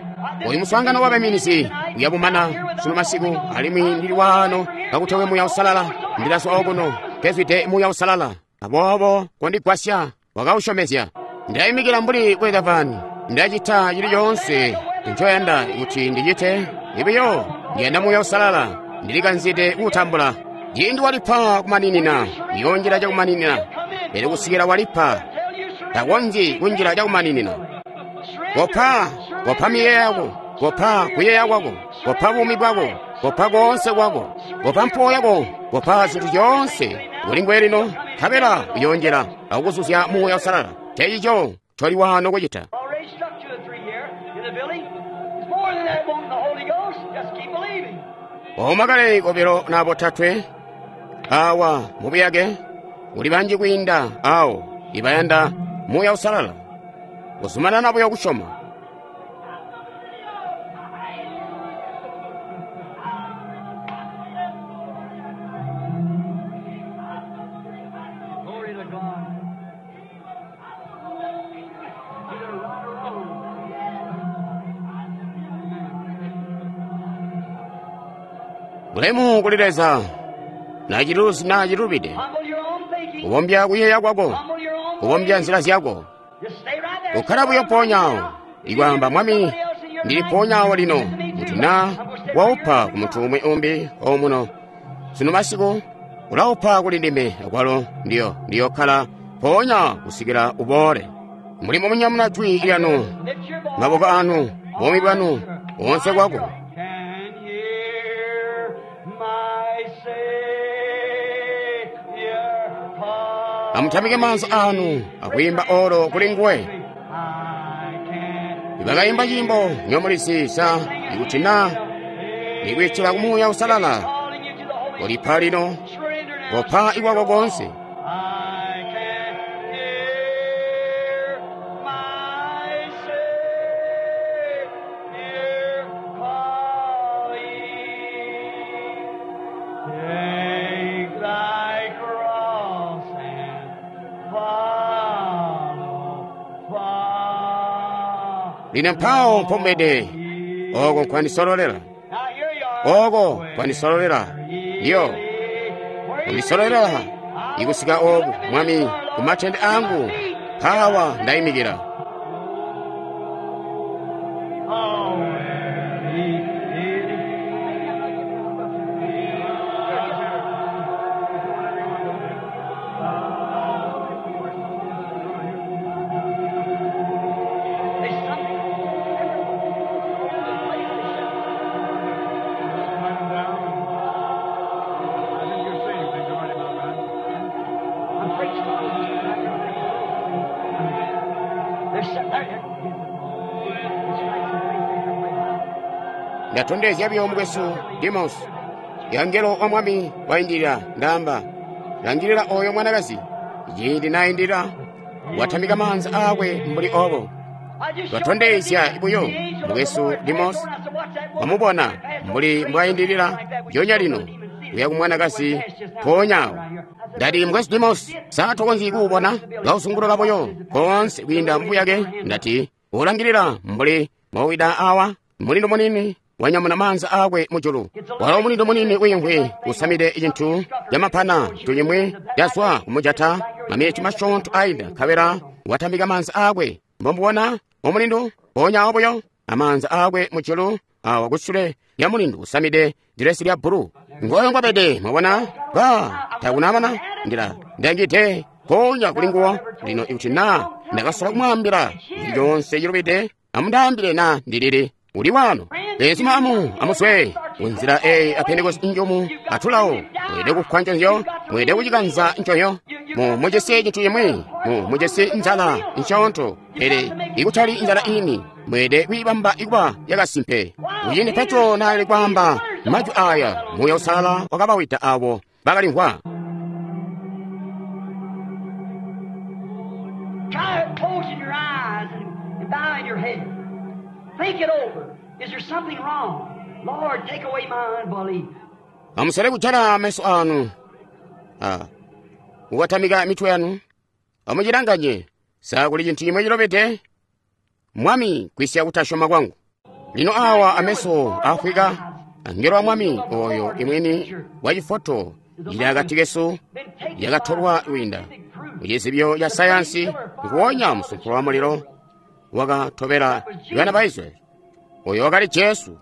oyu muswaangano wa baiminizi uyabumana sunu masiku, alimwi ndili waano kakutewe Muuya Uusalala. Ndilazwa okuno kezwide Muuya Uusalala, aboobo kondigwasya wakausyomezya. Ndayimikila mbuli kwekavani, ndacita cili coonse ncoyanda kuti ndicite. Ibiyo ndiyanda Muuya Uusalala, ndilikanzide kuutambula. Ciindi walipa kumaninina, uyoonjila cakumaninina, pele kusikila walipa takonzyi kunjila cakumaninina. Kopa, kopa miyeeyo yako, kopa kuyeeya kwako, kopa buumi bwako, kopa koonse kwako, kopa mpuwo yako, kopa zintu zyoonse kuli nguwe lino, nkabela uyoonjila akukuzuzya Muuya Uusalala. Ncencico ncoli waano kucita. Ooma kale kobilo na botatwe awa mubuyake uli banji kwiinda awo ibayanda Muuya Uusalala. Kuzumanana buyo kusyoma. Glory to God. Either right or wrong. Bulemu kuli Leza, na ciluzi na cilubide. Humble your own thinking. Kubombya kuyeeya kwako, Humble your own kubombya ways. nzila zyako. Just stay right there. Kukkala buyo mpoonya awo. Ikwaamba, Mwami, ndili mpoonya awo lino, kuti na waupa ku muntu umwi umbi omuno sunu masiku, ulaupa kuli ndime akwalo ndiyo ndiyokkala mpoonya kusikila uboole. Mulimo munyamuna jwi lyanu, Lift your voice. maboko anu, buumi bwanu, koonse kwako. Can hear my Savior call. Amutamike maanza anu akuyimba olo kuli nguwe. I can Ibakayimba nyimbo nyomulisi sa ikuti na nikwitila ku Muuya Uusalala calling you to the Holy ulipa lino Surrender now. kopa ikwako konse. I can hear my Savior calling. Take thy cross and follow, follow. Lino mpawo mpombede oko nkwandisololela, Now here you are. oko nkwandisololela, ndiyo kundisololela ikusika oku Mwami ku matende angu mpawa ndayimikira. Oh, where he is. There's something. Write 'em down. I think you're saved. Did you write 'em down, right? I'm preaching. There's some, there, there. It's right someplace there. Ndatondezya buyo mukwesu Demos, yangelo wa Mwami waindilila, ndaamba langilila oyo mwanakazi. Ciindi naindilila watamika maanza aakwe mbuli obo. I just showed Twatondezya the buyo angel of the mukwesu Lord. Demos I said, "Watch that woman." wamubona mbuli mbwaindilila lyonya lino kuya ku mwanakazi mpoonya awo. Ndati mukwesu Demos satokonzyi kuubona kausunguluka buyo konse kwiinda mbuyake. Ndati ulangilila mbuli mowida awa mulindo munini wanyamuna maanza aakwe mujulu. Walo mulindo munini wiimvwi usamide cintu camapana tulimwi yazwa kumujata mameti masyoonto ainda, nkabela watambika maanza aakwe. Mbomubona omulindu mpoonya awo buyo amaanza aakwe mujulu awa kusule lya mulindu usamide dilesi lya bbulu. Ngoyo ngwabede, mwabona ba takunamana ndila ndangide mpoonya kuli nguwo. Lino ikuti na ndakasola kumwaambila chilichonse chilubide, amundaambile na ndilili uli wano. Beenzuma amu amuswe kunzila eyi a Pentekoste njomu atulawo mweelede kufwa nconzyo, mweelede kucikanza nconyo. Mu mujisi cintu cimwi, mu mujisi nzala nsyoonto, pele ikutali nzala ini, mweelede kwiibamba ikuba yakasimpe. Kuciindi Petro naali kwaamba majwi aya, Muuya Uusalala wakabawida abo bakalimvwa. Try closing your eyes and, and bowing your head. Think it over. Is there something wrong? Lord, take away my unbelief. Amusale kujala meso anu, ah, kukatamika mitwe yanu, amucilanganye sa kuli cintu chimwe chilobede. Mwami, kwisya kutasyoma kwangu. Lino awa ameso afwika angelo wa mwami oyo imwini wa chifoto ili akati kesu yakatolwa kwinda kuchizibyo cha sayansi nguwonya msumphulo wa muliro wakatobela bana ba Israeli. Oyo wakali Jesu.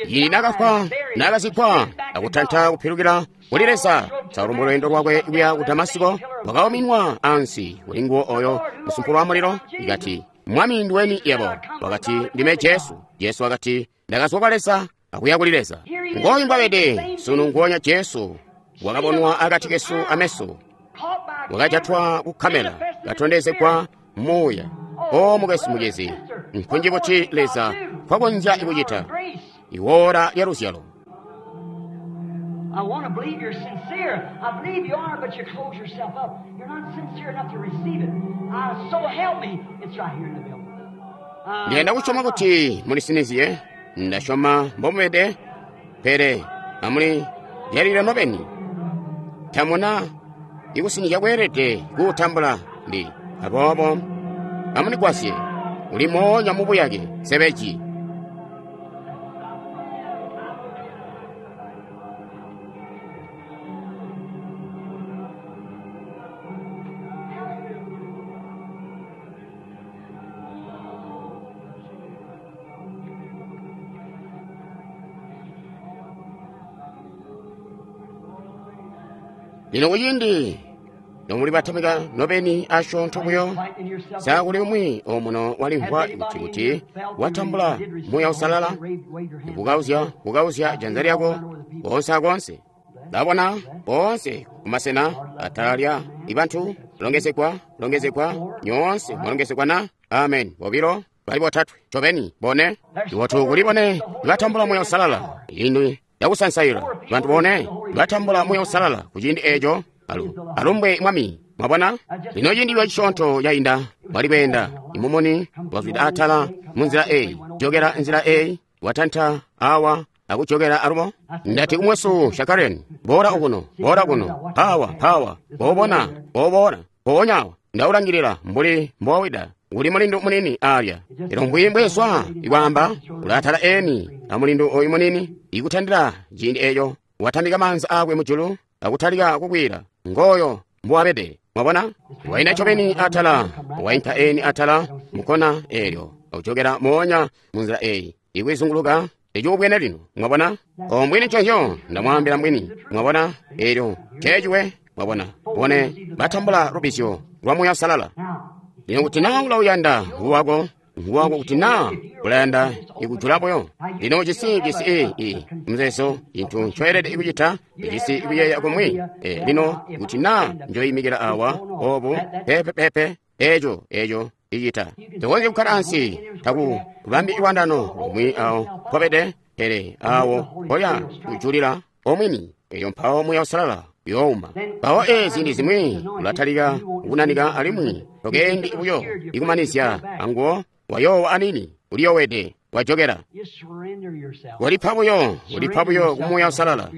Ili nakafwa nakazikwa akutanta kupilukira kuli Leza. Saulo mu lwendo lwakwe kuya ku Damasiko wakauminwa ansi kuli nguwo oyo msumphulo wa muliro ikati, Mwami ndiweni yebo? Wakati, ndime Jesu. Jesu wakati, ndakazwa kwa Leza akuya kuli Leza. Ngoyu mbwabede sunu nguwonya Jesu wakabonwa akati kesu ameso, wakajatwa ku kamera katondezegwa muuya. O mukwesu mucezi, nkunji kuti Leza kwakonzya ikucita iwora lya luzyalo. I want to believe you're sincere. I believe you are, but you close yourself up. You're not sincere enough to receive it. Uh, so help me. It's right here in the building. Uh, Ndiyenda kusyoma kuti mulisiniziye, ndasyoma mbomubede, pele amuli lyalile nobeni. Tamuna ikusinizya kweelede kuutambula ndi aboobo amunigwasye uli moonya mubuyake sebeji. Lino kuciindi nomuli batamika nobeni asyoonto buyo, Quieten yourself. sa kuli umwi omuno walimvwa kuti kuti watambula Muuya Uusalala, kukauzya kukauzya janza lyako konse akonse. Ndabona bonse kumasena atala lya ibantu longezegwa longezegwa nyoonse mwalongezegwa na amen. Bobilo bali botatwe ncobeni bone iwotu kuli bone batambula Muuya Uusalala inu yakusansaila bantu bone batambula Muuya Uusalala kuciindi eco alu alumbwe Mwami. Mwabona lino ciindi lwacisyoonto yainda wali kweenda imumuni wazwida atala munzila eyi jokera nzila eyi watanta awa akujokera alubo. Ndati kumwesu Shakaren, bora okuno bora kuno pawa pawa bobona bobona poonyawa ndaulangilira mbuli mbowida uli mulindu munini alya. Elo mbwi mbweswa ikwamba ulatala eni amulindu oyu munini ikutandira ciindi eco watambika manza akwe mujulu akutalika kukwira ngoyo mbuwabede. Mwabona waina ncobeni atala wainka eni atala mukona elyo akujokera moonya munzila eyi ikwizunguluka icikubwene lino. Mwabona ombwini nconzyo ndamwambila mbwini. Mwabona elyo ceciwe. Mwabona bone batambula lubizyo lwa Muuya Uusalala. Now, Lino kuti naa ulauyanda nguwako nguwako kuti naa ulayanda ikujula buyo. Lino cisi cisi i i mzeso inthu ncoyelede ikucita icisi ikuyeeya kumwi. E, lino kuti naa njoyimikila awa obu pepe pepe eco eco icita tokonzya kukhala ansi taku kubambi iwandano omwi awo pobede pele awo polya kujulira omwini eyo mpawo Muuya Uusalala youma. Mpawo ezi ziindi zimwi ulatalika kunanika alimwi tokendi buyo ikumanizya anguwo wayowa anini uliyowede wajokera. you surrender yourself. Walipa buyo ulipa buyo ku Muuya Uusalala.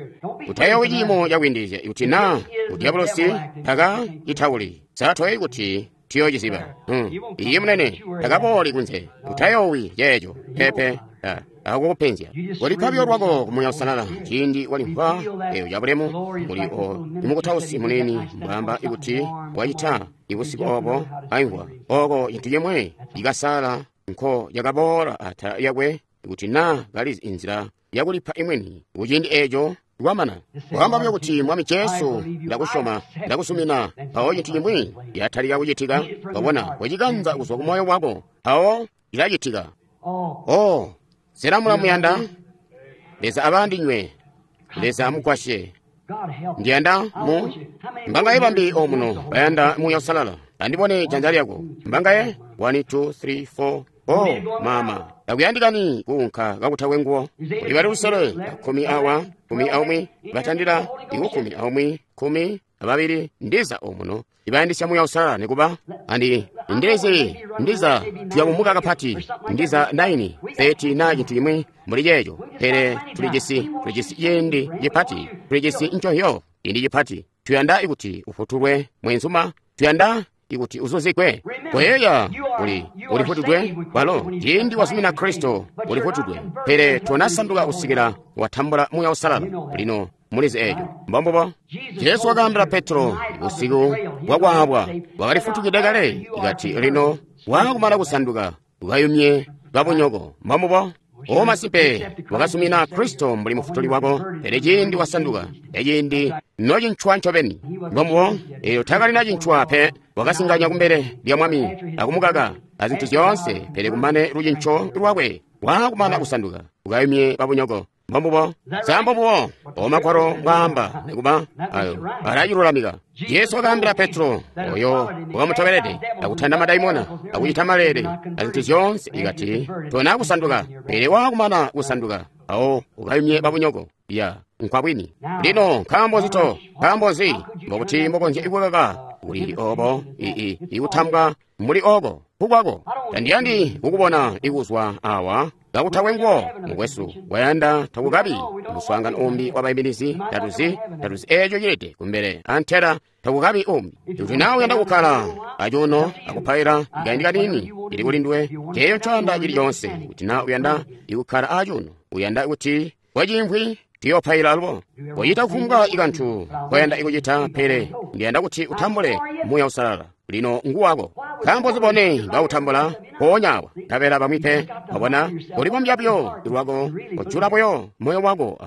Utayowi ciimo cakwindizya kuti naa udiabolosi taka itauli satoyi kuti tuyociziba. Hmm. Iye munene takabooli kunze utayowi yeeco pepe ah, akukupenzya. Walipa buyo lwako ku Muuya Uusalala ciindi walimvwa eyo cabulemu muli o imukutausi munini mbwamba ikuti wacita ibusiku obo aimvwa oko cintu cimwe ikasala nko yakaboola atala yakwe kuti naa kali inzila yakulipa imweni kuciindi eco lwamana. Wamba buyo kuti Mwami Jesu ndakusyoma ndakusumina, mpawo cintu cimwi yatalika kucitika. Wabona wacikanza kuzwa ku moyo wako, mpawo cilacitika. Oh, O sena mulamuyanda? Leza abandinywe. Leza amugwasye. God help. Ndiyanda mu mbangaye bambi omuno bayanda Muuya Uusalala. Andibone janza lyako. Mbangaye? one two three four. Oh, mama. Takuyandikani kuunka kakutakwe nguwo. Kuli bali lusele, kumi awa, kumi aumwi, batandila ikukumi aumwi, kumi ababili, ndiza omuno. Ibayandisya Muuya Uusalala nikuba andi ndilezi ndiza tuyabumuka kapati ndiza nine thirty na chintu chimwe muli checho pele tulijisi tulijisi ciindi chipati tulijisi nchohyo ciindi chipati tuyanda ikuti ufutulwe mwenzuma tuyanda ikuti uzuzigwe koyeya uli ulifutudwe walo ciindi wazumina Kristo ulifutudwe pele tonasanduka kusikila watambula Muuya Uusalala. Lino mulizi eejo mbombubo Jesu wakaambila Petro usiku bwakwaabwa wakalifutukide kale ikati lino waakumala kusanduka ukayumye babunyoko. Mbombubo o masimpe wakasumina Kristo mbuli mufutuli wako, pele ciindi wasanduka eciindi nocincwa ncobeni. Mbombubo eyo takalina cincwa pe, wakasinganya kumbele lya Mwami akumukaka azintu zyoonse, pele kumane lucinco lwakwe waakumana kusanduka ukayumye babunyoko. Mbombubo sambobubo omagwalo mbwaamba nikuba ayo alacilulamika. Jesu wakaambila Petro oyo wakamutobelede akutanda madaimona akucita malele azintu zyoonse ikati tona kusanduka, pele waakumana kusanduka awo ukayumye babunyoko. Ya nkwabwini. Lino nkaambo zito nkaambo nzi mbokuti mbokonzya ikukaka kuli obo ii ikutambwa muli oko kukwako. Tandiyandi kukubona ikuzwa awa kakutakwe nguwo mukwesu wayanda takukabi muswaangano umbi wabayiminizi. Tatuzi tatuzi eeco cilede kumbele antela takukabi umbi. Kuti nawe uyanda kukkala acuuno akupaila kaindi kanini ili kuli nduwe ceeyo ncoyanda cili coonse. Kuti na uyanda ikukkala acuuno uyanda kuti wacimvwi tuyopaila alubo kochita kufumbwa ikantu koyanda ikucita, pele ndiyanda kuti utambule Muuya Uusalala. Lino nguwako. Nkaambo zibone bawutambula poonyawa tabela bamwi pe. Wabona ulibombya buyo lwako, ujula buyo moyo wako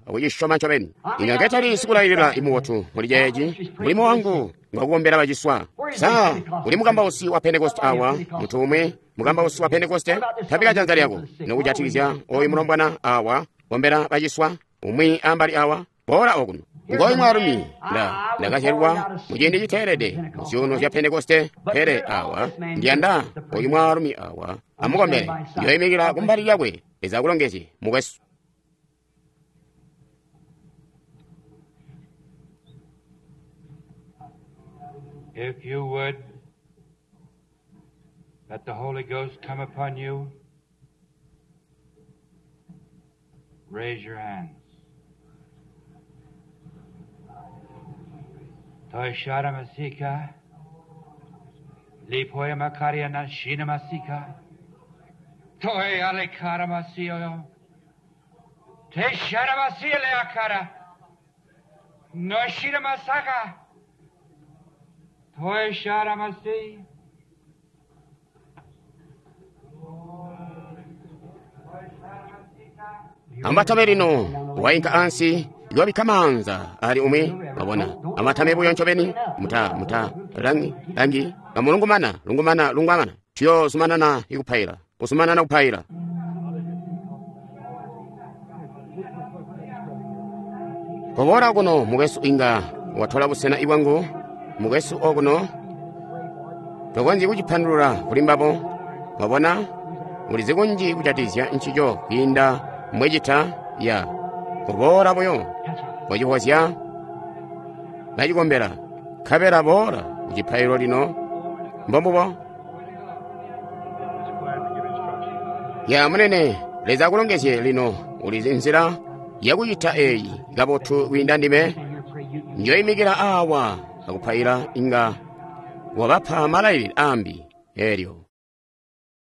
akucisyoma ncobeni. Ino nketali sikulailila imubotu muli ceeci, mulimo wangu ngwakukombela baciswa. Sa uli mukambausi wa Pentekoste awa, muntu umwi mukambausi wa Pentekoste? Tabika janza lyako nokujatikizya oyu mulombwana awa kombela baciswa, umwi ambali awa boola okuno. Ngoyu mwaalumi nda ndakazyalwa muciindi citeelede mu zyuuno zya Pentekoste, pele awa ndiyanda oyu mwaalumi awa amukombele. Ndiyoyimikila kumbali lyakwe. Leza akulongezye mukwesu. If you would, let the Holy Ghost come upon you. Raise your hands. Toishara masika, lipoya makaria nashina masika, toy alekara masio, teshara masia leakara, noshira masaka, toishara masi. Amatame lino wainka ansi iwabikka maanza ali umwi wabona amatame buyo ncobeni muta muta langi langi kamulungumana lungumana lungwamana tuyozumanana ikupaila uzumanana kupaila. Kobora kuno mukwesu inga watola busena ibwangu mukwesu okuno tokonzyi kucipandulula kuli mbabo. Wabona ulizi kunji kucatizya ncico kwiinda mwecita ya kuboola buyo kocihozya bacikombela nkabela boola kucipailo lino. Mbombubo ya munene. Leza akulongezye lino. Ulizi nzila yakucita eyi kabotu kwiinda ndime. Njoyimikila awa akupaila inga wabapa malailile ambi elyo.